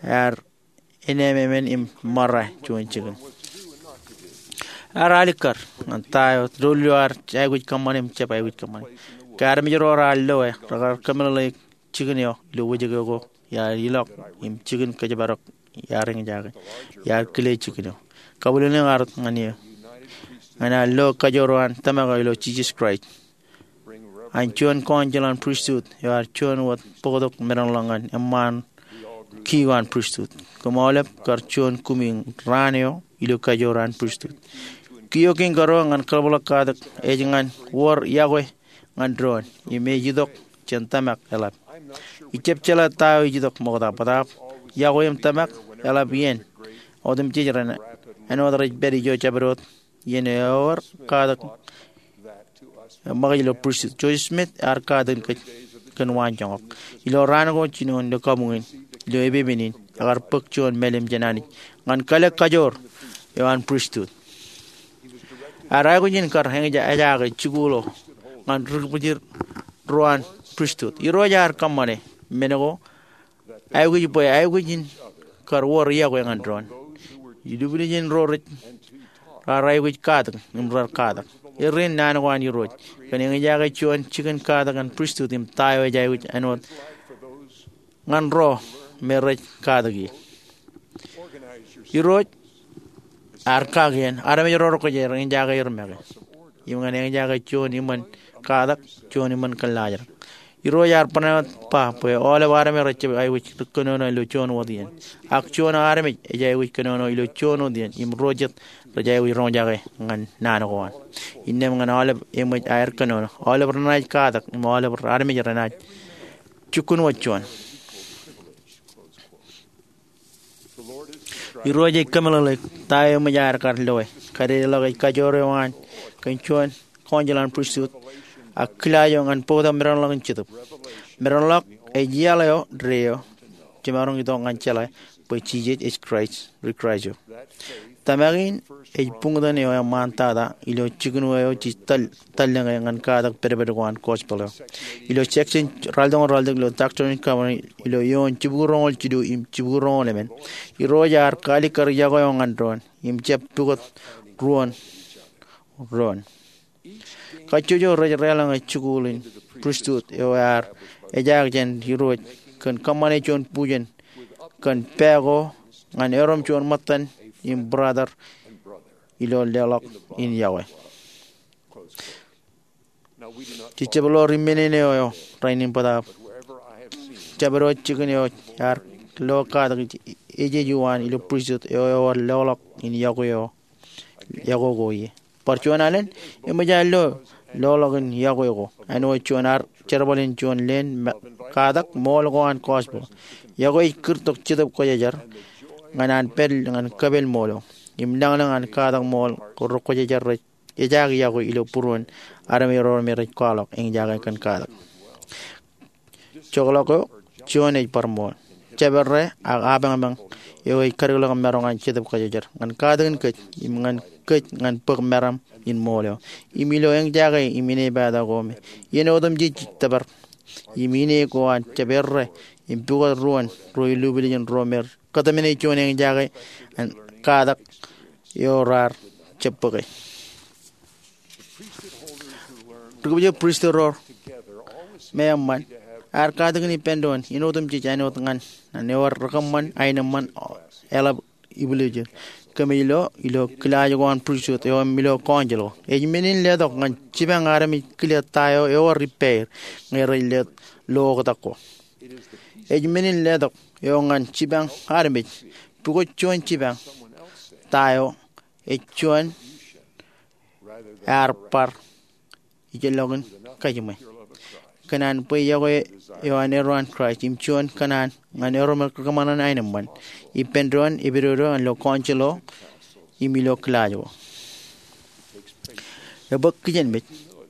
ear enememān im ṃōrā juon jikin. Ear alikkar ñan ta eo doulul eo ear aikuj kōṃṃane im jab aikuj kōṃṃane. Ke armej ro raar lo e, rekar kōmeḷeḷeik jikin eo ilo wōjke ko iar ilọk im jikin kōjparok iar eñjake. Iar kile jikin eo. Kabwilōñlōñ ear wōt ñan eō. Ñan aō lo kajoor eo an tōmak eo ilo Jisōs Kraist an juon council an pristut eo ear juon wōt bōktok medaḷ ḷọk ñan eṃṃaan kiiō an pristut. Koṃ aolep kar juon kumi raan eo ilo kajoor an pristut. Kiiō kein karuo ñan kōḷapḷọk katak ej ñan wōr yokwe ñan doon im ej itok jān tōmak eḷap. Ijjab jeḷā ta eo ej itok ṃokta bōtaab yokwe im tōmak eḷap iien otemjej ren āinwōt rej pād ijo jabdewōt iien ewōr katak ṃōkaj ilo pristut. Joseph Smith ear katak kōn waan joñak. Ilo raan ko jinoin ilo kabuñ in, ilo epepen in, ekar bōk juon mālim jān Anij ñan kalōk kajoor eo an pristut. Ear aikuj in kar eñjake jikuuḷ eo ñan ri kōbwijin ro an pristut. Irooj ear kōṃṃane men ko aikuj bwe aikuj in kar wōr yokwe ñan doon. Ilubwiljin ro rej raar aikuj katak im rar katak. Errin naan ko an Irooj kōn eñjake juon jikin katak an pristut im ta eo ej aikuj āinwōt ñan ro me rej katak ie. Irooj ear kakien armej ro rekwōjarjar eñjake er make im ñan eñjake juon iṃōn katak, juon iṃōn kōllaajrak. Irooj ear bōnwōt ba bwe aolep armej rej jab aikuj kōnono ilo juon wōt iien, ak juon armej ej aikuj kōnono ilo juon wōt iien im ro jet rej aikuj roñjake ñan naan ko an. Innām ñan aolep eṃōj aer kōnono, aolep renaaj katak im aolep armej renaaj jukkunwōt juon. Irooj ej kōmeḷeḷeik ta eo eṃōj aer kar loe. Kadedeḷọk ej kajoor eo an kōn juon council an pristut ak kilaaj eo ñan bōktok meranḷọk in Jetōb. Meranḷọk ej iaḷ eo deo jemaroñ itok ñan jeḷā bwe Jisōs ej Kraist, ri Kraist eo. Tōmak in ej buñtōn eo eṃṃantata ilo jikin eo jej tōl tōl ñe ñan katak pedped ko an gospel eo. Ilo section ralitōñoul ralitōk ilo Doctrine and Covenants ilo eoon jibukwi roñoul jilu im jibukwi roñoul emān, Irooj ear kaalikkar yokwe eo ñan doon im jab pukot ruon doon. Kajjojo rej deḷọñe jikuuḷ in pristut eo ear ejaak jān Irooj kōn kōṃṃane juon bujen kōn pā ko ñan erom juon ṃōttan im brother ilo leḷọk in yokwe. Jej jab lo ri men eo rainin bōtaab. Jabdewōt jikin eo ear lo katak ejeju an ilo pristut eo ewōr leḷọk in yokwe eo, yokwe ko ie. Bar juon alen, eṃōj aer lo leḷọk in yokwe ko āinwōt juon ad jerbal in juon leen katak ṃool ko an gospel. Yokwe ej kūrtok Jetōb Kwōjarjar ñan an pād ñan kōpel ṃool eo im lañlōñ an katak ṃool ko ri kwōjarjar rej ejaak yokwe ilo būruon armej ro me rej kwaḷọk eñjake kōn katak. Jokḷọk eo juon ej bar ṃool. Jabdewōt ak apañpañ eo ej kadikḷọk maroñ an Jetōb Kwōjarjar ñan katakin kōj im ñan kōj ñan bōk meram in ṃool eo im ilo eñjake im inepata ko me iien otemjej jej tōpar im ine ko an jab errā im pukot ruon ro ilubwiljin ro me kōtmāne juon eñjake an katak eo raar jab bōke. Ri kōbwijin pristut ro me eṃṃan ear katakin ippān doon in otemjej āinwōt ñan an ewōr rikōṃṃan aenōṃṃan eḷap ibwiljin kōmij lo ilo kilaaj ko an pristut eo im ilo council ko. Ej men in letok ñan jipañ armej kile ta eo ewōr ippāer ñe rej letok lo oktak ko. Ej men in letok eo ñan jipañ armej pukot juon jipañ ta eo ej juon ear bar ijellọkin kajiṃwe. Kōn an bwe yokwe eo an erro an Kraist im juon kōṇaan ñan erro me rikōṃṃan aenōṃṃan ippān doon epidodo an ilo council ko im ilo kilaaj ko. Ebōk kijenmej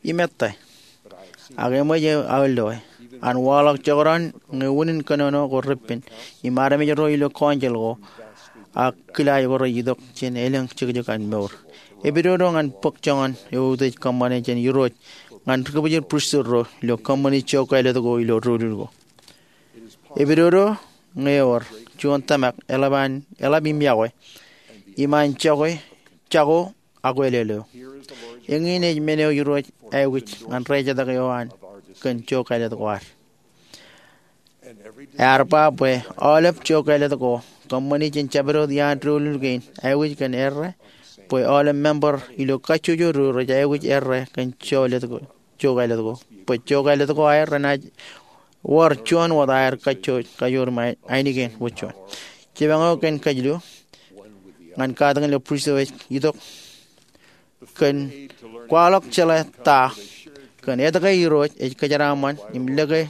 im ettā. Ak eṃōj aō loe an waḷọk jekdọọn ñe unin kōnono ko reppen im armej ro ilo council ko ak kilaaj ko rej itok jān elōñ jekjek an mour. Epidodo ñan bōk joñan eutiej kōṃṃane jān Irooj ñan ri kōbwijin pristut ro ilo kōṃṃani jook kāālōt ko ilo doulul ko. Epidodo ñe ewōr juon tōmak eḷap an, eḷap im yokwe im an jako, jako akwelel eo. Eñin ej men eo Irooj aikuj ñan ri ejjetak eo an kōn jook kāālōt ko ad. Ear ba bwe aolep jook kāālōt ko kōṃṃani jān jabdewōt iaan doulul kein aikuj kōn errā bwe aolep member ilo kajjojo ro rej aikuj errā kōn jook kāālōt ko, jook kāālōt ko bwe jook kāālōt ko aer renaaj wōr juon wōt aer kajjojo, kajoor im ainikien wōt juon. Jipañ eo kōn kajilu ñan katakin ilo pristut eo ej itok kōn kwaḷọk jeḷā ta kōn etke Irooj ej kōjeraaṃṃan im lōke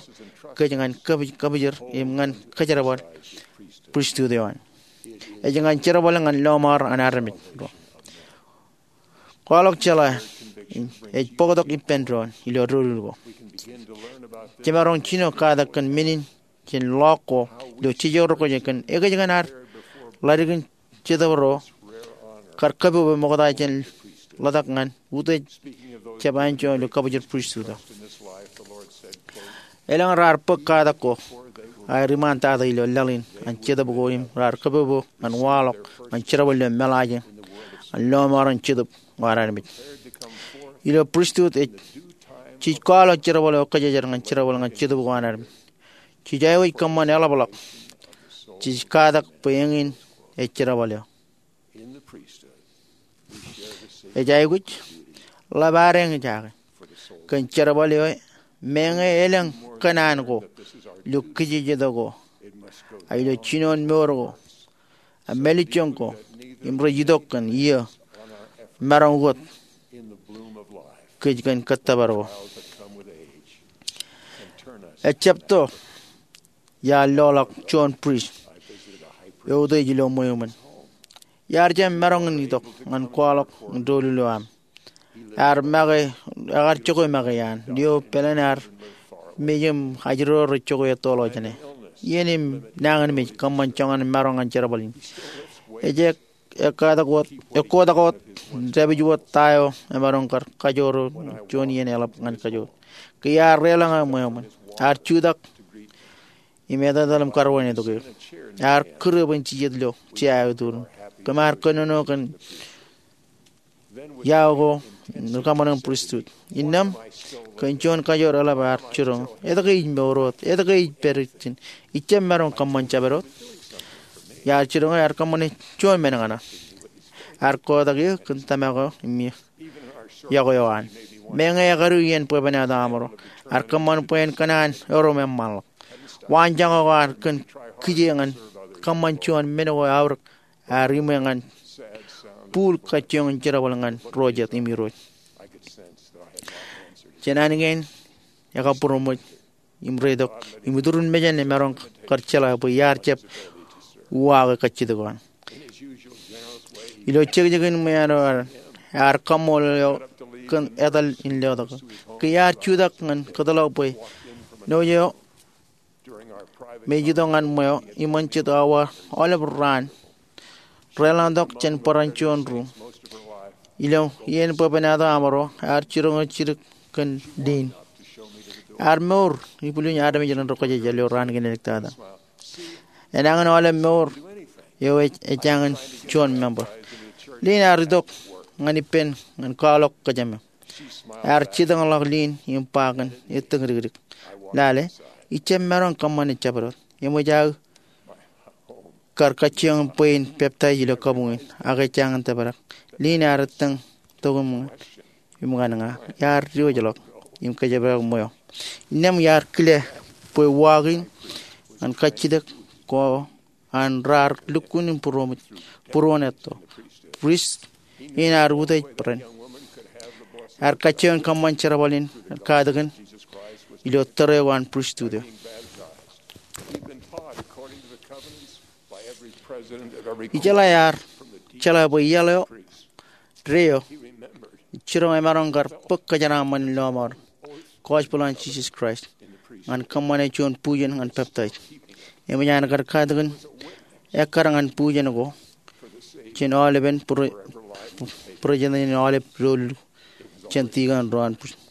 kōj ñan kab-, kabwijin im ñan kōjerbal pristut eo an. Ej ñan jerbal ñan lọmọọr an armej ro. Kwaḷọk jeḷā ej bōktok ippān doon ilo doulul ko. Jemaroñ jino katak kōn men in jān ḷọk ko ilo jeje ro kwōj kōn ekōjkan ad ḷaddik in Jetōb ro kar kōpopo ṃokta jān ḷotak ñan utiej jab anjọ ilo kabwōjin pristut eo. Elōñ raar bōk katak ko aer iṃaantata ilo laḷ in an Jetōb ko im raar kōpopo ñan waḷọk ñan jerbal ilo meḷaaj an lọmọọren Jetōb eo an armej. Ilo pristut ej, jej kwaḷọk jerbal eo kōjejed ñan jerbal ñan Jetōb ko an armej. Jej aikuj kōṃṃan eḷapḷọk. Jej katak bwe eñin ej jerbal eo. Ej aikuj ḷap ad eñjake kōn jerbal eo, meñe elōñ kōṇaan ko ilo kijejeto ko, ak ilo jinoin mour ko, ak mālejjoñ ko, im rej itok kōn iiō maroñ wōt kōj kōn kōttōpar ko. Ejjab to iar loḷọk juon prist eutiej ilo ṃweo ṃōn. Iar jab maroñ in itok ñan kwaḷọk doulul eo aṃ. Ear make, ekar jokwe make iaan, lio pālen ear mej im ajri ro rej jokwe ettoḷọk jāne. Iien im nañinmej kōṃṃan joñan maroñ ñan jerbal in. Ej ek, ekkatak wōt, ekkotak wōt, dāpij wōt ta eo emaroñ kar kajoor juon iien eḷap ñan kajoor. Ke iar reḷọñe ṃweo ṃōn, ear jutak im etetal im karwainetok eō. Ear kūr bwe en jijet ilo jea eo eturin. Kōm ar kōnono kōn iao ko im rikaṃṃan in pristut. Innām, kōn juon kajoor eḷap ear jiroñ, etke ij mour wōt, etke ij pād ijin, ijjab maroñ kōṃṃan jabdewōt. Iar jiroñ ear kōṃṃane juon men kaṇe. Ear kotak eō kōn tōmak eo im iọkwe eo an. Meñe ekadu iien bwebwenato aṃro, ear kōṃṃan bwe en kōṇaan erom eṃṃanḷọk. Waanjoñak eo an kōn kije ñan kōṃṃan juon men ko eaorōk ear iṃwe ñan bul kajjioñ in jerbal ñan ro jet im Irooj. Jān an kein ekabbūroṃōj im reitok im iturin mejān emaroñ kar jeḷā bwe iar jab uwaake kajjitōk eo an. Ilo jekjekin ṃweeṇ eo an, ear kaṃṃoolol eō kōn etal in letok eō. Ke iar jutak ñan kōtḷọk bwe ṇo eo me ej itok ñan ṃweo iṃōn jet awa aolep raan, reḷọñtok jān bōran juon ruuṃ. Ilo iien bwebwenato aṃro, ear jiroñ jidik kōn Lynn. Ear mour ibwilin armej ren ri-kōjejāl ilo raan kineektata. Enañin aolep mour eo ej, ejañin juon member. Lynn ear itok ñan ippān ñan kwaḷọk kōjām eo. Ear jitōñḷọk Lynn im ba kōn ettōñdikdik, "Lale, ijjab maroñ kōṃṃane jabdewōt. Eṃōj aō kar kajjioñ bwe in peptaij ilo kabuñ in, ak ejañin tōprak." Lynn ear ettōñ tok im ñan, im ñan ña. Iar diwōjḷọk im kōjparok ṃweo. Innām iar kile bwe uwaak in ñan kajjitōk ko an raar lukkuun im būroṃōj būruon etto. Prist in ear utiej bōran. Ear kajjioñ kōṃṃan jerbal in katakin ilo tōre ko an pristut eo. Ijeḷā ear jeḷā bwe iaḷ eo, deo, jiroñ emaroñ kar bōk kōjeraaṃṃan in lọmọọr gospel an Jisōs Kraist ñan kōṃṃane juon bujen ñan peptaij. Eṃōj an kar katakin ekkar ñan bujen ko jān aolepen pre-, president in aolep doulul jān tikōn ro an pristut.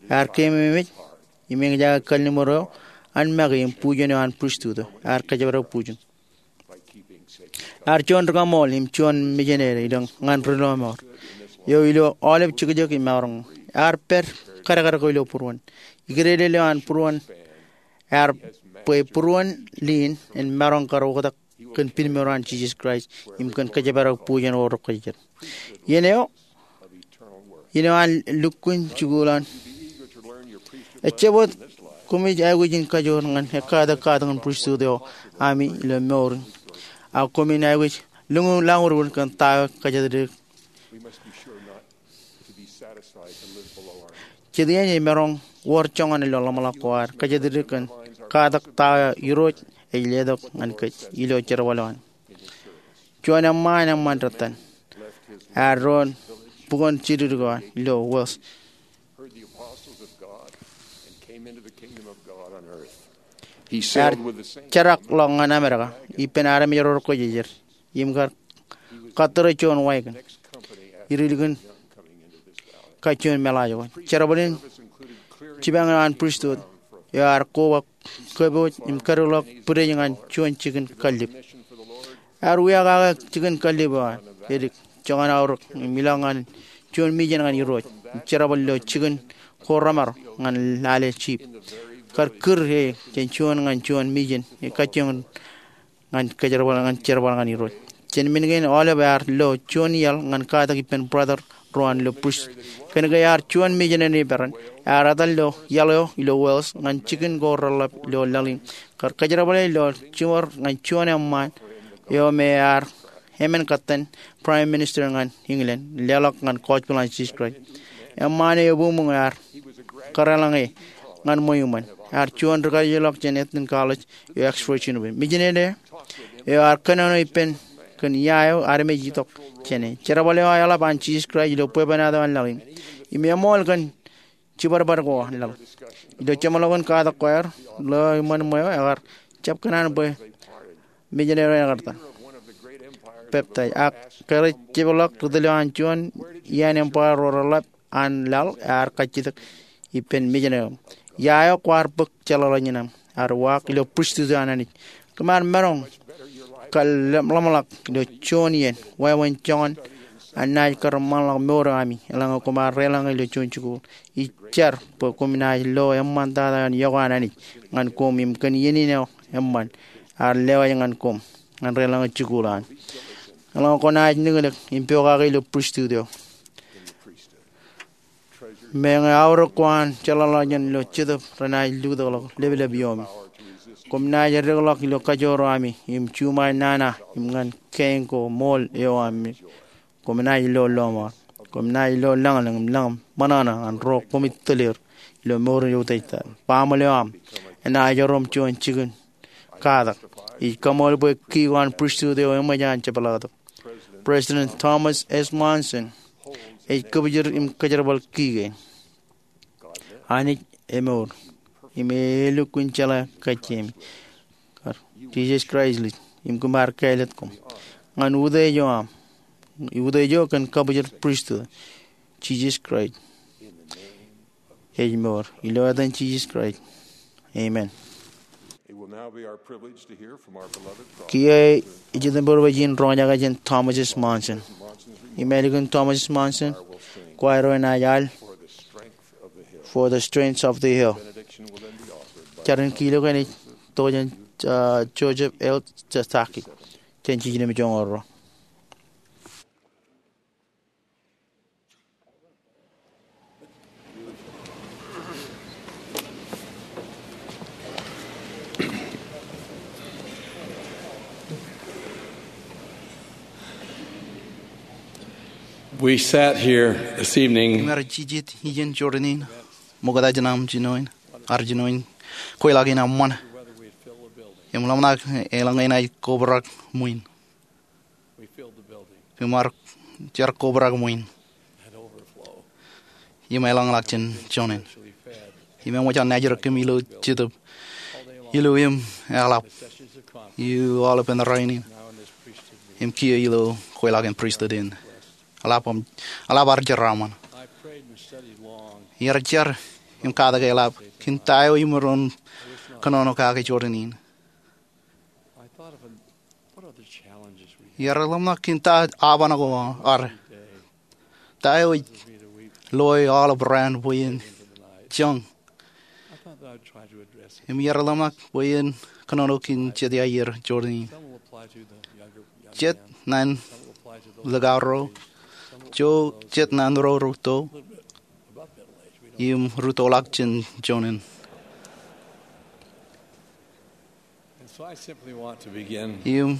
Ear keememej im eñjake kalliṃur eo an make im bujen eo an pristut eo. Ear kōjparok bujen. Ear juon ri-kaṃool im juon misineri ilo ñan ri-lọmọọr eo ilo aolep jekjek im maroñ. Ear pād kadkad ko ilo būruon. Ikidede eo an būruon ear bwe būruon Lynn en maroñ kar oktak kōn pinmour an Jisōs Kraist im kōn kōjparok bujen ko rekwōjarjar. Iien eo, iien eo an lukkuun jikuuḷ an. Ejjab wōt koṃij aikuj in kajoor ñan ekkatak katakin pristut eo ami ilo mour in. Ak koṃin aikuj lōñ lañurur kōn ta eo kōjatdikdik. Jet iien emaroñ wōr joñan ilo ḷōmṇak ko ad kōjatdikdik kōn katak ta eo Irooj ej letok ñan kōj ilo jerbal eo an. Juon eṃṃaan eṃṃan rōtan ear doon bukwōn jidikdik eo an ilo Wales. Ear jerakḷọk ñan Amerika ippān armej ro rekwōjarjar im kar kattōre juon wagon. Ilikin kajjioñ meḷaaj ko, jerbal in jipañ eo an pristut eo ear koba kōpooj im kadeḷọk bwidej ñan juon jikin kallib. Ear wiakake jikin kallib eo an edik joñan aorōk im ilọk ñan juon mijen ñan Irooj im jerbal ilo jikin ko remaroñ ñan lale jip. Kar kūr e jān juon ñan juon mijen e kajjioñ ñan kōjerbal ñan jerbal ñan Irooj. Jān men kein aolep ear lo juon iaḷ ñan katak ippān brother ro an ilo pristut. Kōnke ear juon mijen in peran, ear etal ilo iaḷ eo ilo Wales ñan jikin ko reḷḷap ilo laḷ in kar kōjerbale ilo jiṃor ñan juon eṃṃaan eo me ear emān kōttan Prime Minister ñan England leḷọk ñan gospel an Jisōs Kraist. Eṃṃaan eo ebuñbuñ ear kadeḷọñ e ñan ṃweo iṃōn. Ear juon ri-kajjeḷọk jān Eton College eo Oxford University. Mijen eo ear kōnono ippān kōn ia eo armej itok jāne. Jerbal eo eḷap an Jisōs Kraist ilo bwebwenato an laḷ in im eṃool kōn jibadbad ko an laḷ. Ilo jeṃḷọkin katak ko aer lo iṃōn ṃweo, ekar jab kōṇaan bwe mijen eo ekar ta peptaij. Ak kōrā jepḷọk ri-tōl eo an juon iaan empire ro reḷḷap an laḷ ear kajjitōk ippān mijen eo. Ia eo kwaar bōk jeḷāḷọkjeṇ aṃ? Ear uwaak, ilo pristut eo an Anij. Kōm ar maroñ kar ḷōmṇak ilo juon iien wāween joñan an naaj kar ṃanḷọk mour eo ami eḷaññe koṃ ar deḷọñ e ilo juon jikuuḷ. Ij jar bwe koṃ naaj lo eṃṃantata eo an iọkwe an Anij ñan koṃ im kōn iien in eo eṃṃan ear lewōj ñan koṃ ñan deḷọñe jikuuḷ an. Eḷaññe kwōnaaj niñlōñ im pokake ilo pristut eo, meñe aorōk ko an jeḷāḷọkjeṇ ilo Jetōb renaaj lutōkḷọk leplep ioomi. Koṃ naaj eddekḷọk ilo kajoor eo ami im juṃae nana im ñan kein ko ṃool eo ami. Koṃ naaj lo lọmọọr. Koṃ naaj lo lañlōñ im lañ ṃōṇōṇō ñan ro koṃij tōl er ilo mour in eutiej tata. Baaṃle eo aṃ enaaj erom juon jikin katak. Ij kaṃool bwe ki ko an pristut eo eṃōj an jepḷaaktok. President Thomas S. Monson ej kōpijor im kōjerbal ki kein. Anij emour im e lukkuun jeḷā kajjiemi. Kar Jisōs Kraist ij im kōm ar kāālōt koṃ ñan utiej eo aṃ, utiej eo kōn kabuñ pristut. Jisōs Kraist ej mour. Ilo etan Jisōs Kraist, amen. It will now be our privilege to hear from our beloved Kiiō ej ijeṃṃan bwe jen roñjake jān Thomas S. Monson. Im ālikin Thomas S. Monson, kwaar eo enaaj al For the Strength of the Hill. Jar in kiiō ej tok jān, uh, Joseph L. Sasaki. Jān jiljino im joñoul ruo. We sat here this evening. Im ear jijet ijeṇ jorrāān in, ṃokta jān aṃ jinoin, ar jinoin kweilọk in eṃṃan. Im ḷōmṇak eḷaññe enaaj kobrak ṃwiin. Im ar jar kobrak ṃwiin. Im eḷañḷọk jān joñan. Im eṃōj an naaj rūkaki ilo Jetōb ilo im eḷap ilo aolepān rainin. Im kiiō ilo kweilọk in pristut in. Eḷap, eḷap ar jeraaṃṃan. Iar jar im katak eḷap kōn ta eo imaroñ kōnono kake jorrāān in. Iar ḷōmṇak kōn ta aoban ko ad. Ta eo ej loe aolep raan bwe en joñ. Im iar ḷōmṇak bwe en kōnono kōn jet iaer jorrāān in. Jet naan likao ro, jet naan ro rūtto, im rūttoḷọk jān joñan. Im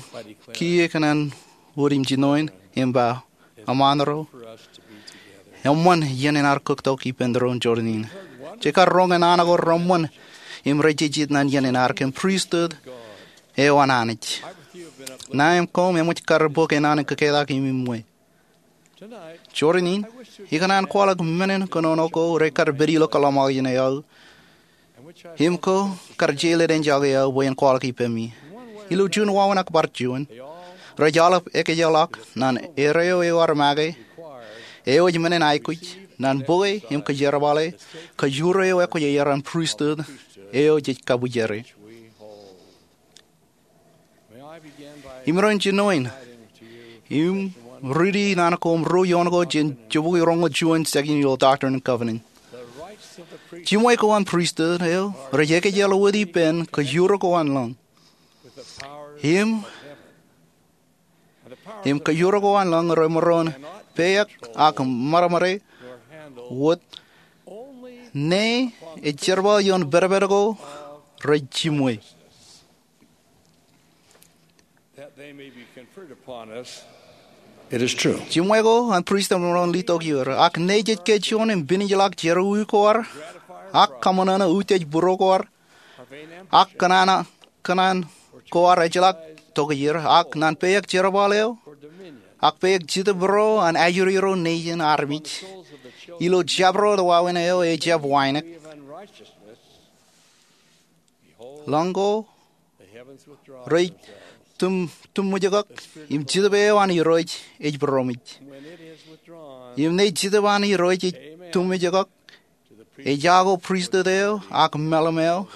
kiiō ikōṇaan wōt im jinoin im ba, eṃṃan ro, eṃṃan iien in ad kōktok ippān doon jorrāān in. Jej kar roñ naan ko reṃṃan im rej jijet naan iien in ad kōn pristut eo an Anij. Ṇae im koṃ eṃōj kar bōk naan in kōketak im iṃwe. Jorrāān in, ikōṇaan kwaḷọk men in kōnono ko rekar pād ilo kōḷmānḷọkjeṇ eo aō, Im ko kar jeḷā ḷeejake eō bwe en kwaḷọk ippemi. Ilo juon wāween ak bar juon, rej aolep ekkejeḷọk ñan erreo ear make eo ej men in aikuj ñan bōke im kōjerbale kōjro eo ekwōjarjar an pristut eo jej kabwijere. Im irooj jinoin im riiti naan ko im ruo ioon ko jān jibukwi roñoul juon section ilo Doctrine and Covenants. Jiṃwe ko an pristut eo rej ekkejeḷā wōt ippān kōjro ko an lañ. Im im kōjro ko an lañ remaroñ peiōk ak ṃadṃōde wōt ñe ej jerbal ioon pedped ko rej jiṃwe. Jiṃwe ko an pristut remaroñ letok er, ak ñe jej kōjuon im pinijlọk jerọwiwi ko ad, ak kaṃōṇōṇō utiej būruo ko ad, ak kōṇaan ko ad ejjeḷọk tokjāer, ak ñan peiōk jerbal eo, ak peiōk Jetōb Ro an ajri ro nejin armej, ilo jabdewōt wāween eo ejjab wānōk. Lañ ko rej tūm, tūmwōjkọk, im Jetōb eo an Irooj ej būroṃōj. Im ñe Jetōb an Irooj ej tūmwōjkọk, ejako pristut eo ak meḷeḷe eo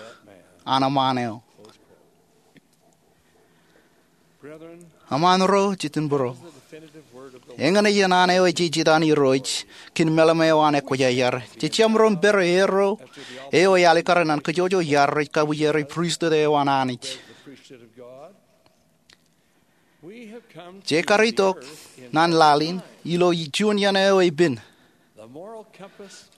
an eṃṃaan eo. Eṃṃaan ro, jitōnbōro, eñin ej naan eo ejejjet an Irooj kōn meḷeḷe eo an ekwōjarjar. Jej jab maroñ pād erreo eo ej alikkar ñan kōjwōj iaad rej kabwijere pristut eo an Anij. Jej kar itok ñan laḷ in ilo juon iien eo ej pen.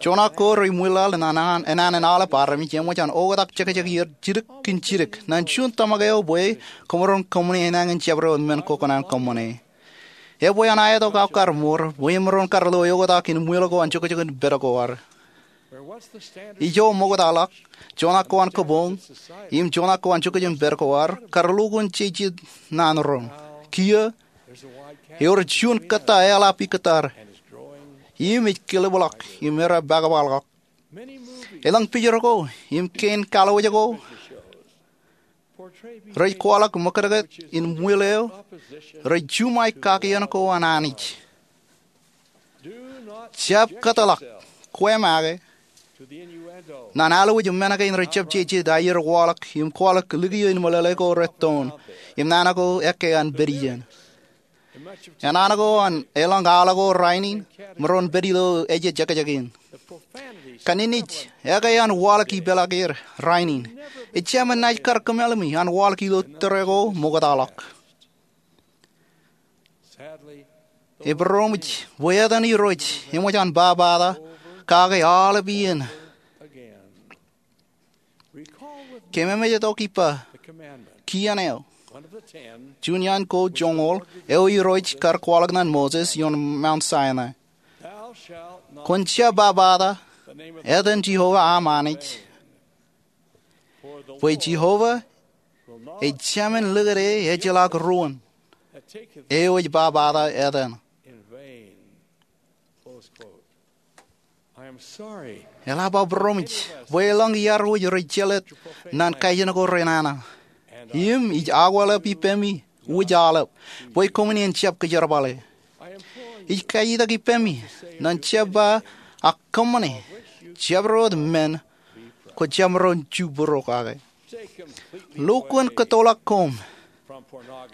Joñak ko rej ṃwilaḷ ñan an, ñan an aolep armej eṃōj an oktak jekjek er jidik kōn jidik ñan juon tōmak eo bwe kōṃro kōṃṃane enañin jabdewōt men ko kōṇaan kōṃṃane. Ebwe an aetok aō kar mour bwe emaroñ kar lo eoktak in ṃwilaḷ ko an jokjok in pād ko ad. Ijo ṃoktaḷọk, joñak ko an kōpoñ im joñak ko an jokjok in pād ko ad kar lo kōn jejet naan roñ. Kiiō, ewōr juon kōttāeḷap ikōttar im ej kilōbḷọk im erepakpaḷọk. Elōñ pijor ko im kein kallowōj ko rej kwaḷọk ṃōkōtōkōt in ṃwilaḷ eo rej juṃae kakien ko an Anij. Jab kōtḷọk kwe make ñan allowōj men kein rej jab jejet aer kwaḷọk im kwaḷọk likio in meḷeḷe ko rettoon im naan ko ekkā an pād iien. Naan ko an elōñ aḷ ko rainin maroñ pād ilo ejejekjek in. Kanijnij ekkā an waḷọk ipeḷaakier rainin ejāmin naaj kar kōmeḷeḷe me an waḷọk ilo tōre ko ṃoktaḷọk. Ebōromōj bwe etan Irooj eṃōj an bwabwata kake aolep iien. Kōmmemeej tok ippa kien eo, juon iaan ko joñoul eo Irooj kar kwaḷọk ñan Moses ioon Mount Sinai. Kwōn jab bwabwata etan Jeova aṃ Anij, bwe Jeova ejāmin likūt e ejjeḷọk ruōn eo ej bwabwata etan. Eḷap aō būroṃōj bwe elōñ iaad wōj rej jelōt ñan kaijin ko renana. Im ij akweḷap ippemi wōj aolep bwe koṃwin en jab kōjerbale. Ij kajutak ippemi ñan jab ba ak kōṃṃane jabdewōt men kwō jab maroñ jubūrok kake. Lo kōn kōttoḷọk koṃ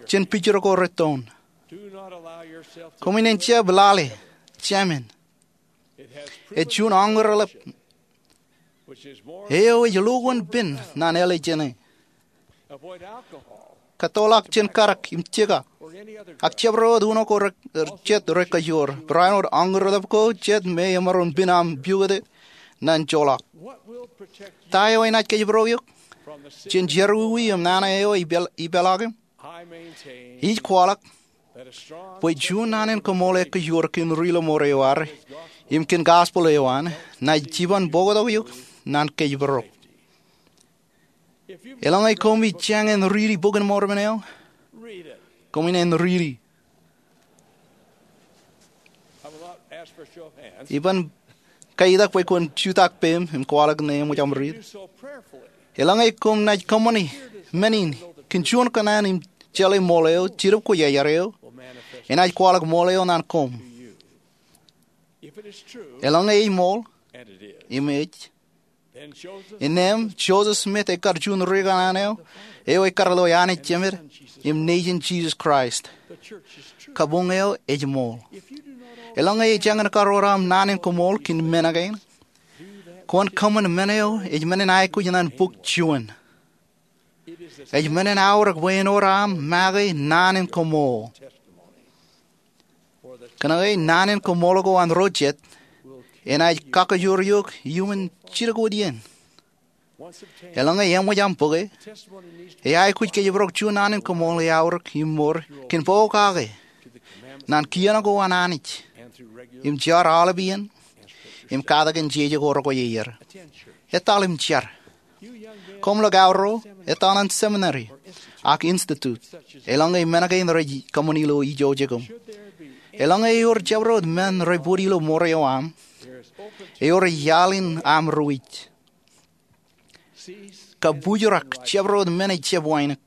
jān pijor ko rettoon. Koṃwin en jab lale jāmin. Ej juon añurḷap eo ej lo kōn pen ñan āliktini. Kōttoḷọk jān karak im jeka ak jabdewōt uno ko jet rekajoor. Barāinwōt añurḷap ko jet me emaroñ pen aṃ piukute ñan joḷọk. Ta eo enaaj kōjparok eok jān jerọwiwi im nana eo ej ipeḷaakim? Ij kwaḷọk bwe juon naan in kōṃṃool ekajoor kōn ri-lọmọọr eo ad im kōn gospel eo an naaj jiban bōktok eok ñan kōjparok. Elōñ eo koṃij jañin riiti Bok in Mormon eo, koṃwin en riiti. Iban Kaitak bwe kwōn jutak peiṃ im kwaḷọk ñe eṃōj aṃ riit. Eḷaññe koṃ naaj kōṃṃani men in kōn juon kōṇaan im jeḷā ṃool eo, Jetōb Kwōjarjar eo enaaj kwaḷọk ṃool eo naan koṃ. Eḷaññe ej ṃool, im ej, innām Joseph Smith ekar juon ri kōṇaan eo, eo ekar lo Anij Jemed im Nejin Jisōs Kraist. Kabuñ eo ej ṃool. Eḷaññe ejāñin karuo aṃ naan in koṃṃool kōn men kein, kwōn kōṃṃan men eo ej men in aikuj naan bok juon. Ej men in aorōk bwe en wōr aṃ make naan in koṃṃool. Kōnke naan in koṃṃool ko an ro jet enaaj kakkōjor eok iuṃwin jidik wōt iien. Eḷaññe eṃōj aṃ bōke, e aikuj kōjparok juon naan in koṃṃool eaorōk im mour kōn pokake naan kien ko an Anij im jar aolep iien im katak in jeje ko rekwe ier. Etal im jar. Koṃ ḷọk aorro, etal ñan seminary ak institute eḷaññe men kein rej kōṃṃani ilo ijo jekūṃ. Eḷaññe ewōr jabdewōt men rej bōd ilo mour eo aṃ, ewōr iaḷ in aṃ ruj. Kabujrak jabdewōt men ejjab wānōk.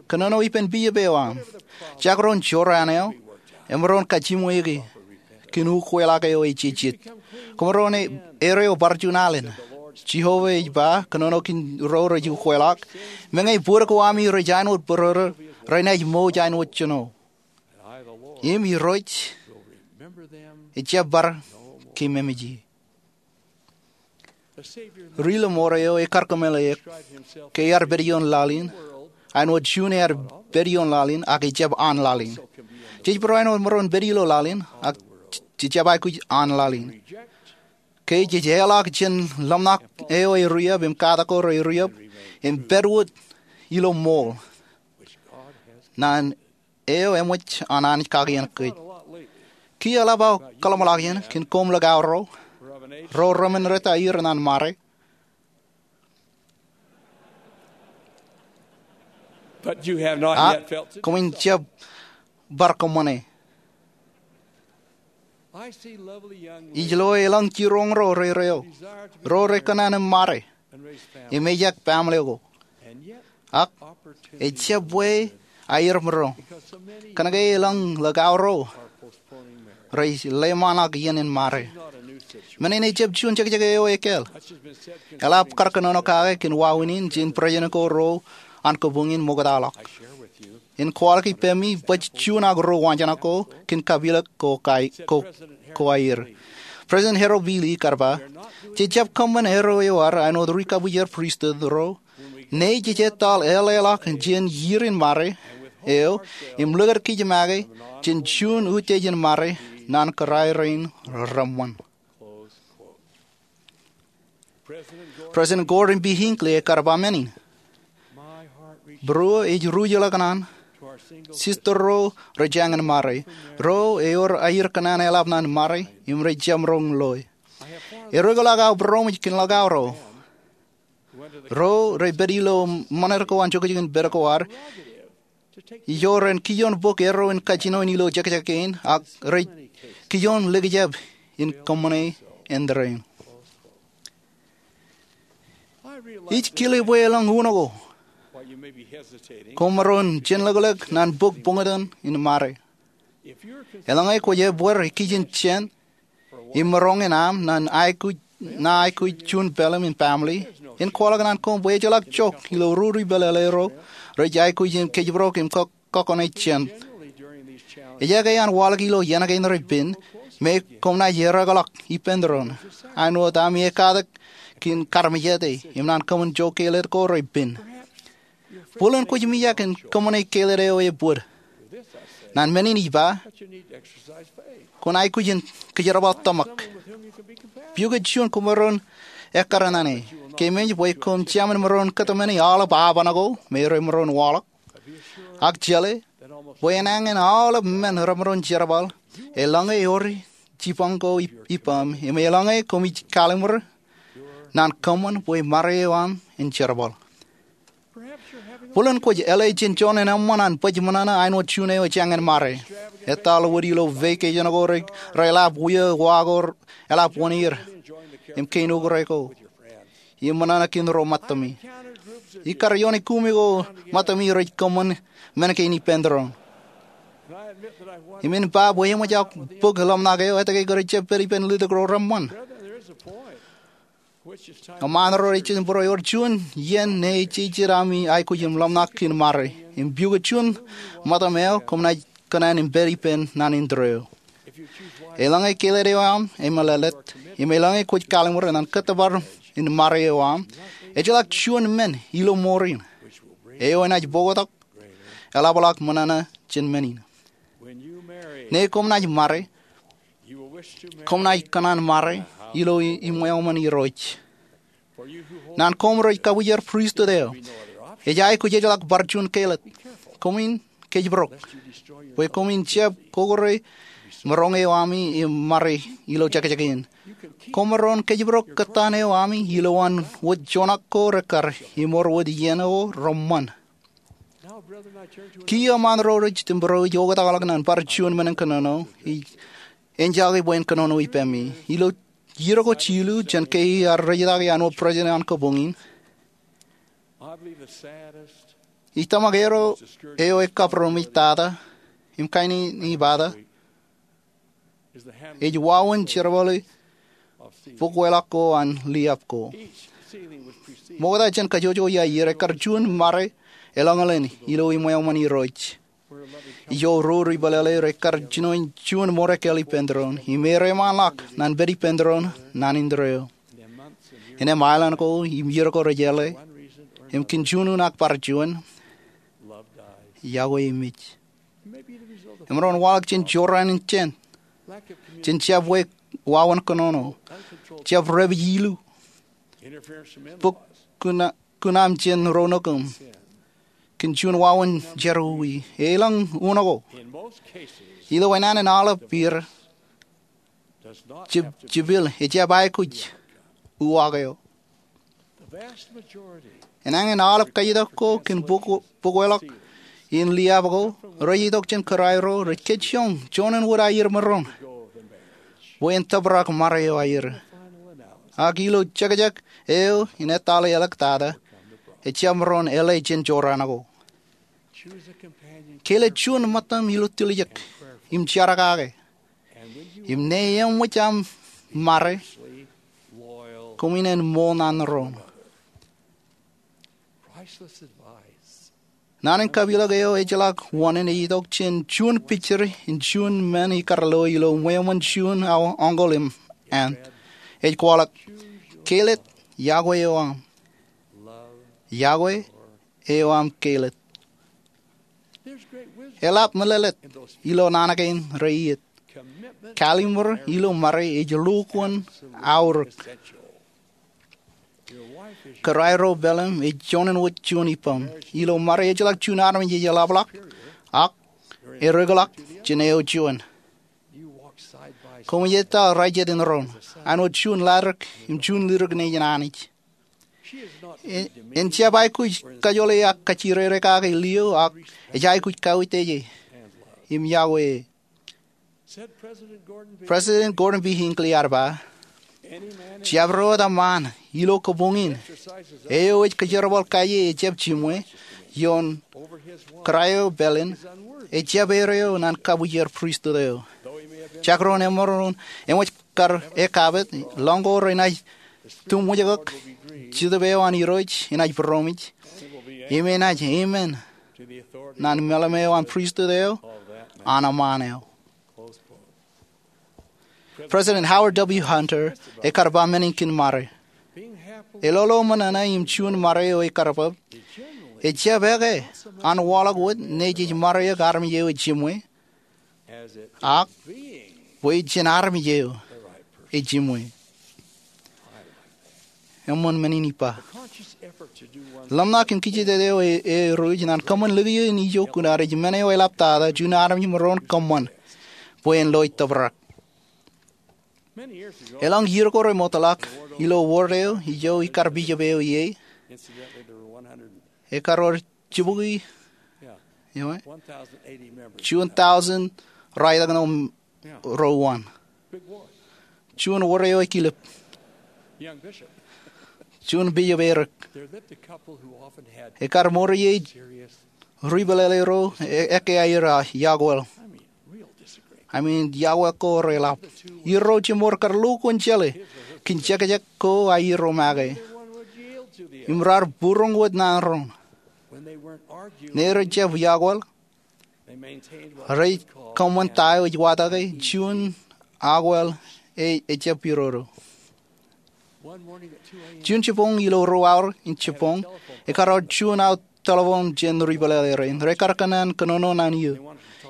Kōnono ippān bishop eo aṃ. Jakrōn jorrāān eo, emaroñ kajiṃwe ke kōn ukweḷọk eo ejejjet. Koṃ maroñ er eo bar juon alen. Jeova ej ba, kōnono kōn ro rej ukweḷọk, meñe bōd ko ami rej āinwōt bōrōrō, renaaj mouj āinwōt jino. Im Irooj ejjab bar kememej ie. Ri ḷōṃaro eo ekar kōmeḷeḷeik ke ear pād ioon laḷ in āinwōt juon ear pād ioon laḷ in ak ejjab an laḷ in. Jej barāinwōt maroñ pād ilo laḷ in ak jejjab aikuj an laḷ in. Ke jej eḷọk jān ḷōmṇak eo e riab im katak ko re riab im pād wōt ilo ṃool naan eo eṃōj an Anij kakien kōj. Kiiō eḷap aō kōḷmānḷọkjeṇ kōn koṃ ḷọk aorro, ro remenreta aer naan ṃare. Ak koṃwin jab bar kōṃṃane. Ij lo elōñ jiroñ ro rereio, ro rekōṇaan im ṃare im ejak baaṃle ko. Ak ejjab bwe aer maroñ, kōnke elōñ ḷọk aorro rej ḷōmṇak iien in ṃare. Men in ejjab juon jekjek eo ekāāl. Eḷap kar kōnono kake kōn wāween in jān president ko ro an kabuñ in ṃoktaḷọk. En kwaḷọk ippemi bōjjuon ak ruo waanjoṇak ko kōn kapilōk ko aer. President Harold B. Lee kar ba, jejjab kōṃṃan erro eo ad āinwōt ri kabwijer pristut ro ñe jej etal eḷḷāḷọk jān iirin ṃare eo im likūt kōj make jān juon utiej in ṃare naan kōrā rein reṃṃan. President Gordon B. Hinckley ekar ba men in. Būruō ej ruj ḷọk naan sister ro rej jañin ṃare, ro ewōr aer kōṇaan eḷap naan ṃare im rej jab roñ loe. Erookḷọk aō būroṃōj kōn ḷọk aorro ro rej pād ilo ṃanit ko an jokjok in pād ko ad ijo ren kijoon bōk erro in kajjino in ilo jekjek kein ak rej kijoon likjab in kōṃṃane āindein. Ij kile bwe elōñ uno ko koṃ maroñ jenlōklōk naan bōk buñtōn in ṃare. Eḷaññe kwōj ebbeer ikijjeen jān im maroñ in aṃ naan aikuj, naan aikuj juon pālim in baaṃle, en kwaḷọk naan koṃ bwe ejjeḷọk jok ilo rūripel eḷḷā ro rej aikuj in kōjparok im kōkkoṇe jān. Ejake an waḷọk ilo iien kein repen me koṃ naaj erookḷọk ippān doon āinwōt ami ekatak kōn karmejāte im naan kōṃṃan joñan keeled ko repen. Bōlen kwōj mijak in kōṃṃane keeled eo ebōd. Naan men in ij ba, kwōn aikuj in kōjerbal tōmak. Pukot juon koṃ maroñ ekkar naan e. Kōmij bwe koṃ jāmin maroñ kōtmāne aolep aoban ko me remaroñ waḷọk. Ak jeḷā bwe enañin aolep men remaroñ jerbal eḷaññe ewōr jipañ ko ippaṃ im eḷaññe koṃij kalimur naan kōṃṃan bwe ṃare eo aṃ en jerbal. Bōlen kwōj eḷe jān joñan eṃṃan an bōjmōṇōṇō āinwōt juon eo ejāñin ṃare. Etal wōt ilo vacation ko reḷap wia wa ko eḷap wōn er. im kein okra ko im ṃōṇōṇō kōn ro ṃōttami. Ikar ioon ekumi ko ṃōttami rej kōṃṃan men kein ippān doon. Im in ba bwe eṃōj aō bōk ḷōmṇak eo etke kōrā ej jab pād ippān letok ro reṃṃan. Eṃṃan ro ej jab būrō ewōr juon iien ṇe ejejjet ami aikuj im ḷōmṇak kōn ṃare im piukwe juon ṃōtam eo koṃ naaj kōṇaan im pād ippān naan in tōre eo. Eḷaññe keled eo aṃ emeḷeḷe, im eḷaññe kwōj kalimur ñan kōttōpar in ṃare eo aṃ, ejjeḷọk juon men ilo mour in eo enaaj poktak eḷapḷọk ṃōṇōṇō jān men in. Ṇe koṃ naaj ṃare, koṃ naaj kōṇaan ṃare ilo iṃweo ṃōn Irooj. Naan koṃ rej kabwijer pristut eo, ej aikuj ejjeḷọk bar juon keled. Koṃwin kōjparok bwe koṃwin jab kokore maroñ eo ami im ṃare ilo jekjek in. Koṃaroñ kōjparok kōttan eo ami ilowaan wōt joñak ko rekkar im wōr wōt iien ko reṃṃan. Kiiō eṃṃan ro rej jab būrō ej oktakḷọk naan bar juon men in kōnono ej enjake bwe en kōnono ippaṃ. Ilo iiō ko jilu jān ke iar rejjitōk iaan wōt president an kabuñ in, ij tōmak eo eo ekabūroṃōj tata im kain in ipata ej wāween jerbale bōkwōḷọk ko an liab ko. Ṃokta jān kajjojo iaer, ekkar juon ṃare eḷaññe ḷein ilo iṃweo ṃōn Irooj ijo ro ri pālele rekkar jino juon ṃōrōkōl ippān doon im ear eṃṃanḷọk naan pād ippān doon naan in tōre eo. Innām aelōñ ko im iiō ko rej jeḷā, im kōn juon un ak bar juon, iọkwe emej. Emaroñ waḷọk jān jorrāān in jān, jān jab wāween kōnono, jab repij ilu, bōk kuṇaṃ jān ro nukūṃ, kōn juon wāween jerọwiwi, elōñ uno ko. Ilo enaan in aolep iiō, jipel ejjab aikuj uwaak eo. Enañin aolep kajitok ko kōn bōkwōḷọk in liab ko rej itok jān kōrā ro rej kōjjioñ joñan wōt aier maroñ bwe en tōprak ṃare eo aier. Ak ilo jekjek eo in etale eḷak tata, ejjab maroñ eḷe jān jorrāān ko. Kelọk juon ṃōttam ilo tiljek im jar kake. Im ṇe eṃōj aṃ ṃare, koṃwin en ṃool naan ro. Naan in kapilōk eo ejjeḷọk wōṇāān ej itok jān juon picture in juon men ikar lo ilo iṃweo ṃōn juon uncle im aunt. Ej kwaḷọk, kelọk iọkwe eo aṃ. Iọkwe eo aṃ kelọk. Eḷap meḷeḷe ilo naan kein reiiet. Kalimur ilo ṃare ej lukkuun aorōk. Kōrā ro pālim ej joñan wōt juon ippaṃ. Ilo ṃare ejjeḷọk juon armej ej eḷapḷọk, ak ereokḷọk jān eo juon. Koṃij ettā raijjit in doon, āinwōt juon ladik im juon lidik nejin Anij. En jab aikuj kajoḷe ak kajjirere kake lio, ak ej aikuj kauwōj e im iọkwe e. President Gordon B. Hinckley ear ba, jabdewōt eṃṃaan ilo kabuñ in eo ej kōjerbal kaje ejjab jiṃwe ioon kōrā eo pālin, ejjab erreo naan kabwijer pristut eo. Jekdọọn emaroñ eṃōj kar ekapit, lọñ ko renaaj tuṃwijkōk, Jetōb eo an Irooj enaaj būroṃōj, im enaaj amen naan meḷeḷe eo an pristut eo an eṃṃaan eo. President Howard W. Hunter ekar ba men in kōn ṃare. Eḷoḷo ṃōṇōṇō im juon ṃare eo ekar bōk ejjab eke an waḷọk wōt ṇe jej ṃare eok armej eo ej jiṃwe, ak bwe jen armej eo ej jiṃwe. Eṃṃan men in ippa. Ḷōmṇak im kijejet eo e, e ruj naan kōṃṃan likio in ijo kuṇaad ej men eo eḷaptata juon armej maroñ kōṃṃan bwe en lo ej tōprak. Elōñ iiō ko remootḷọk ilo wōd eo ijo ikar bishop eo ie, ekar wōr jibukwi juon tọujin ralitōknōn ruo wōn. Juon wōd eo ekilep. Juon bishop erik. Ekkar ṃoor ie ri pālele ro e, ekkā aer iọkwe. Amen, iọkwe ko reḷap. Irooj im mour kar lo kōn jeḷā kōn jekjek ko aer make im raar būroñ wōt naan doon. Ñe rej jab iọkwe, rej kōṃṃan ta eo ej watōke juon iọkwe eo ejjab irodo. Juon jibboñ ilo ruo awa in jibboñ, ekkar wōt juon aō telephone jān ri pālele rein. Rekar kōṇaan kōnono naan eō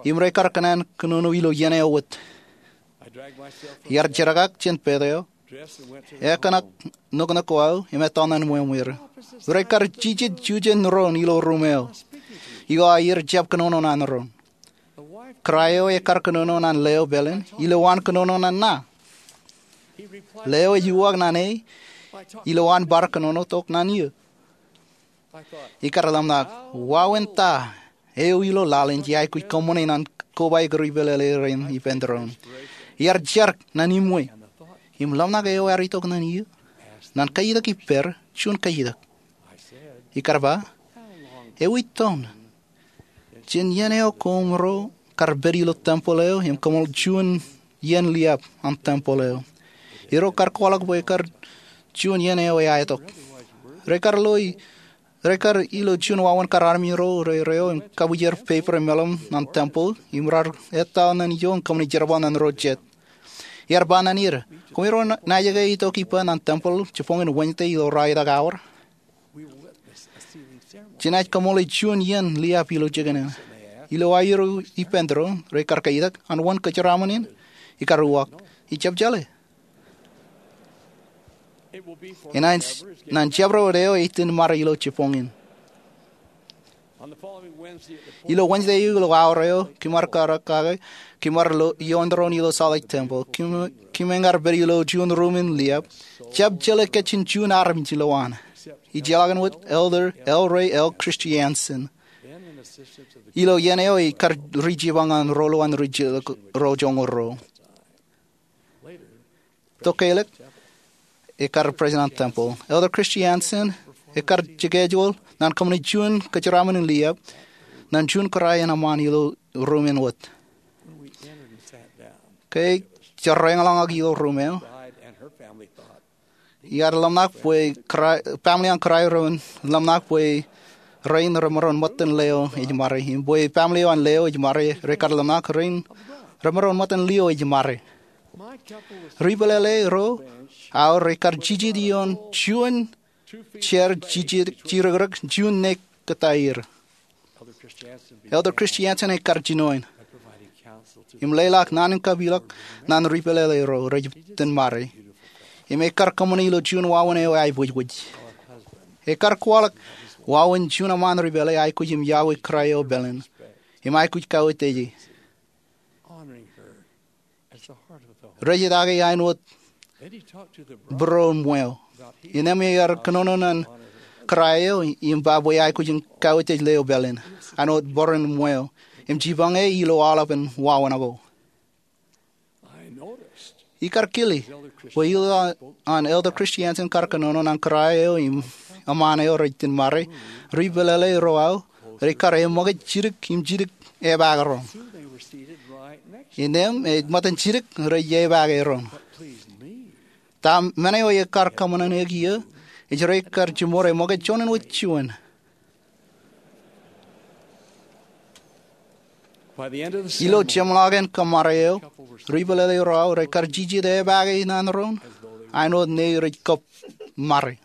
im rekar kōṇaan kōnono ilo iien eo wōt. Iar jerkak jān pād eo, ekōṇak noknok ko aō im ettoḷọk naan ṃweo ṃweer. Rekar jijet jujen doon ilo ruum eo eo aer jab kōnono naan doon. Kōrā eo ekkar kōnono naan leo pālen ilowaan kōnono naan ṇa. Leo ej uwaak naan e ilowaan bar kōnono tok naan eō. Ikar ḷōmṇak, wāween ta eo ilo laḷ in jej aikuj kōṃṃane naan kobaik ri pālele rein ippān doon. Iar jar naan iṃwe im ḷōmṇak eo ear itok naan eō naan kajitak ippād juon kajitak. Ikar ba, ewi toon jān iien eo koṃro kar pād ilo tempeḷ eo im kōṃṃan juon iien liab an tempeḷ eo? Irooj kar kwaḷọk bwe ekar juon iien eo eaetok. Rekar ilo juon wāween kar armej ro rereo im kabwijer peper im meḷeḷe an tempeḷ im raar etal naan ijo im kōṃṃane jerbal naan ro jet. Iar ba naan er, koṃiro naaj ke itok ippa naan tempeḷ jibboñin Wōnje ilo ralitōk awa? Jenaaj kōṃṃane juon iien liab ilo jikin in. Ilo aer ippān doon, rekar kajitak, an wōn kōjeraṃōn in? Ikar uwaak, ijab jeḷā. Enaaj naan jabdewōt eo ej itōn ṃare ilo jibboñ in. Ilo Wōnje eo ilo awa eo, kōm ar kar kake, kōm ar ioon doon ilo Salt Lake Tempeḷ. Kōm eñin ar pād ilo juon ruum in liab. Jab jeḷā kōj jān juon armej ilowaan, ijellọkin wōt Elder L. Ray L. Christiansen. Ilo iien eo ikar ri jipañ an ruo lowaan ri jilkinḷọk ro joñoul ruo. Tokālik, ekkar president an tempeḷ. Elder Christiansen ekkar schedule naan kōṃṃane juon kōjeraṃōn in liab naan juon kōrā in eṃṃaan ilo ruum in wōt. Ke ej jerreḷọk ilo ruum eo, iar ḷōmṇak bwe kōrā, family an kōrā eo ren ḷōmṇak bwe rein remaroñ ṃōttan leo ej ṃare im bwe family eo an leo ej ṃare rekar ḷōmṇak rein remaroñ ṃōttan lio ej ṃare. Ri pālele ro aō rekar jijet ioon juon chair jijet, jirōkrōk juon ṇe kōttāer. Elder Christiansen ekkar jinoin im leḷọk naan in kapilōk naan ri pālele ro rej itōn ṃare im ekkar kōṃṃane ilo juon wāween eo eaibwijbwij. Ekkar kwaḷọk wāween juon eṃṃaan ri pālele aikuj im iọkwe kōrā eo pālen im aikuj kauwōjtōk e. Rej itake āinwōt būruon ṃweo. Innām ear kōnono naan kōrā eo im ba bwe aikuj in kauwōjtōk leo pālen āinwōt būruon ṃweo im jipañ e ilo aolepen wāween ko. Ikar kile bwe ilo an Elder Christiansen kar kōnono naan kōrā eo im eṃṃaan eo rej itōn ṃare, ri pālele ro aō rekar eṃōkaj jidik im jidik epaake doon. Innām ej ṃōttan jidik rej epaake doon. Ta men eo ekar kōṃṃane eō ej rekar jiṃor eṃōkaj juon in wōt juon. Ilo jeṃḷọkin kōṃṃare eo, ri pālele ro aō rekar jijet epaake naan doon āinwōt ṇe rej kab ṃare.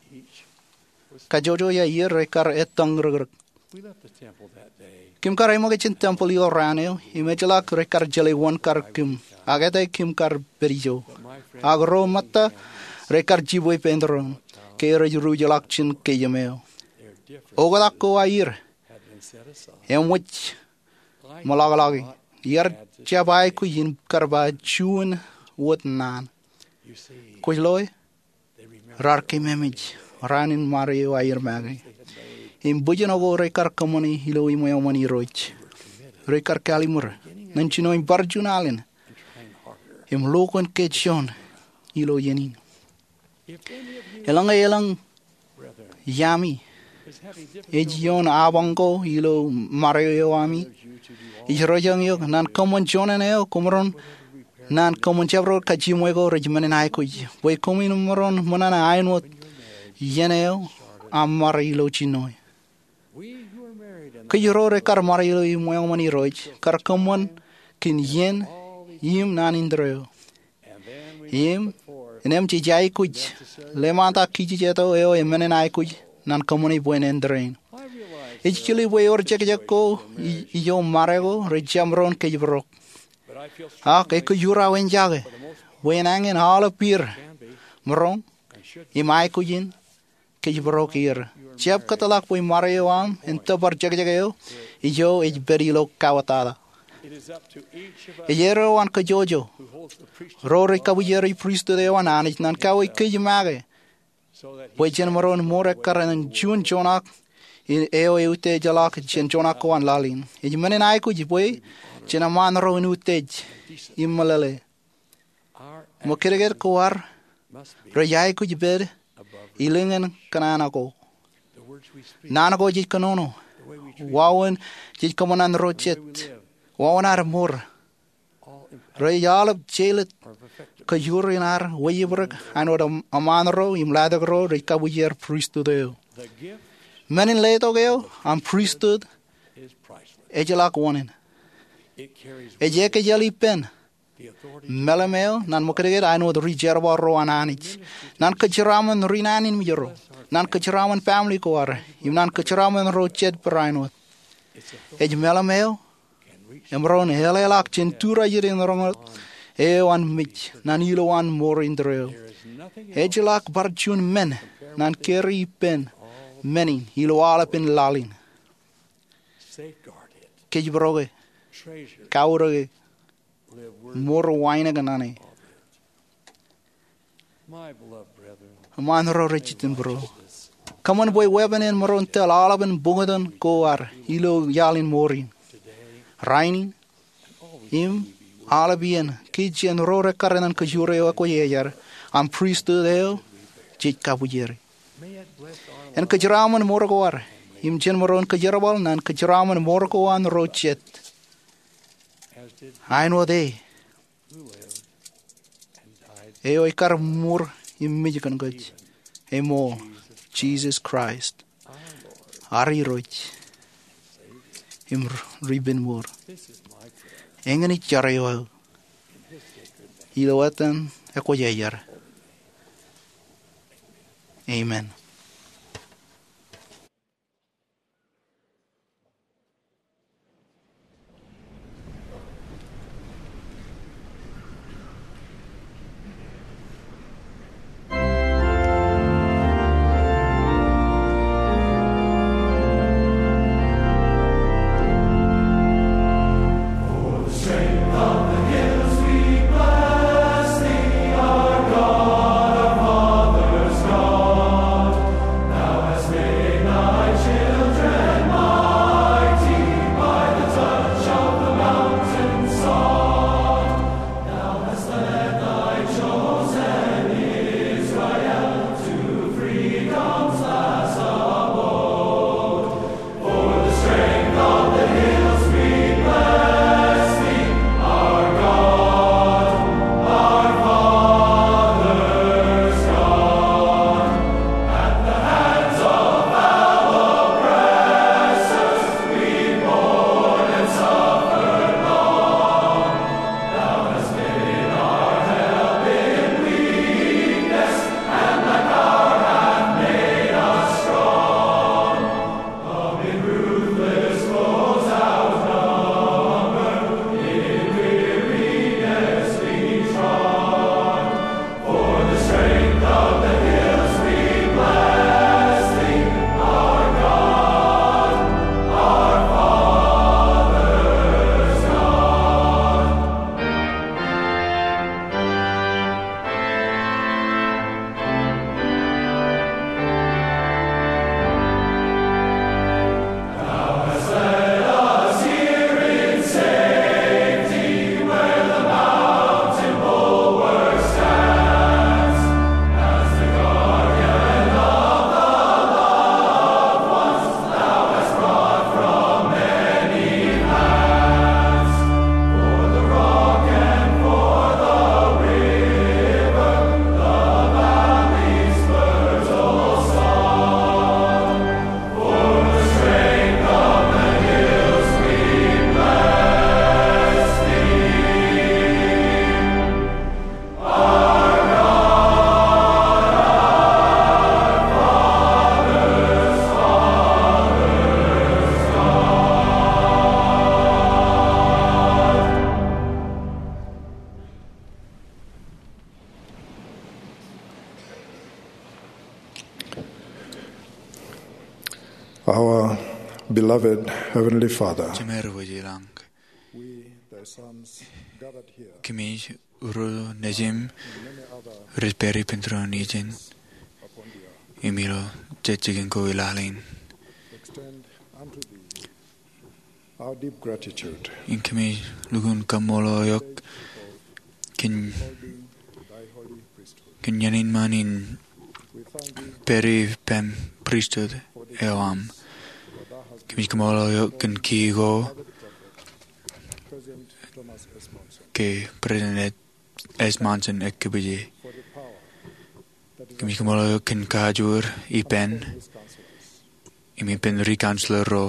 Kajjojo iaer rekar ettōñ rōkrōk. Kōm kar eṃōkaj jān tempeḷ ilo raan eo im ejjeḷọk rekar jeḷā wōn kar kōm, ak etke kōm kar pād ijo. Ak ro ṃōtta rekar jibwe ippān doon ke rej ruj ḷọk jān keememej. Oktak ko aer eṃōj ṃōḷaḷḷọk. Iar jab aikuj in kar ba juon wōt naan. Kwōj loe, raar keememej raan in ṃare eo aer make im bwijin ko rekar kōṃṃane ilo iṃweo ṃōn Irooj. Rekar kallimur ñan jinoin bar juon alen im lo kōn ke juon ilo iien in. Eḷaññe elōñ iaami ej ioon apañ ko ilo ṃare eo ami, ij rojañ eok naan kōṃṃan juon eo koṃ maroñ naan kōṃṃan jabdewōt kajjiṃwe ko rej men in aikuj bwe koṃwin maroñ ṃōṇōṇō āinwōt iien eo aṃ ṃare ilo jinnoe. Kōj ro rekar ṃare ilo iṃweo ṃōn Irooj kar kōṃṃan kōn iien im naan indeeo. Im, innām jej aikuj ḷōmṇak kijjien jet eo eṃṃan aikuj naan kōṃṃane bwe en indeeo. Ij kile bwe ewōr jekjek ko i- ijo ṃare ko rej jab maroñ kōjparok. Ak ekwe ij ura wōnjake bwe en añin aolep er maroñ im aikuj in kōjparok er. Jab kōtḷọk bwe ṃare eo aṃ en tōpar jekjek eo ijo ej pād ilo kawōtata. Ej erreo an kōjwōjwōj ro rej kabwijeroi pristut eo an Anij naan kawe kōj make bwe jen maroñ mour ekkar ñan juon joñak eo eutiejḷọk jān joñak ko an laḷ in. Ej men in aikuj bwe jen eṃṃan ro in utiej im meḷeḷe. Ṃōkajjien ko ad rej aikuj pād ilo ñan kōṇaan ko. Naan ko jej kōnono, wāween jej kōṃṃan ro jet, wāween ad mour, rej aolep jeilōt kōjro in ad wejebrik āinwōt eṃṃan ro im letok ro rej kabwijer pristut eo. Men in letok eo an pristut ejjeḷọk wōṇāān. Ej ekōjel ippān meḷeḷe eo naan ṃōkajjien āinwōt ri jerbal ro an Anij, naan kōjeraaṃṃan ri naan in mejro, naan kōjeraaṃṃan family ko ad, im naan kōjeraaṃṃan ro jet barāinwōt. Ej meḷeḷe eo emaroñ eḷḷāḷọk jān tūrajin in roñoul eo an mej naan ilowaan mour indeeo. Ejjeḷọk bar juon men naan kōrā ippān men in ilo aolepān laḷ in. Kōjparok e, kautiej e, mour wānōk ñan e. Eṃṃan ro rej jitōnbōro, kōṃṃan bwe weeppān en maroñ tōl aolepān buñtōn ko ad ilo iaḷ in mour in. Rainin im aolep iien, kōj jān ro rekkar naan kōjro eo ekwōjarjar an pristut eo jej kabwijeri. En kōjeraaṃṃan mour ko ad im jen maroñ kōjerbal naan kōjeraaṃṃan mour ko an ro jet āinwōt e eo ekar mour im mej kōn kōj, eṃool, Jisōs Kraist, ad Irooj im Ripenmour. Eñin ij jar eo aō ilo etan ekwōjarjar. Amen. Beloved Heavenly Father, Jemāer wōj ilañ, we, thy sons, gathered here, kōmij ro nejim, in many other rej pād ippān tūroon ijin, upon the earth, im ilo jet jikin ko ilaalin, extend unto thee our deep gratitude, im kōmij lukkuun kaṃṃoolol eok kōn, kōn iien in ṃaan in pād ippān pristut eo aṃ. Kōmij kaṃṃoolol eok kōn kiiō ko ke President S. Monson ekkepije. Kōmij kaṃṃoolol eok kōn kajoor ippān, im ippān ri counselor ro,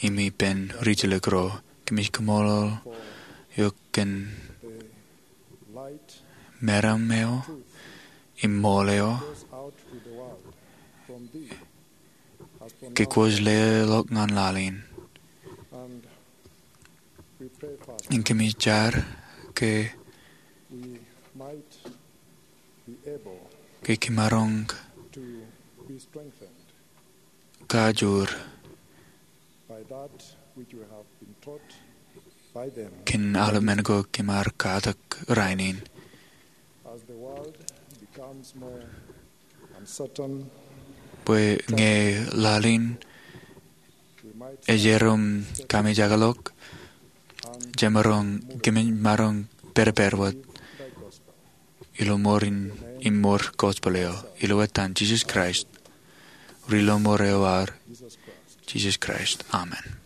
im ippān ri jilōk ro. Kōmij kaṃṃoolol eok kōn meram eo im ṃool eo ke kwōj leḷọk ñan laḷ in. Im kōmij jar ke, ke kōmaroñ kajoor kōn aolep men ko kōm ar katak rainin. Bwe ñe laḷ in ej erom kamijak ḷọk, jemaroñ, kōmij maroñ pād pād wōt ilo mour in, im mour gospel eo, ilo etan Jisōs Kraist, Ri Lọmọọr eo ad, Jisōs Kraist. Amen.